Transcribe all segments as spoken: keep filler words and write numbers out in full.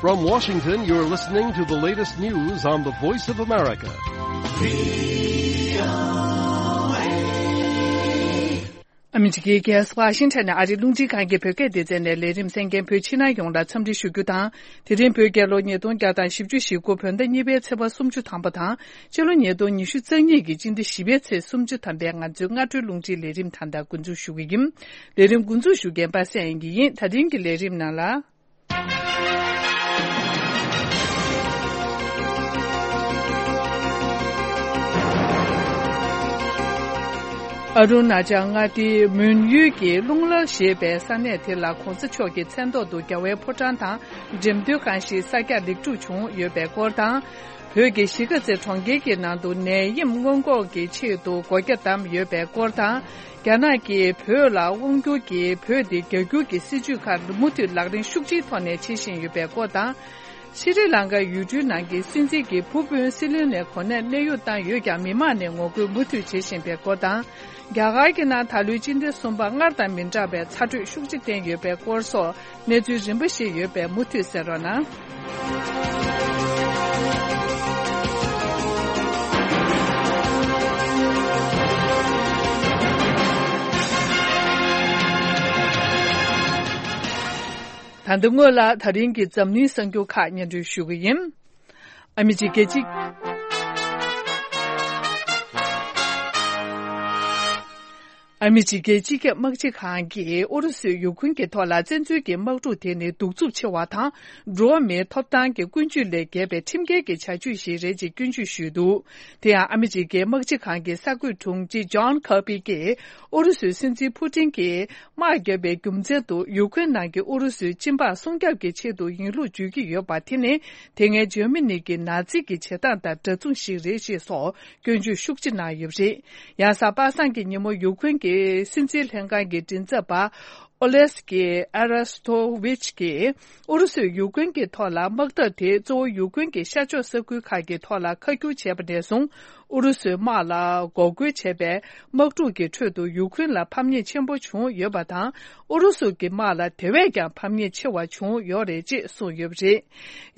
From Washington, you're listening to the latest news on the Voice of America. ཨ་མི་རི་ཀའི་རྒྱལ་ས་ཝ་ཤིང་ཊོན་ནས་ཨ་རིའི་རླུང་འཕྲིན་ཁང་གི་བོད་སྐད་སྡེ་ཚན་ནས་ལས་རིམ་གསན་མཁན་བོད་ཕྱི་ནང་ཡོངས་ལ་འཚམས་འདྲི་ཞུ་རྒྱུ་དང་། དེ་རིང་བོད་རྒྱལ་ལོ་ཉིས་སྟོང་བརྒྱ་དང་བཞི་བཅུ་ཞེ་དགུ་བོད་ཟླ་གཉིས་པའི་ཚེས་པ་སུམ་ཅུ་ཐམ་པ་དང་། ཕྱི་ལོ་ཉིས་སྟོང་ཉི་ཤུ་རྩ་གཉིས་ཀྱི་སྤྱི་ཟླ་བཞི་པའི་ཚེས་སུམ་ཅུ་ཐམ་པའི་ང་ཚོའི་སྔ་དྲོའི་རླུང་འཕྲིན་ལས་རིམ་ད་ལྟ་འགོ་འཛུགས་ཞུ་གི་ཡིན། ལས་རིམ་འགོ་འཛུགས་ཞུ་མཁན་པ་སངས་དབྱངས་སྐྱིད་ཡིན། ད་རིང་གི་ལས་རིམ་ནང་ལ། ཨ་རུ་ན་ཅལ་མངའ་སྡེའི་མོན་ཡུལ་གྱི་རླུང་ལ་ཞེས་པའི་ས་གནས་དེ་ལ་གོང་ས་མཆོག་གི་མཚན་ཐོག་ཏུ་རྒྱལ་བའི་ཕོ་བྲང་དང་འགྲེམས་སྟོན་ཁང་ཞིག་གསར་རྒྱག་ལེགས་གྲུབ་བྱུང་ཡོད་པའི་སྐོར་དང་། བོད་ཀྱི་གཞིས་ཀ་རྩེ་གྲོང་ཁྱེར་གྱི་ནང་དུ་ནད་ཡམས་སྔོན་འགོག་གི་ཆེད་དུ་སྒོ་རྒྱ་བསྡམས་ཡོད་པའི་སྐོར་དང་། རྒྱ་ནག་གིས་བོད་ལ་དབང་བསྒྱུར་གྱིས་བོད་དེ་རྒྱ་སྒྱུར་གྱི་སྲིད་བྱུས་ཁག་མུ་མཐུད་ལག་ལེན་ཤུགས་ཆེའི་ཐོག་ནས་བྱེད་བཞིན་ཡོད་པའི་སྐོར་དང་། ཤྲི་ལང་ཀ་ཡུལ་གྲུའི་ནང་གི་སྲིད་འཛིན་གྱི་ཕུ་བོས་སྲིད་བློན་ནས་གོ་གནས་གནས་དབྱུང་བཏང་ཡོད་ཀྱང་མི་མང་ནས་ངོ་རྒོལ་མུ་མཐུད་བྱེད་བཞིན་པའི་སྐོར་དང་། རྒྱ་གར་གྱི་ནང་ད་ལོའི་སྤྱི་ཟླ་གསུམ་པ་སྔར་དང་མི་འདྲ་བའི་ཚ་དྲོད་ཤུགས་ཆེ་བསྟན་ཡོད་པའི་སྐོར་སོགས་གནས་ཚུལ་རིམ་པ་ཞིག་ཡོད་པས་མུ་མཐུད་གསན་རོགས་གནང་། ད་ལྟ་སྔོན་ལ་ད་རིང་གི་འཛམ་གླིང་གསར་འགྱུར་ཁག་སྙན་སྒྲོན་ཞུ་གི་ཡིན། ཨ་མི་རི་ཀའི་སྤྱི། ཨ་མི་རི་ཀའི་སྤྱི་ཁྱབ་དམག་སྤྱི་ཁང་གིས་ཨུ་རུ་སུས་ཡུ་ཁུན་གྱི་ཐོག་ལ་བཙན་འཛུལ་གྱི་དམག་འཁྲུག་དེ་ནི་གདུག་རྩུབ་ཆེ་བ་དང་། འགྲོ་བ་མིའི་ཐོབ་ཐང་གི་ཀུན་སྤྱོད་ལས་བརྒལ་བའི་ཁྲིམས་འགལ་གྱི་བྱ་སྤྱོད་ཞིག་རེད་ཅེས་སྐྱོན་བརྗོད་ཞུས་འདུག། དེ་ཡང་ཨ་མི་རི་ཀའི་དམག་སྤྱི་ཁང་གི་གསར་འགོད་དྲུང་ཆེ་ཇོན་ཁར་པི་ཀྱིས་ཨུ་རུ་སུའི་སྲིད་འཛིན་ཕུ་ཏིན་གྱིས། དམག་བརྒྱབ་པའི་རྒྱུ་མཚན་དུ་ཡུ་ཁུན་ནང་གི་ཨུ་རུ་སུའི་སྤྱི་འབངས་སྲུང་སྐྱོབ་ཀྱི་ཆེད་དུ་ཡིན་ལུགས་བརྗོད་ཀྱི་ཡོད་པ་དེ་ནི་དེ་སྔའི་འཇར་མ་ནི་གི་ནཱ་ཛི་གི་བྱེད་སྟངས་དང་འདྲ་མཚུངས་ཤིག་རེད་ཅེས་སོགས་སྐྱོན་བརྗོད་ཤུགས་ཆེ་གནང་ཡོད་པ་རེད། ཡང་གཟའ་པ་སངས་ཀྱི་ཉིན་མོ་ཡུ་ཁུན་གྱི་སྲིད་འཛིན་ལྷན་ཁང་གི་མགྲིན་ཚབ་པ་ཨོ་ལེ་སི་ཀི་ཨ་ར་སྟོ་ཝིཆ་གིས་ཨུ་རུ་སུས་ཡུ་ཁུན་གྱི་ཐོག་ལ་དམག་འཐབ་དེ་གཙོ་བོ་ཡུ་ཁུན་གྱི་ཤར་ཕྱོགས་ས་ཁུལ་ཁག་གི་ཐོག་ལ་ཁ་སྒྱུར་བྱས་པ་ནས་བཟུང་། ཨུ་རུ་སུའི་དམག་ལ་འགོག་རྒོལ་བྱས་པའི་དམག་འཁྲུག་གི་ཁྲོད་དུ་ཡུ་ཁུན་ལ་ཕམ་ཉེས་ཆེན་པོ་བྱུང་ཡོད་པ་དང་། ཨུ་རུ་སུ་གི་དམག་ལ་དེ་བས་ཀྱང་ཕམ་ཉེས་ཆེ་བ་བྱུང་ཡོད་རེད་ཅེས་གསུངས་ཡོད་པ་རེད།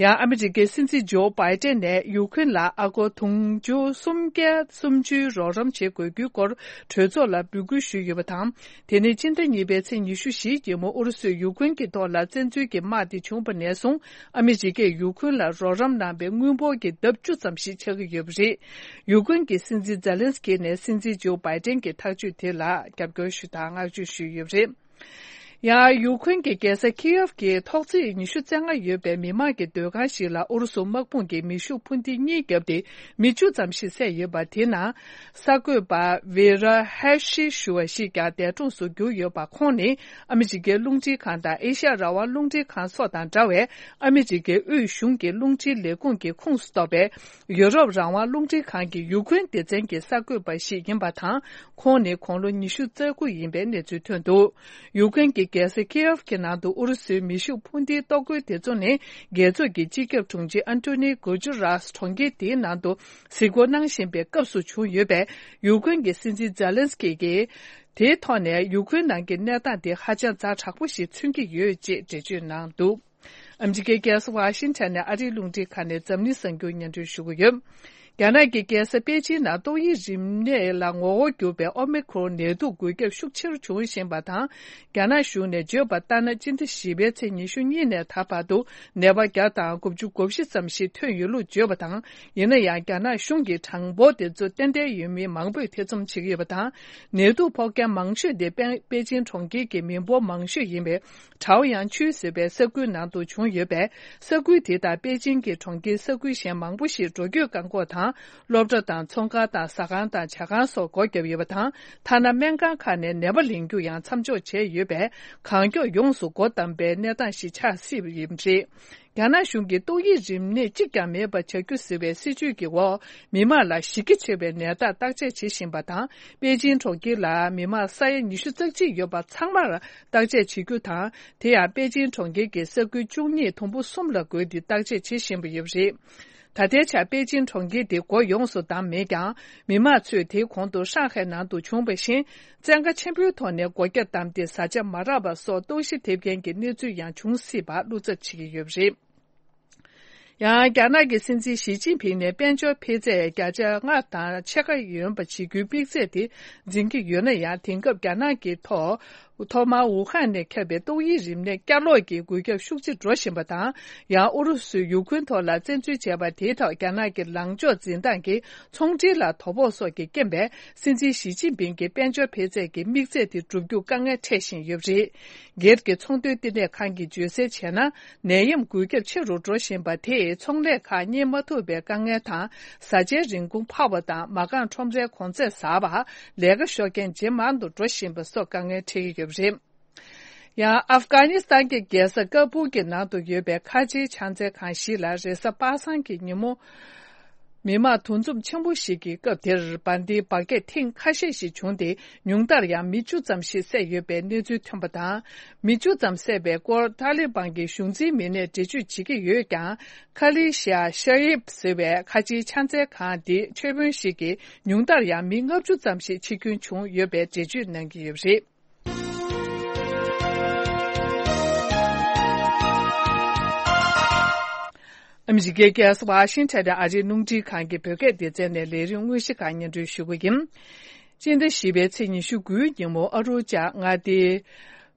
ཡང་ཨ་མི་རི་ཀའི་སྲིད་འཛིན་ཇོ་བྷའི་ཏན་ནས་ཡུ་ཁུན་ལ་ཨ་སྒོར་དུང་ཕྱུར་སུམ་བརྒྱ་སུམ་ཅུའི་རོགས་རམ་བྱེད་དགོས་རྒྱུའི་སྐོར་གྲོས་ཚོགས་ལ་འབོད་སྐུལ་ཞུས་ཡོད་པ་དང་། དེ་ནི་སྤྱི་ཟླ་གཉིས་པའི་ཚེས་ཉི་ཤུ་བཞིའི་ཉིན་མོ་ཨུ་རུ་སུས་ཡུ་ཁུན་གྱི་ཐོག་ལ་བཙན་འཛུལ་གྱི་དམག་དེ་བྱུང་བ་ནས་བཟུང་། ཨ་མི་རི་ཀས་ཡུ་ཁུན་ལ་རོགས་རམ་གནང་བའི་དངུལ་འབོར་གྱི་ལྡབ་བཅུ་ཙམ་ཞིག་ཆགས་ཀྱི་ཡོད་པ་རེད། ཡུ་ཁུན་གྱི་སྲིད་འཛིན་ཛེ་ལན་སི་ཀི་ནས་སྲིད་འཛིན་ཇོ་བྷའི་ཏན་གྱི་ཐག་གཅོད་དེ་ལ་རྒྱབ་སྐྱོར་ཞུ་དང་བསྔགས་བརྗོད་ཞུས་ཡོད་པ་རེད། ཡང་ཡུ་ཁུན་གྱི་རྒྱལ་ས་ཁི་ཡེབ་ཀྱི་ཐོག་བརྩེགས་ཉི་ཤུ་རྩ་ལྔ་ཡོད་པའི་མི་མང་གི་སྡོད་ཁང་ཞིག་ལ་ཨུ་རུ་སུ་དམག་དཔུང་གིས་མེ་ཤུགས་འཕུར་མདེལ་གཉིས་བརྒྱབ་སྟེ་མི་བཅུ་ཙམ་ཞིག་བསད་ཡོད་པ་དེ་ནང་། གསར་འགོད་པ་ཝེ་ར་ཧེ་ཤི་ཞུ་བ་ཞིག་ཀྱང་འདས་གྲོངས་སུ་གྱུར་ཡོད་པ། ཁོང་ནི་ཨ་མི་རི་ཀའི་རླུང་འཕྲིན་ཁང་དང་ཨེ་ཤ་ཡ་རང་དབང་རླུང་འཕྲིན་ཁང་སོགས་དང་འདྲ་བའི་ཨ་མི་རི་ཀའི་དབུས་གཞུང་གི་རླུང་འཕྲིན་ལས་ཁུངས་ཀྱི་ཁོངས་སུ་གཏོགས་པའི་ཡུ་རོབ་རང་དབང་རླུང་འཕྲིན་ཁང་གི་ཡུ་ཁུན་སྡེ་ཚན་གྱི་གསར་འགོད་པ་ཞིག་ཡིན་པ་དང་། ཁོང་ནི་དགུང་ལོ་ཉི་ཤུ་རྩ་དགུ་ཡིན་པའི་གནས་ཚུལ་ཐོན་འདུག། ཡུ་ཁུན་གྱི་རྒྱལ་ས་ཁི་ཡེབ་ཀྱི་ནང་དུ་ཨུ་རུ་སུའི་མེ་ཤུགས་འཕུར་མདེལ་གཏོར་རྒོལ་དེ་ཚོ་ནི་རྒྱལ་ཚོགས་ཀྱི་སྤྱི་ཁྱབ་དྲུང་ཆེ་ཨན་ཏོ་ནི་གུ་ཇུ་རཱས་གྲོང་ཁྱེར་དེའི་ནང་དུ་གཟིགས་སྐོར་གནང་བཞིན་པའི་སྐབས་སུ་བྱུང་ཡོད་པས། ཡུ་ཁུན་གྱི་སྲིད་འཛིན་ཛེ་ལན་སི་ཀི་གིས་དེའི་ཐོག་ནས་ཡུ་ཁུན་ནང་གི་གནས་སྟངས་དེ་ཧ་ཅང་ཛ་དྲག་པོ་ཞིག་མཚོན་གྱི་ཡོད་ཅེས་འགྲེལ་བརྗོད་གནང་འདུག། ཨ་མི་རི་ཀའི་རྒྱལ་ས་ཝ་ཤིང་ཊོན་ནས་ཨ་རིའི་རླུང་འཕྲིན་ཁང་ནས་འཛམ་གླིང་གསར་འགྱུར་སྙན་སྒྲོན་ཞུ་གི་ཡོད། རྒྱ་ནག་གི་རྒྱལ་ས་པེ་ཅིན་ནང་ཏོག་དབྱིབས་རིམས་ནད་ལ་ངོ་བོ་གྱུར་པའི་ཨོ་མི་ཁྲོན་ནད་དུག་འགོས་ཁྱབ་ཤུགས་ཆེར་བྱུང་བཞིན་པ་དང་། རྒྱ་ནག་གཞུང་ནས་བརྗོད་པ་ལྟར་ན། སྤྱི་ཟླ་བཞི་པའི་ཚེས་ཉི་ཤུ་གཉིས་ནས་ད་བར་དུ་ནད་པ་བརྒྱ་དང་དགུ་བཅུ་གོ་བཞི་ཙམ་ཞིག་ཐོན་ཡོད་ལུགས་བརྗོད་པ་དང་། ཡིན་ན་ཡང་། རྒྱ་ནག་གཞུང་གི་གྲངས་འབོར་དེ་ཚོ་ཏན་ཏན་ཡོད་མིན་མང་པོས་ཐེ་ཚོམ་བྱེད་ཀྱི་ཡོད་པ་དང་། ནད་དུག་ཕོག་མཁན་མང་ཤོས་དེ་པེ་པེ་ཅིན་གྲོང་ཁྱེར་གྱི་མི་འབོར་མང་ཤོས་ཡིན་པའི། ཁྲའོ་ཡང་ཆུས་ཟེར་བའི་ས་ཁུལ་ནང་དུ་བྱུང་ཡོད་པས། ས་ཁུལ་དེ་དང་པེ་ཅིན་གྱི་གྲོང་ཁྱེར་ས་ཁུལ་གཞན་མང་པོ་ཞིག་འགྲོ་སྐྱོད་བཀག་འགོག་དང་། སློབ་གྲྭ་དང་། ཚོང་ཁང་དང་། ཟ་ཁང་དང་། ཇ་ཁང་སོགས་སྒོ་བརྒྱབ་ཡོད་པ་དང་། ཐ་ན་སྨན་ཁང་ཁག་ནས་ནད་པ་ལེན་རྒྱུ་ཡང་མཚམས་འཇོག་བྱས་ཡོད་པས། གང་མགྱོགས་ཡོངས་སུ་སྒོ་བསྡམས་པའི་གནས་སྟངས་ཤིག་ཆགས་སྲིད་པ་ཡིན་པ་རེད། རྒྱ་ནག་གཞུང་གིས་ཏོག་དབྱིབས་རིམས་ནད་གཅིག་ཀྱང་མེད་པ་བྱ་རྒྱུ་ཟེར་བའི་སྲིད་ཇུས་ཀྱི་འོག་མི་དམངས་ལ་གཞི་རྒྱ་ཆེ་བའི་ནད་རྟགས་བརྟག་དཔྱད་བྱེད་བཞིན་པ་དང་། པེ་ཅིན་གྲོང་ཁྱེར་ལ་མི་དམངས་ས་ཡ་ཉི་ཤུ་རྩ་གཅིག་ཡོད་པ་ཚང་མར་བརྟག་དཔྱད་བྱེད་རྒྱུ་དང་། དེ་ཡང་པེ་ཅིན་གྲོང་ཁྱེར་གྱི་ས་ཁུལ་བཅུ་གཉིས་དུམ་བུ་གསུམ་ལ་བགོས་ཏེ་བརྟག་དཔྱད་བྱེད་བཞིན་པ་ཡོད་པ་རེད། ད་ལྟའི་ཆར་པེ་ཅིན་གྲོང་ཁྱེར་དེ་སྒོ་ཡོངས་སུ་བསྡམས་མེད་ཀྱང་། མི་དམངས་ཚོས་དེའི་གོང་དུ་ཧྲང་ཧའེ་ནང་དུ་བྱུང་བ་བཞིན། བཙན་བཀའ་ཆེན་པོའི་ཐོག་ནས་སྒོ་རྒྱ་བསྡམས་ཏེ། བཟའ་བཅའ་མ་རག་པ་སོགས་ལྟོགས་ཤི་ཐེབས་མཁན་གྱི་གནས་ཚུལ་ཡང་འབྱུང་སྲིད་པར་བློ་འཚབ་བྱེད་ཀྱི་ཡོད་པ་རེད། ཡང་རྒྱ་ནག་གི་སྲིད་འཛིན་ཞི་ཅིན་ཕིང་ནས་དཔལ་འབྱོར་འཕེལ་ཚད་བརྒྱ་ཆ་ལྔ་དང་ཕྱེད་ཀ་ཡོད་པ་བྱེད་རྒྱུའི་དམིགས་ཚད་དེ་འཛིན་གྱི་ཡོད་ན་ཡང་། དེང་སྐབས་རྒྱ་ནག་གི་ཐོག་ཐོག་མར་ཝུ་ཧན་ནས་ཁྱབ་པའི་ཏོག་དབྱིབས་རིམས་ནད་བསྐྱར་ལོག་གི་འགོས་ཁྱབ་ཤུགས་ཆེ་འགྲོ་བཞིན་པ་དང་། ཡང་ཨུ་རུ་སུས་ཡུ་ཁུན་ཐོག་ལ་བཙན་འཛུལ་བྱས་པ་དེའི་ཐོག་རྒྱ་ནག་གི་ལངས་ཕྱོགས་འཛིན་སྟངས་ཀྱིས་ཚོང་འབྲེལ་ལ་དོ་ཕོག་སོགས་ཀྱི་རྐྱེན་པས། སྲིད་འཛིན་ཞི་ཅིན་ཕིང་གི་དཔལ་འབྱོར་འཕེལ་ཚད་ཀྱི་དམིགས་ཚད་དེ་བསྒྲུབ་རྒྱུ་དཀའ་ངལ་འཕྲད་བཞིན་ཡོད་པ་རེད། སྒེར་གྱི་ཚོང་དོན་བསྟི་གནས་ཁང་གིས་བརྗོད་གསལ་བྱས་ན། ནད་ཡམས་འགོས་ཁྱབ་ཆེ་རུ་འགྲོ་བཞིན་པ་དེས་ཚོང་ལས་ཁག་གཉེར་མ་ཐུབ་པའི་དཀའ་ངལ་དང་། བཟའ་བཅའི་རིན་གོང་འཕར་བ་དང་། མ་རྐང་ཁྲོམ་རའི་གོང་ཚད་ཟགས་པ། ལས་ཀ་ཤོར་མཁན་ཇེ་མང་དུ་འགྲོ་བཞིན་པ་སོགས་དཀའ་ངལ་འཕྲད་ཀྱི་ཡོད་པ་རེད། ཡང་ཨབ་གྷ་ནི་སི་ཐན་གྱི་རྒྱལ་ས་ཀ་བུལ་གྱི་ནང་དུ་ཡོད་པའི་ཁ་ཆེའི་ཕྱག་འཚལ་ཁང་ཞིག་ལ་རེས་གཟའ་པ་སངས་ཀྱི་ཉིན་མོ། མི་མང་འདུ་འཛོམས་ཆེན་པོ་ཞིག་གི་སྐབས་དེར། འབར་མདེལ་འབར་གས་ཐེངས་ཁ་ཤས་ཤིག་བྱུང་སྟེ། ཉུང་མཐར་ཡང་མི་བཅུ་ཙམ་ཞིག་བསད་ཡོད་པའི་གནས་ཚུལ་ཐོན་པ་དང་། མི་བཅུ་ཙམ་བསད་པའི་སྐོར་ཏཱ་ལི་བན་གྱི་གཞུང་འཛིན་མི་སྣས་འགྲེལ་བརྗོད་བྱེད་ཀྱི་ཡོད་ཀྱང་། ཁ་ལི་ཤ་ཤ་ཡིབ་ཟེར་བའི་ཁ་ཆེའི་ཕྱག་འཚལ་ཁང་དེའི་མཆོད་དཔོན་ཞིག་གིས། ཉུང་མཐར་ཡང་མི་ལྔ་བཅུ་ཙམ་ཞིག་འཆི་སྐྱོན་བྱུང་ཡོད་པའི་འགྲེལ་བརྗོད་གནང་གི་ཡོད་པ་རེད། ཨ་མི་རི་ཀའི་རྒྱལ་ས་ཝ་ཤིང་ཊོན་ཨ་རིའི་རླུང་འཕྲིན་ཁང་གི་བོད་སྐད་སྡེ་ཚན་ནས་ལས་རིམ་དངོས་གཞི་ཁག་སྙན་སྒྲོན་ཞུ་གི་ཡིན། སྤྱི་ཟླ་བཞི་པའི་ཚེས་ཉི་ཤུ་དགུའི་ཉིན་མོ་ཨ་རུ་ཅཱ་མངའ་སྡེའི་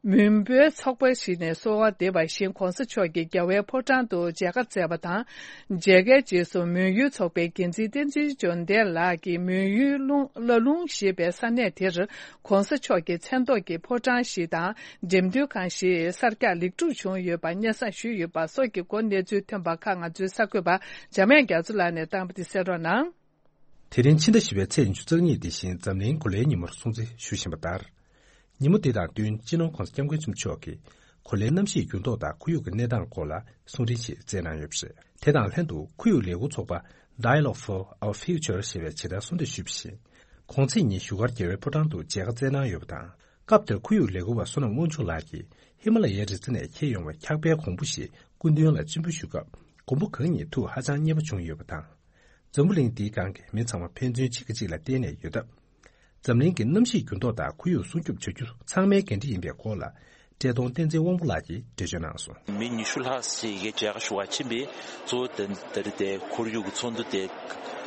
མོན་བོད་ཚོགས་པ་ཞིག་ནས་གསོལ་བ་འདེབས་པ་བཞིན། ྋགོང་ས་མཆོག་གིས་རྒྱལ་བའི་ཕོ་བྲང་དུ་མཇལ་ཁ་བསྩལ་བ་དང་། མཇལ་ཁའི་རྗེས་སུ་མོན་ཡུལ་ཚོགས་པའི་འགན་འཛིན་བསྟན་འཛིན་འབྱོར་ལྡན་ལགས་ཀྱིས་མོན་ཡུལ་ལུང་བླ་ལུང་ཞེས་པའི་ས་གནས་དེར་ྋགོང་ས་མཆོག་གི་མཚན་ཐོག་གི་ཕོ་བྲང་ཞིག་དང་། འགྲེམས་སྟོན་ཁང་ཞིག་གསར་རྒྱག་ལེགས་གྲུབ་བྱུང་ཡོད་པ་སྙན་སེང་ཞུས་ཡོད་པ་སོགས་ཀྱི་སྐོར་གནས་ཚུལ་ཐོན་པ་ཁག་ང་ཚོའི་གསར་འགོད་པ་འཇམ་དབྱངས་རྒྱ་མཚོ་ལགས་ནས་བཏང་བ་དེ་གསན་རོགས་གནང་། དེ་རིང་ཕྱི་ཟླ་བཞི་པའི་ཚེས་ཉི་ཤུ་རྩ་གཉིས་འདི་བཞིན་འཛམ་གླིང་གོ་ལའི་ཉིན་མོར་སྲུང་བརྩི་ཞུ་བཞིན་པ་ལྟར། ཉིན་མོ་འདི་དང་བསྟུན་སྤྱི་ནོར་༧གོང་ས་༧སྐྱབས་མགོན་ཆེན་པོ་མཆོག་གིས་གོ་ལའི་གནམ་གཤིས་འགྱུར་ལྡོག་དང་ཁོར་ཡུག་གི་གནས་སྟངས་སྐོར་ལ་གསུང་འཕྲིན་ཞིག་སྩལ་གནང་ཡོད་པ་རེད། དེ་དང་ལྷན་དུ་ཁོར་ཡུག་ལས་འགུལ་ཚོགས་པ་Dialogue for Our Future ཞེས་པས་ཇི་ལྟར་གསུང་བཤད་ཞུས་པ་བཞིན། གོང་ཚེས་ཉིན་བཞུགས་སྒར་རྒྱལ་བའི་ཕོ་བྲང་དུ་མཇལ་ཁ་བསྩལ་གནང་ཡོད་པ་དང་། སྐབས་དེར་ཁོར་ཡུག་ལས་འགུལ་བ་བསོད་ནམས་དབང་ཕྱུག་ལགས་ཀྱིས་ཧི་མ་ལ་ཡའི་རི་རྩེ་ནས་འཁྱེར་ཡོང་བའི་འཁྱག་པའི་གོང་བུ་ཞིག་སྐུ་མདུན་ལ་སྤྱན་འབུལ་ཞུ་སྐབས། གོང་བུ་གང་ཉིད་ཐུགས་ཧ་ཅང་མཉེས་པོ་བྱུང་ཡོད་པ་དང་། འཛམ་བུ་གླིང་འདིའི་སྒང་གི་མི་ཚང་མ་ཕན་ཚུན་གཅིག་གིས་གཅིག་ལ་བརྟེན་ནས་ཡོད་སྟབས། འཛམ་གླིང་གི་གནམ་གཤིས་འགྱུར་ལྡོག་དང་ཁོར་ཡུག་སྲུང་སྐྱོབ་བྱ་རྒྱུ་ཚང་མའི་འགན་འཁྲི་ཡིན་པའི་སྐོར་ལ། བཀྲས་མཐོང་བསྟན་འཛིན་དབང་པོ་ལགས་ཀྱིས་འགྲེལ་བརྗོད་གནང་སོང་། མི་ཉི་ཤུ་ལྷག་ཞིག་གིས་མཇལ་ཁ་ཞུ་བར་ཕྱིན་པས། གཙོ་བོ་དེ་དེ་རིང་དེ་ཁོར་ཡུག་གི་ཚོགས་འདུ་དེ་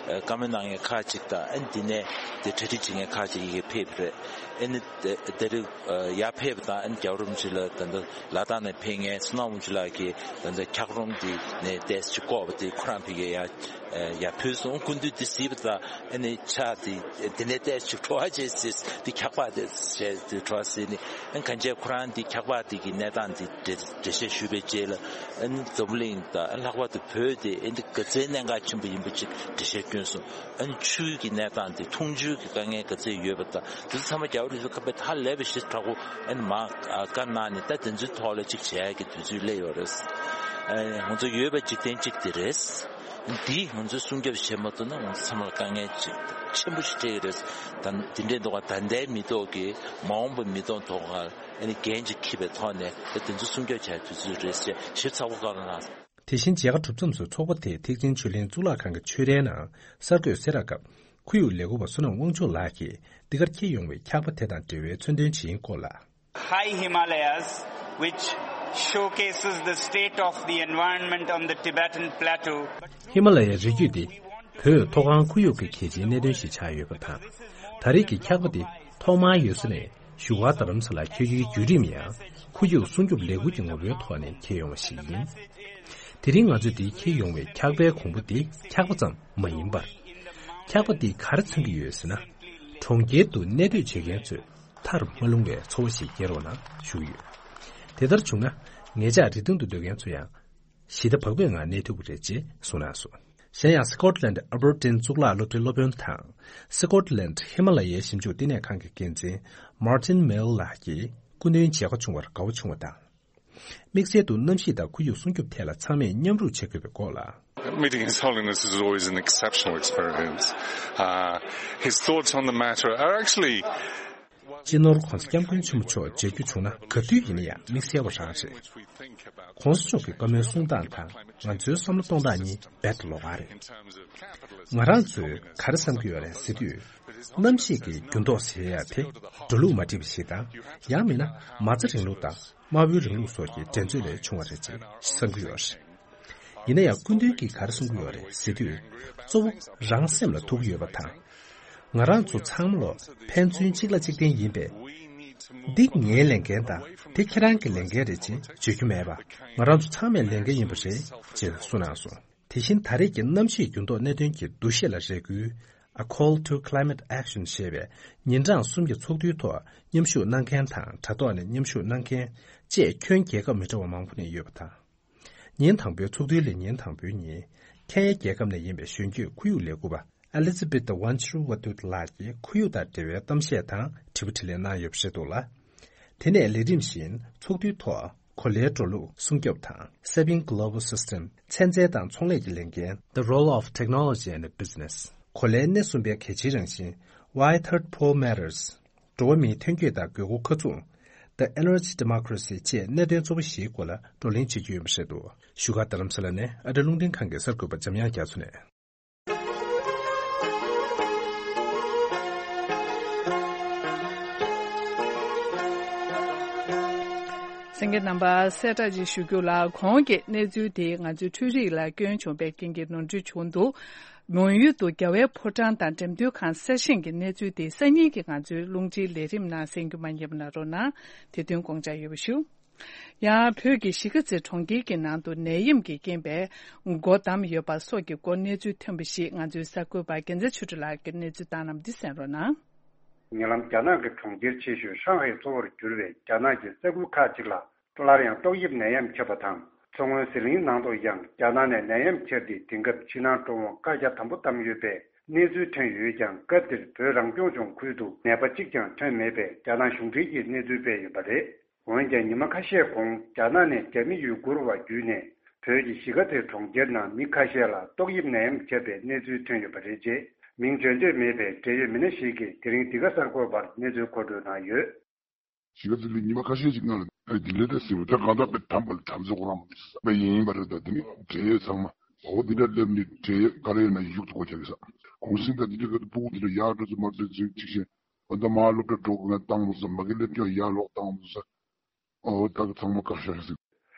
བཀའ་མོལ་གནང་མཁན་ཁག་ཅིག་དང་། ཨ་ནི་དེ་ནས་དེ་གྲ་སྒྲིག་བྱེད་མཁན་ཁག་ཅིག་ཡི་གེ་ཕེབས་པ་རེད། ཨ་ནི་དེ་དེ་རིང་ཡར་ཕེབས་པ་དང་། ཨ་ནི་རྒྱལ་བ་རིན་པོ་ཆེ་ལ་ད་ལྟ་ལ་དྭགས་ནས་ཕེབས་མཁན་བསོད་ནམས་དབང་ཕྱུག་ལགས་ཀྱིས་ད་ལྟ་འཁྱགས་རོམ་དེ་ནས་ཏོག་ཙམ་བསྐོར་བ་དེ་ཁོ་རང་ཕ་གིར་ཡར་ཡར་ཕུལ་སོང་། སྐུ་མདུན་དེ་གཟིགས་པ་དང་། ཨ་ནི་ཕྱག་དེ་དེ་ནས་ཏོག་ཙམ་བྲོ་བ་བྱས་ཟེར། དེ་འཁྱག་པ་དེ་བྱས་དེ་བྲོ་བ་ཟེར་ནས། ཨ་ནི་གང་བྱས་ཁོ་རང་དེ་འཁྱག་པ་དེ་གི་གནས་སྟངས་དེ་འགྲེལ་འགྲེལ་བཤད་ཞུས་པའི་རྗེས་ལ། ཨ་ནི་འཛམ་བུ་གླིང་དང་། ཨ་ནི་ལྷག་པར་དུ་བོད་དེ་ཨ་ནི་ག་ཚད་གནད་འགག་ཆེན་པོ་ཡིན་པ་ཅིག་འགྲེལ་བཤད་བསྐྱོན་སོང་། ཨ་ནི་ཆུའི་གི་གནས་སྟངས་དེ། འཐུང་ཆུའི་གི་དཀའ་ངལ་ག་ཚད་ཡོད་པ་དང་། དེ་ཚོ་ཚང་མ་རྒྱལ་བ་རིན་པོ་ཆེ་ཁ་པར་ཧ་ལས་པ་ཞིག་དྲག་པོ་ཨ་ནི་མར་བཀའ་གནང་ནས། ད་དེ་ཚོའི་ཐོག་ལ་ཅིག་བྱེད་ཡག་གི་དུས་ཚོད་སླེབས་ཡོད་རེད། ཨ་ང་ཚོ་ཡོད་པ་འཇིག་རྟེན་གཅིག་དེ་རེད། འདི་ང་ཚོས་སྲུང་སྐྱོབ་བྱེད་མ་ཐུབ་ན། ང་ཚོ་ཚང་མར་དཀའ་ངལ་ཅིག་ཆེན་པོ་ཞིག་འཕྲད་ཀྱི་རེད། ད་དེ་འདྲའི་འདུག་ག་ད་ལྟའི་མི་ཐོག་གི་མ་འོངས་པའི་མི་ཐོག་ཐོག་ཁར་ཨ་ནི་འགན་ཅིག་འཁྱེར་བའི་ཐོག་ནས། ད་དེ་ཚོ་སྲུང་སྐྱོབ་བྱ་དུས་ཚོད་རེད་ཅེས་ཞིབ་ཚགས་པོ་བཀའ་གནང་། དེ་བཞིན་མཇལ་ཁ་གྲུབ་མཚམས་སུ་ཚོགས་པ་དེའི་ཐེག་ཆེན་ཆོས་གླིང་གཙུག་ལག་ཁང་གི་ཆོས་རའི་ནང་གསར་འགོད་གསལ་བསྒྲགས་སྐབས། ཁོར་ཡུག་ལས་འགུལ་བ་བསོད་ནམས་དབང་ཕྱུག་ལགས་ཀྱིས་འདི་གར་འཁྱེར་ཡོང་བའི་འཁྱག་པ་དེ་དང་འབྲེལ་བའི་མཚོན་དོན་ཇི་ཡིན་སྐོར་ལ། High Himalayas, which showcases the state of the environment on the Tibetan plateau. ཧི་མ་ལ་ཡའི་རི་རྒྱུད་འདི་བོད་མཐོ་སྒང་ཁོར་ཡུག་གི་གལ་ཆེའི་གནད་དོན་ཞིག་ཆགས་ཡོད་པ་དང་། ད་རེས་ཀྱི་འཁྱག་པ་འདི་ཐོག་མར་ཡུལ་ས་ནས་བཞུགས་སྒར་རྡ་རམ་ས་ལར་འཁྱེར་རྒྱུའི་བརྒྱུད་རིམ་ཡང་། ཁོར་ཡུག་སྲུང་སྐྱོབ་ལས་འགུལ་གྱི་ངོ་བོའི་ཐོག་ནས་འཁྱེར་ཡོང་བ་ཞིག་ཡིན། དེ་རིང་ང་ཚོས་འདིར་འཁྱེར་ཡོང་བའི་འཁྱག་པའི་གོང་བུ་འདི་འཁྱག་པ་ཙམ་མ་ཡིན་པར། འཁྱག་པ་འདིས་ག་རེ་མཚོན་གྱི་ཡོད་ཟེར་ན། གྲོང་ཁྱེར་དུ་གནས་སྡོད་བྱེད་མཁན་ཚོས་མཐར་མ་ལྷུང་བའི་འཚོ་བ་ཞིག་སྐྱེལ་རོགས་གནང་ཞུ་གི་ཡོད། དེ་ལྟར་བྱུང་ན། ངེད་ཅག་རི་སྟེང་དུ་སྡོད་མཁན་ཚོ་ཡང་ཞི་བདེ་བག་ཕེབས་ངང་གནས་ཐུབ་ཀྱི་རེད་ཅེས་གསུངས་གནང་སོང་། གཞན་ཡང་། སི་ཀོཊ་ལན་ཨལ་བར་ཏིན་གཙུག་ལག་སློབ་གྲྭའི་སློབ་དཔོན་དང་། སི་ཀོཊ་ལན་ཧི་མ་ལ་ཡའི་ཞིབ་འཇུག་བསྟི་གནས་ཁང་གི་འགན་འཛིན་མར་ཏིན་མེལ་ལགས་ཀྱིས། སྐུ་མདུན་མཇལ་ཁ་བྱུང་བར་དགའ་བོ་བྱུང་བ་དང་། དམིགས་བསལ་དུ་གནམ་གཤིས་དང་ཁོར་ཡུག་སྲུང་སྐྱོབ་ཐད་ལ་ཚང་མས་མཉམ་རུབ་བྱེད་དགོས་པའི་སྐོར་ལ། Meeting His Holiness is always an exceptional experience. Uh, his thoughts on the matter are actually སྤྱི་ནོར་༧གོང་ས་༧སྐྱབས་མགོན་ཆེན་པོ་མཆོག་མཇལ་རྒྱུ་བྱུང་ན། ག་དུས་ཡིན་ན་ཡང་དམིགས་བསལ་བ་རང་རེད། ༧གོང་ས་མཆོག་གི་བཀའ་མོལ་གསུང་སྟངས་དང་ང་ཚོའི་བསམ་བློ་གཏོང་སྟངས་གཉིས་རྦད་དེ་ལོགས་ཀ་རེད། ང་རང་ཚོས་ག་རེ་བསམ་གྱི་ཡོད་རེད་ཟེར་དུས། གནམ་གཤིས་ཀྱི་འགྱུར་ལྡོག་ཟེར་ཡ་དེ་འགྲོ་ལུགས་མ་འགྲིག་པ་ཞིག་དང་། ཡང་མིན་ན་མ་རྩ་རིང་ལུགས་དང་དམར་པོའི་རིང་ལུགས་སོགས་ཀྱི་འགྲན་རྩོད་ལས་བྱུང་བ་རེད་ཅེས་བསམ་གྱི་ཡོད་རེད། ཡིན་ན་ཡང་སྐུ་མདུན་གྱིས་ག་རེ་གསུང་གི་ཡོད་རེད་ཟེར་དུས། གཙོ་བོ་རང་སེམས་ལ་ཐུག་ཡོད་པ་དང་། ང་རང་ཚོ་ཚང་མ་ལོ་ཕན་ཚུན་གཅིག་ལ་གཅིག་བརྟེན་ཡིན་པས། འདི་ངའི་ལས་འགན་དང་དེ་ཁྱེད་རང་གི་ལས་འགན་རེད་ཅེས་བརྗོད་རྒྱུ་མེད་པ། ང་རང་ཚོ་ཚང་མའི་ལས་འགན་ཡིན་པ་རེད་ཅེས་གསུངས་གནང་སོང་། དེ་བཞིན་ད་རེས་ཀྱི་གནམ་གཤིས་འགྱུར་ལྡོག་གནད་དོན་གྱི་འདུ་ཤེས་ལ་རེ་སྐུལ། A Call to Climate Action ཞེས་པའི་ཉིན་གྲངས་གསུམ་གྱི་ཚོགས་འདུའི་ཐོག་མཉམ་ཞུགས་གནང་མཁན་དང་དྲ་ཐོག་ནས་མཉམ་ཞུགས་གནང་མཁན་བཅས་ཁྱོན་རྒྱལ་ཁབ་མི་འདྲ་བ་མང་པོ་ནས་ཡོད་པ་དང་། ཉིན་དང་པོའི་ཚོགས་འདུའི་ལས་ཉིན་དང་པོའི་ཉིན། ཁེན་ཡ་རྒྱལ་ཁབ་ནས་ཡིན་པའི་གཞོན་སྐྱེས་ཁོར་ཡུག་ལས་འགུལ་བ་ཨེ་ལི་ཛི་བེད་ཝན་ཆུ་ཝ་ཏུད་ལགས་ཀྱིས་ཁོར་ཡུག་དང་འབྲེལ་བའི་གཏམ་བཤད་དང་དྲི་བ་དྲིས་ལན་གནང་ཡོད་པ་རེད་འདུག་ལ། དེ་ནས་ལས་རིམ་བཞིན་ཚོགས་འདུའི་ཐོག་གོ་ལའི་འགྲོ་ལུགས་སྲུང་སྐྱོབ་དང་Saving Global System ཚན་རྩལ་དང་ཚོང་ལས་ཀྱི་ལས་འགན་The Role of Technology and Business གོ་ལའི་སྣེ་གསུམ་པའི་གལ་ཆེའི་རང་བཞིན། Why Third Pole Matters འགྲོ་བ་མིའི་ཐོན་སྐྱེད་དང་དགོས་མཁོ་ཁ་མཚུངས། The Energy Democracy བཅས་གནད་དོན་གཙོ་བོ་བཞིའི་སྐོར་ལ་བགྲོ་གླེང་བྱེད་རྒྱུ་ཡིན་པ་རེད་འདུག་བཞུགས་སྒར་རྡ་རམ་ས་ལ་ནས་ཨ་རི་རླུང་འཕྲིན་ཁང་གི་གསར་འགོད་པ་འཇམ་དབྱངས་རྒྱ་མཚོ་ནས། གསན་མཁན་རྣམ་པ་གསལ་བསྒྲགས་ཅིག་ཞུ་རྒྱུ་ལ། གོང་གི་གནས་ཚུལ་དེ་ང་ཚོའི་འཕྲུལ་རིག་ལ་སྐྱོན་བྱུང་བའི་རྐྱེན་གྱིས་ནོར་འཁྲུལ་བྱུང་འདུག་མོན་ཡུལ་དུ་རྒྱལ་བའི་ཕོ་བྲང་དང་འགྲེམས་སྟོན་ཁང་གསར་བཞེངས་ཀྱི་གནས་ཚུལ་དེ་སང་ཉིན་གྱི་ང་ཚོའི་རླུང་འཕྲིན་ལས་རིམ་ནང་གསན་རྒྱུ་མ་བསྙེལ་བ་གནང་རོགས་གནང་། དེ་དོན་དགོངས་འཇགས་ཡོད་པ་ཞུ། ཡང་བོད་ཀྱི་གཞིས་ཀ་རྩེ་གྲོང་ཁྱེར་གྱི་ནང་དུ་ནད་ཡམས་ཀྱི་རྐྱེན་པས་སྒོ་བསྡམས་ཡོད་པ་སོགས་ཀྱི་སྐོར་གནས་ཚུལ་ཐོན་པ་ཞིག་ང་ཚོའི་གསར་འགོད་པ་རྒྱལ་མཚན་ཆོས་སྒྲོན་ལགས་ཀྱིས་གནས་ཚུལ་བཏང་གནང་བ་འདི་གསན་རོགས་གནང་། ཉེ་ལམ་རྒྱ་ནག་གི་གྲོང་ཁྱེར་ཆེ་ཤོས་ཧྲང་ཧའེ་གཙོ་བོར་གྱུར་བའི་རྒྱ་ནག་གི་ས་ཁུལ་ཁག་ཅིག་ལ་སླར་ཡང་ཏོག་དབྱིབས་ནད་ཡམས་ཁྱབ་པ་དང་། མཚོ་སྔོན་ཟི་ལིང་ནང་དུ་ཡང་རྒྱ་ནག་ནས་ནད་ཡམས་ཁྱབ་སྟེ། དེང་སྐབས་ཕྱི་ནང་འགྲོ་འོང་བཀག་རྒྱ་དམ་པོ་བཏང་ཡོད་པའི་གནས་ཚུལ་ཐོན་ཡོད་ཀྱང་། སྐབས་འདིར་བོད་རང་སྐྱོང་ལྗོངས་ཁུལ་དུ་ནད་པ་གཅིག་ཀྱང་ཐོན་མེད་པའི་རྒྱ་ནག་གཞུང་འབྲེལ་གྱི་གནས་ཚུལ་སྤེལ་ཡོད་པ་རེད། འོན་ཀྱང་ཉི་མ་ཁ་ཤས་གོང་རྒྱ་ནག་ནས་རྒྱ་མི་ཡུ་གུར་བ་བརྒྱུད་ནས་བོད་ཀྱི་གཞིས་ཀ་རྩེ་གྲོང་ཁྱེར་ནང་མི་ཁ་ཤས་ལ་ཏོག་དབྱིབས་ནད་ཡམས་ཁྱབ་པའི་གནས་ཚུལ་ཐོན་ཡོད་པ་རེད། ཅེས་མིང་བརྗོད་འདོད་མེད་པའི་འབྲེལ་ཡོད་མི་སྣ་ཞིག་གིས་དེ་རིང་འདི་ག་གསར་འགོད་པར་གནས་ཚུལ་མཁོ་སྤྲོད་གནང་ཡོད། གཞིས་ཀ་རྩེ་ལ་ཉི་མ་ཁ་ཤས་ཤིག་ནང་ལ་ཨ་འདི་ལས་ད་ཟེར་བ་ད་གང་ལྟར་པའི་དམ་པ་ལ་དམ་ཚིག་ཁོ་རང་མ་མི་ས་པ་ཡིན་པ་རེད། ད་འདི་ནི་འབྲེལ་ཡོད་ཚང་མ་འོ་འདི་འདྲ་སླེབས་ནི་འབྲེལ་ཡོད་ག་རེ་ཡོད་ན་ཡུག་ཏུ་གོ་ཆ་གི་ས་གུང་སེང་ད་འདི་འདྲ་ག་དུ་སྤུ་གུ་འདི་འདྲ་ཡག་འགྲོ་ཚོ་མ་འགྲོ་ཚོ་ཅིག་བཞིན། འོ་ད་མ་སློབ་གྲྭ་འགྲོ་དགོས་ན་བཏང་མ་སོང་། མ་གི་སླེབས་སྐྱོང་ཡར་ལོག་བཏང་མ་སོང་། འོ་ད་གི་ཚང་མ་བཀག་ཤག་ཟིག་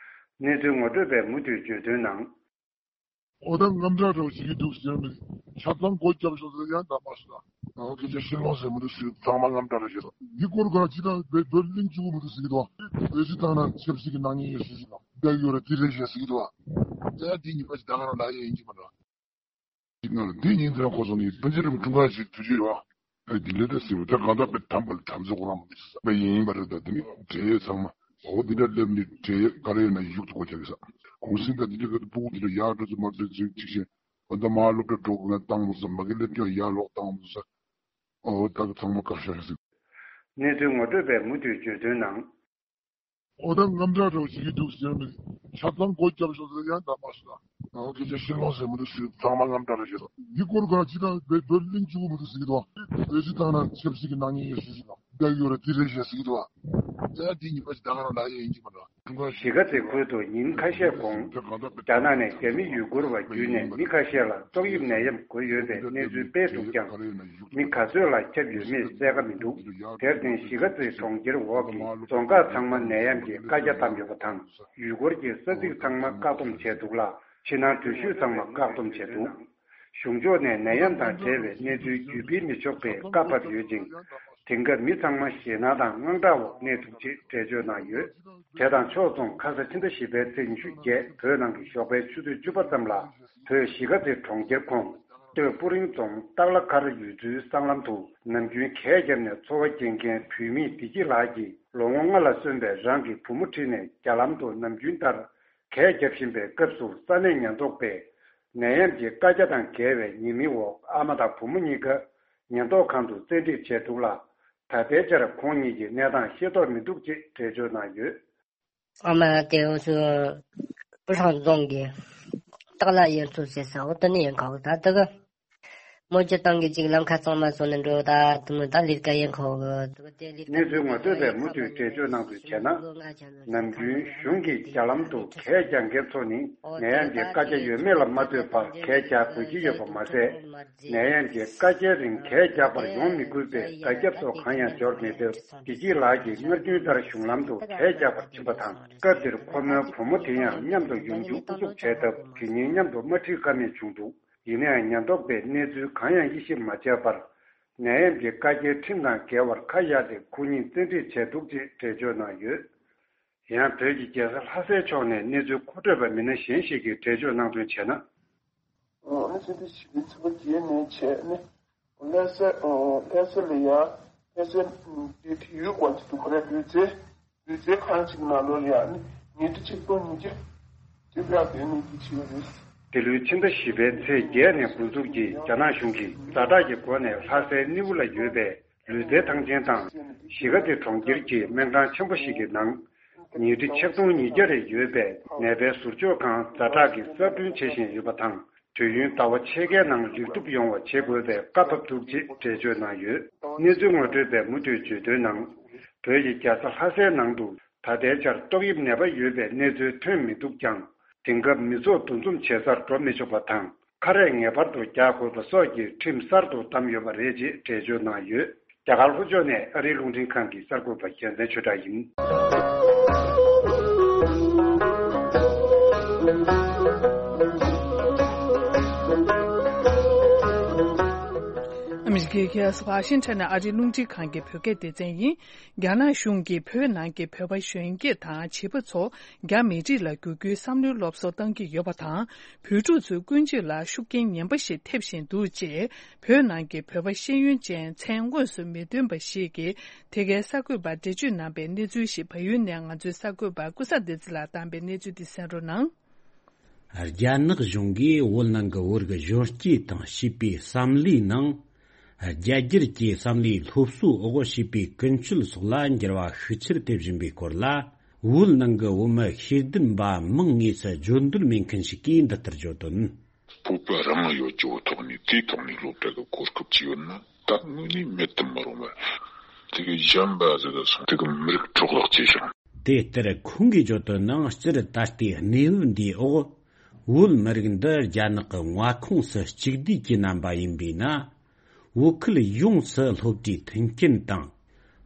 གནས་ཚུལ་ངོ་སྤྲོད་པས་མུ་མཐུད་བརྗོད་དོན་ནང་། འོ་ད་དངངས་སྐྲག་རོ་ཞིག་གི་འདུག་ཟེར་མི། ཆ་ཚང་སྒོ་རྒྱབ་ཤོག་ཟེར་ཡང་ད་མ་སོང་། འོ་སྐད་ཆ་ཤེས་ལོང་ཟེར་མི་འདུག་ཟེར། ཚང་མ་དངངས་སྐྲག་རོ་ཞིག་རོ། འདི་སྐོར་ག་ཅི་ད་བོད་བོད་གླིང་བཅུ་གི་མི་འདུག་ཟེར་གི་འདུག་བོད་སྤྱི་བཏང་ན་ཆབ་སྲིད་ཀྱི་ནག་ཉེས་ཡོད་ཟེར་གི་འདུག་བདག་ཡོད་ར་དེ་རེད་ཞེས་ཟེར་གི་འདུག་ད་དེ་ཉིན་པ་ཞིག་ད་ག་རང་ལ་ཡེ་ཡིན་གྱི་མ་རེད། ཅིག་ནང་ལ་འདི་ཉིན་དེ་རང་ཁོ་ཚོ་ནི་སྤུན་མཆེད་རིམ་དྲུང་ཁག་ཅིག་དུས་ཚོད་ཡོད། ཨ་འདི་འདྲ་ད་ཟེར་བ་ད་གང་ལྟར་པའི་དམ་པ་ལ་དམ་ཚིག་ཁོ་རང་མ་མི་ས་པ་ཡིན་པ་རེད། ད་འདི་ནི་འབྲེལ་ཡོད་ཚང་མ་འོ་འདི་འདྲ་སླེབས་ནི་འབྲེལ་ཡོད་ག་རེ་ཡོད་ན་ཡུག་ཏུ་གོ་ཆ་གི་ས་གུང་སེང་ད་འདི་འདྲ་ག་དུ་སྤུ་གུ་འདི་འདྲ་ཡག་འགྲོ་ཚོ་མ་འགྲོ་ཚོ་ཅིག་བཞིན། འོ་ད་མ་སློབ་གྲྭ་འགྲོ་དགོས་ན་བཏང་མ་སོང་། མ་གི་སླེབས་སྐྱོང་ཡར་ལོག་བཏང་མ་སོང་། འོ་ད་གི་ཚང་མ་བཀག་ཤག་ཟིག་གནས་ཚུལ་ངོ་སྤྲོད་པས་མུ་མཐུད་བརྗོད་དོན་ནང་། འོ་ད་དངངས་སྐྲག་རོ་ཞིག་གི་འདུག་ཟེར་མི། ཆ་ཚང་སྒོ་རྒྱབ་ཤོག་ཟེར་ཡང་ད་མ་སོང་། འོ་སྐད་ཆ་ཤེས་ལོང་ཟེར་མི་འདུག་ཟེར། ཚང་མ་དངངས་སྐྲག་རོ་ཞིག་རོ། འདི་སྐོར་ག་ཅི་ད་བོད་བོད་གླིང་བཅུ་གི་མི་འདུག་ཟེར་གི་འདུག་བོད་སྤྱི་བཏང་ན་ཆབ་སྲིད་ཀྱི་ནག་ཉེས་ཡོད་ཟེར་གི་འདུག་བདག་ཡོད་ར་དེ་རེད་ཞེས་ཟེར་གི་འདུག་ད་འདི་ཉིན་པ་ཞིག་ད་ག་རང་ལ་ཡེ་ཡིན་གྱི་མ་རེད། གཞིས་ཀ་རྩེ་ཁུལ་དུ་ཉིན་ཁ་ཤས་གོང་རྒྱ་ནག་ནས་རྒྱ་མི་ཡུ་གུར་བ་བརྒྱུད་ནས་མི་ཁ་ཤས་ལ་ཏོག་དབྱིབས་ནད་ཡམས་འགོས་ཡོད་པའི་གནས་ཚུལ་སྤེལ་འདུག་ཀྱང་། མི་ག་ཚོད་ལ་ཁྱབ་ཡོད་མེད་གསལ་ཁ་མི་འདུག་དེར་བརྟེན་གཞིས་ཀ་རྩེ་གྲོང་ཁྱེར་འོག་གི་རྫོང་ཁག་ཚང་མ་ནད་ཡམས་ཀྱིས་བཀའ་རྒྱ་བཏང་ཡོད་པ་དང་། ཡུལ་སྐོར་གྱི་ས་ཚིགས་ཚང་མ་བཀག་སྡོམ་བྱས་འདུག་ལ། ཕྱི་ནང་འགྲུལ་བཞུད་ཚང་མ་བཀག་སྡོམ་བྱས་འདུག་གཞུང་ཕྱོགས་ནས་ནད་ཡམས་དང་འབྲེལ་བའི་གནས་ཚུལ་བརྒྱུད་སྤེལ་མི་ཆོག་པའི་བཀའ་ཕབ་ཡོད་ཅིང་། དེང་སྐབས་མི་ཚང་མ་ཞེད་སྣང་དང་དངངས་སྐྲག་འོག་གནས་ཐུབ་ཅེས་འགྲེལ་བརྗོད་གནང་ཡོད། དེ་དང་ཕྱོགས་མཚུངས་ཁ་ས་ཕྱི་ཟླ་བཞི་པའི་ཚེས་ཉི་ཤུ་བརྒྱད་བོད་ནང་གི་ཞོགས་པའི་ཆུ་ཚོད་བཅུ་པ་ཙམ་ལ་བོད་གཞིས་ཀ་རྩེ་གྲོང་ཁྱེར་ཁོངས་སྟོད་སྤུ་རིང་རྫོང་སྟག་ལ་མཁར་ཡུལ་ཚོའི་སྲང་ལམ་དུ་ནམ་རྒྱུན་གད་བརྒྱབ་ནས་འཚོ་བ་སྐྱེལ་མཁན་བུད་མེད་བདེ་སྐྱིད་ལགས་ཀྱིས་ལོ་ངོ་ལྔ་ལ་སོན་པའི་རང་གི་བུ་མོ་ཁྲིད་ནས་རྒྱ་ལམ་དུ་ནམ་རྒྱུན་ལྟར་གད་བརྒྱབ་བཞིན་པའི་སྐབས་སུ་ས་གནས་ཉེན་རྟོག་པས་ནད་ཡམས་ཀྱི་བཀའ་རྒྱ་དང་འགལ་བའི་ཉེས་མིང་འོག་ཨ་མ་དང་བུ་མོ་གཉིས་ཀ་ཉེན་རྟོག་ཁང་དུ་བཙན་ཁྲིད་བྱས་འདུག་ལ། ད་ལྟའི་ཆར་ཁོང་གཉིས་ཀྱི་གནས་སྟངས་ཤེས་རྟོགས་མི་འདུག་ཅེས་འགྲེལ་བརྗོད་གནང་ཡོད། ཨ་མ་དེ་འུ་ཚོ་སྤུ་ཧྲང་རྫོང་གི་སྟག་ལ་ཡུལ་ཚོ་ཟེར་ས་འོ་དེ་ནས་ཡིན། ཁ་བོ་ད་དེ་ག་ མོ་ཅོ་ཏང་གི་ཅིག་ལམ་ཁ་ཚང་མ་སོང་ནས་འགྲོ་ད་དུ་མོ་ད་ལིར་ཀ་ཡན་ཁོ་གི་དུ་དེ་ལིར་ཀ་གནས་ཚུལ་ངོ་སྤྲོད་པས་མུ་མཐུད་འགྲེལ་བརྗོད་གནང་དོན་བྱས་ན། ནམ་རྒྱུན་གཞུང་གིས་རྒྱ་ལམ་དུ་གད་རྒྱག་མཁན་ཚོ་ནི་ནད་ཡམས་ཀྱི་བཀའ་རྒྱ་ཡོད་མེད་ལ་མ་ལྟོས་པར་གད་རྒྱག་དགོས་ཀྱི་ཡོད་པ་མ་ཟད། ནད་ཡམས་ཀྱི་བཀའ་རྒྱའི་རིང་གད་རྒྱག་པར་ཡོང་མི་དགོས་པའི་བརྡ་ཁྱབ་སོགས་གང་ཡང་འབྱོར་མེད་སྟབས། བདེ་སྐྱིད་ལགས་ཀྱིས་སྔར་རྒྱུན་ལྟར་གཞུང་ལམ་དུ་གད་རྒྱག་པར་ཕྱིན་པ་དང་། སྐབས་དེར་ཁོ་མོའི་བུ་མོ་དེ་ཡང་མཉམ་དུ་ཡོང་རྒྱུ་ཨུ་ཚུགས་བྱས་སྟབས། དེ་གཉིས་མཉམ་དུ་མ་ཁྲིད་ཀ་མེད་བྱུང་འདུག་ཡིན་ན་ཡང་ཉེན་རྟོག་པས་གནས་ཚུལ་གང་ཡང་དབྱེ་ཞིབ་མ་བྱས་པར། ནད་ཡམས་ཀྱི་བཀའ་རྒྱའི་ཁྲིམས་དང་འགལ་བར་ཁ་གཡར་ཏེ་ཁོ་གཉིས་བཙན་ཁྲིད་བྱས་འདུག་ཅེས་འགྲེལ་བརྗོད་གནང་ཡོད། ཡང་བོད་ཀྱི་རྒྱལ་ས་ལྷ་སའི་ཕྱོགས་ནས་གནས་ཚུལ་མཁོ་སྤྲོད་པ་མི་སྣ་གཞན་ཞིག་གིས་འགྲེལ་བརྗོད་གནང་དོན་བྱས་ན། ཨ་ནི་ཕྱི་ཟླ་བཞི་པའི་ཚེས་པ་བརྒྱད་ནས་བྱས་ནས་ལྷ་ས་ལྷ་ས་ལ་ཡ་ལྷ་སའི་དེ་དེ་ཡུལ་སྐོར་གྱི་འདུག་ག་རེ་ལུས་རྩལ། ལུས་རྩལ་ཁང་ཞིག་ནང་ལོགས་ལ་ཡང་ནི་ཉིས་ཁྲི་ཆིག་སྟོང་ཉིས་བརྒྱ་ཅིག་ལ་བསྡད་ནས་ཀྱི་བྱེད་ཡོད་རེད། འདི་ལོའི་ཕྱི་ཟླ་བཞི་པའི་ཚེས་བརྒྱད་ནས་འགོ་འཛུགས་ཀྱིས་རྒྱ་ནག་གཞུང་གིས་ཛ་དྲག་གི་སྒོ་ནས་ལྷ་སའི་སྣེའུ་ལ་ཡོད་པའི་ལུས་རྩལ་ཐང་ཆེན་དང་གཞིས་ཀ་རྩེ་གྲོང་ཁྱེར་གྱི་སྨན་ཁང་ཆེན་པོ་ཞིག་གི་ནང་ཉིས་ཁྲི་ཆིག་སྟོང་ཉིས་བརྒྱ་རེ་ཡོད་པའི་ནད་པའི་ཟུར་འཇོག་ཁང་ཛ་དྲག་གིས་གསར་སྐྲུན་བྱེད་བཞིན་ཡོད་པ་དང་། དུས་ཡུན་ཟླ་བ་ཕྱེད་ཀའི་ནང་ལེགས་གྲུབ་ཡོང་བ་བྱེད་དགོས་པའི་བཀའ་ཕབ་འདུག་ཅེས་འགྲེལ་བརྗོད་གནང་ཡོད། གནས་ཚུལ་ངོ་སྤྲོད་པས་མུ་མཐུད་བརྗོད་དོན་ནང་། བོད་ཀྱི་རྒྱལ་ས་ལྷ་སའི་ནང་དུ་ད་ལྟའི་ཆར་ཏོག་དབྱིབས་ནད་པ་ཡོད་པའི་གནས་ཚུལ་ཐོན་མི་འདུག་ཀྱང་། དེང་སྐབས་མི་ཚོགས་འདུ་འཛོམས་བྱེད་སར་འགྲོ་མི་ཆོག་པ་དང་། ཁ་རས་ངེས་པར་དུ་རྒྱག་དགོས་པ་སོགས་ཀྱི་ཁྲིམས་གསར་དུ་བསྡམས་ཡོད་པ་རེད་ཅེས་འགྲེལ་བརྗོད་གནང་ཡོད། རྒྱ་གར་ལྷོ་ཕྱོགས་ནས་ཨ་རིའི་རླུང་འཕྲིན་ཁང་གི་གསར་འགོད་པ་རྒྱལ་མཚན་ཆོས་གྲགས་ཡིན། ཨ་མི་རི་ཀའི་རྒྱལ་ས་ཝ་ཤིང་ཊོན་ནས་ཨ་རིའི་རླུང་འཕྲིན་ཁང་གི་བོད་སྐད་སྡེ་ཚན་ཡིན། རྒྱ་ནག་གཞུང་གིས་བོད་ནང་གི་བོད་པ་གཞོན་སྐྱེས་དང་བྱིས་པ་ཚོ་རྒྱ་མི་རིགས་ལ་བསྒྱུར་རྒྱུའི་བསམ་བློའི་སློབ་གསོ་གཏང་གི་ཡོད་པ་དང་། བོད་ཕྲུག་ཚོའི་ཀུན་སྤྱོད་ལ་ཤུགས་རྐྱེན་ངན་པ་ཞིག་ཐེབས་བཞིན་འདུག་ཅེས་བོད་ནང་གི་བོད་པ་ཤེས་ཡོན་ཅན་མཚན་དངོས་སུ་མི་ཐོན་པ་ཞིག་གིས་དེ་གའི་གསར་འགོད་པར་འགྲེལ་བརྗོད་གནང་པའི་གནས་ཚུལ་ཞིག་བལ་ཡུལ་ནས་ང་ཚོའི་གསར་འགོད་པ་ཀུན་བཟང་བདེ་ཚེ་ལགས་བཏང་པའི་གནས་ཚུལ་འདི་གསན་རོགས་གནང་། རྒྱ་ནག་གཞུང་གིས་བོད་ནང་གི་བོད་རིགས་གཞོན་སྐྱེས་དང་བྱིས་པའི་བསམ་བློའི་ནང་། རྒྱ་སྒྱུར་གྱི་བསམ་བློའི་སློབ་གསོའི་འོག་བྱིས་པའི་ཀུན་སྤྱོད་སོགས་ལ་འགྱུར་བ་ཤུགས་ཆེར་ཐེབས་བཞིན་པའི་སྐོར་ལ། བོད་ནང་གི་བོད་མི་ཤེས་ལྡན་པ་མིང་དངོས་སུ་བརྗོད་འདོད་མེད་མཁན་ཞིག་གིས་འདི་ལྟར་བརྗོད་དོན། སྤོབས་པ་རང་ཡོད་རྒྱུ་ཐོག་ནས་དེའི་ཐོག་ནས་སློབ་གྲྭ་གི་གོ་སྐབས་ཅིག་ཡོད་ན་ད་དངོས་གནས་མེད་དུ་མི་རུང་བ། དེ་གི་གཞན་པ་ཟེར་ད་སོང་དེ་གི་མི་རིགས་སྲོག་ལག་ཅེས་བྱུང་། དེ་ལྟར་ཁོང་གིས་བརྗོད་དོན་ནང་སྤྱིར་ད་ལྟའི་གནས་བབ་འདིའི་འོག་བོད་མི་རིགས་འདི་རྒྱ་ནག་གི་མངའ་ཁོངས་སུ་གཅིག་བསྡུས་ཀྱི་རྣམ་པ་ཡིན་པས་ན། བོད་ཁུལ་ཡོངས་སུ་སློབ་གྲྭའི་མཐུན་རྐྱེན་དང་།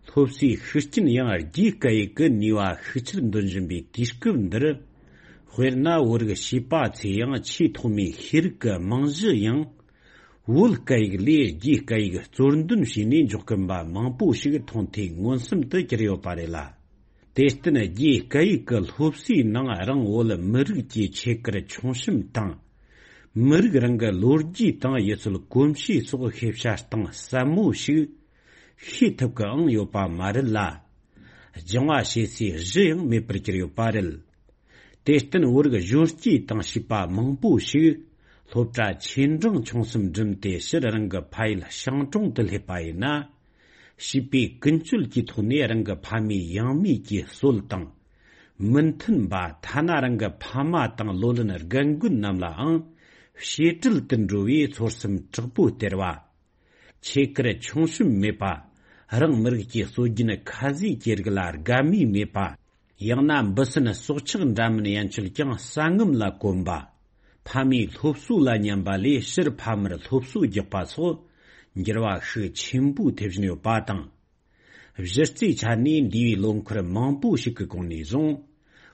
སློབ་གསོའི་ཤུགས་རྐྱེན་ཡང་རྒྱའི་སྐད་ཡིག་གི་ནུས་པ་ཤུགས་ཆེར་འདོན་བཞིན་པའི་དུས་སྐབས་འདིར། དཔེར་ན་བོད་རིགས་བྱིས་པ་ཚོས་ཡང་ཆེས་ཐོག་མའི་ཤེས་རིག་གི་རྨང་གཞི་ཡང་བོད་སྐད་ཡིག་ལས་རྒྱའི་སྐད་ཡིག་གཙོར་འདོན་བྱས་ནས་འཇོག་གིན་པ་མང་པོ་ཞིག་མཐོང་ཐོས་མངོན་སུམ་དུ་གྱུར་ཡོད་པ་རེད་ལ། དེར་བརྟེན་རྒྱའི་སྐད་ཡིག་གི་སློབ་གསོའི་ནང་རང་བོད་མི་རིགས་ཀྱི་ཆེད་ཀར་མཆོང་བཤམས་དང་། མི་རིགས་རང་གི་ལོ་རྒྱུས་དང་ཡུལ་སྲོལ་གོམས་གཤིས་སོགས་ཤེས་བྱ་གཏིང་ཟབ་མོ་ཞིག་ཤེས་ཐུབ་ཀྱི་ཨང་ཡོད་པ་མ་རེད་ལ། སྦྱང་བ་བྱེད་སའི་གཞི་ཡང་མེད་པར་གྱུར་ཡོད་པ་རེད། དེར་བརྟེན་བོད་རིགས་གཞོན་སྐྱེས་དང་བྱིས་པ་མང་པོ་ཞིག་སློབ་གྲྭ་ཆེ་འབྲིང་ཆུང་གསུམ་འགྲིམས་ཏེ་ཕྱིར་རང་གི་ཕ་ཡུལ་ཤང་གྲོང་དུ་སླེབས་པ་ཡིན་ན། བྱིས་པས་ཀུན་སྤྱོད་ཀྱི་ཐོག་ནས་རང་གི་ཕ་མེས་ཡང་མེས་ཀྱི་སྲོལ་དང་། མི་མཐུན་པ་ཐ་ན་རང་གི་ཕ་མ་དང་ལོ་ལོན་རྒན་རྒོན་རྣམས་ལའང་བཤད་སྲོལ་དུ་འགྲོ་བའི་ཚོར་སེམས་དྲག་པོ་སྟེར་བ། ཆེད་ཀར་མཆོང་བཤམས་མེད་པ། རང་མི་རིགས་ཀྱི་སྲོལ་རྒྱུན་ཁ་ཟས་ཀྱི་རིགས་ལ་དགའ་མོས་མེད་པ། ཡང་ན་འབུ་སྲིན་སྲོག་ཆགས་འདྲ་མིན་ཡན་ཆོད་ཀྱང་ཟ་ངམ་ལ་གོམས་པ། ཕ་མའི་སློབ་གསོ་ལ་ཉན་པ་ལས་ཕྱིར་ཕ་མར་སློབ་གསོ་རྒྱག་པ་སོགས་འགྱུར་བ་ཤུགས་ཆེན་པོས་ཐེབས་བཞིན་ཡོད་པ་དང་། གཞི་རྩའི་ཆ་ནས་འདས་པའི་ལོ་འཁོར་མང་པོ་ཞིག་གི་གོང་ནས་བཟུང་།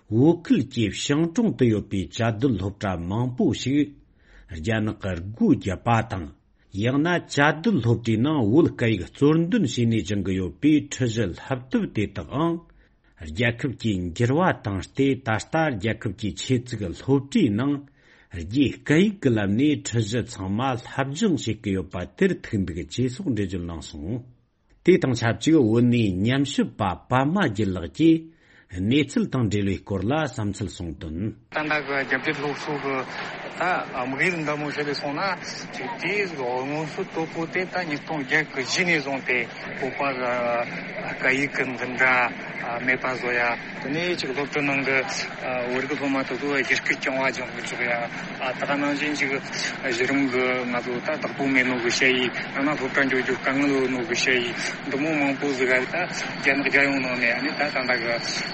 བོད་ཁུལ་གྱི་ཤང་གྲོང་དུ་ཡོད་པའི་བཅའ་སྡོད་སློབ་གྲྭ་མང་པོ་ཞིག་རྒྱ་ནག་གིས་སྒོ་བརྒྱབ་པ་དང་། ཡང་ན་བཅའ་སྡོད་སློབ་གྲྭའི་ནང་བོད་སྐད་ཡིག་གཙོར་འདོན་བྱས་ནས་སྦྱང་གི་ཡོད་པའི་ཁྲིད་གཞི་བསླབ་ཐབས་དེ་དག་ཨང་། རྒྱལ་ཁབ་ཀྱི་འགྱུར་བ་དང་སྟེ་ད་ལྟ་རྒྱལ་ཁབ་ཀྱི་ཆེད་བཙུགས་སློབ་གྲྭའི་ནང་རྒྱའི་སྐད་ཡིག་གི་ལམ་ནས་ཁྲིད་གཞི་ཚང་མ་སློབ་སྦྱོང་བྱེད་ཀྱི་ཡོད་པ་དེར་ཐུག་འདུག་ཅེས་སོགས་འགྲེལ་བརྗོད་གནང་སོང་། དེ་དང་ཆབས་ཅིག་བོད་ནས་ཉམས་ཞིབ་པ་པདྨ་རྒྱལ་ལགས་ཀྱིས་གནས་ཚུལ་དང་འབྲེལ་བའི་སྐོར་ལ་བསམ་ཚུལ་གསུངས་དོན། ད་ལྟ་གི་རྒྱ་སྐད་སློབ་གསོ་གི་ ད་དམིགས་ཡུལ་འདི་མོ་ཞིག་ལས་སོང་ན་ཅིག་དེའི་སྔོན་སྲོལ་དོད་པོ་དེ་ད་ཉིས་སྟོང་བརྒྱད་གི་གཞི་ནས་བཟུང་སྟེ་བོད་པ་གི་སྐད་ཡིག་གི་འཛིན་གྲྭ་མེད་པ་བཟོ་ཡ། དེ་ནས་ཅིག་སློབ་གྲྭ་ནང་གི་བོད་རིགས་སློབ་མ་དེ་ཚོ་ཡི་གེ་རྐྱང་བ་སྦྱང་གི་འཇུག་ཡ། ད་ག་ནང་བཞིན་ཅིག་གཞི་རིམ་གི་ང་ཚོ་ད་བདག་པོ་མེད་ནོ་གི་ཞ་ཡི་ཡང་ན་སློབ་གྲྭ་འགྱོ་རྒྱུ་དཀའ་ངལ་ཡོད་ནོ་གི་ཞ་ཡི་འདི་མོ་མང་པོ་ཟིག་ག་ད་རྒྱ་ནག་རྒྱལ་ཡོངས་ནང་ནས་ཨ་ནི་ད་ད་ལྟ་གི་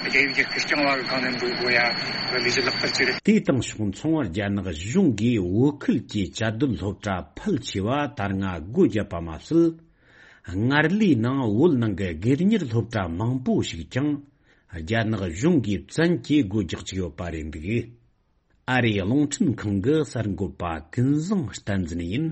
རྒྱ་ཡིག་ཡི་གེ་རྐྱང་བ་གི་སྒང་ནས་འགྲོ་དགོས་ཡ་གི་ལས་གཞི་ལག་བསྟར་བྱས་རེད། དེ་དང་ཕྱོགས་མཚུངས་རྒྱ་ནག་གཞུང་གིས་བོད་ཁུལ་གྱི་བཅའ་སྡོད་སློབ་གྲྭ་ཕལ་ཆེ་བ་ད་སྔ་སྒོ་བརྒྱབ་པ་མ་ཟད། སྔར་ལས་ནང་བོད་ནང་གི་སྒེར་གཉེར་སློབ་གྲྭ་མང་པོ་ཞིག་ཀྱང་རྒྱ་ནག་གཞུང་གིས་བཙན་གྱིས་སྒོ་རྒྱག་བཅུག་ཡོད་པ་རེད་འདུག་ཨ་རིའི་རླུང་འཕྲིན་ཁང་གི་གསར་འགོད་པ་ཀུན་བཟང་བསྟན་འཛིན་ཡིན།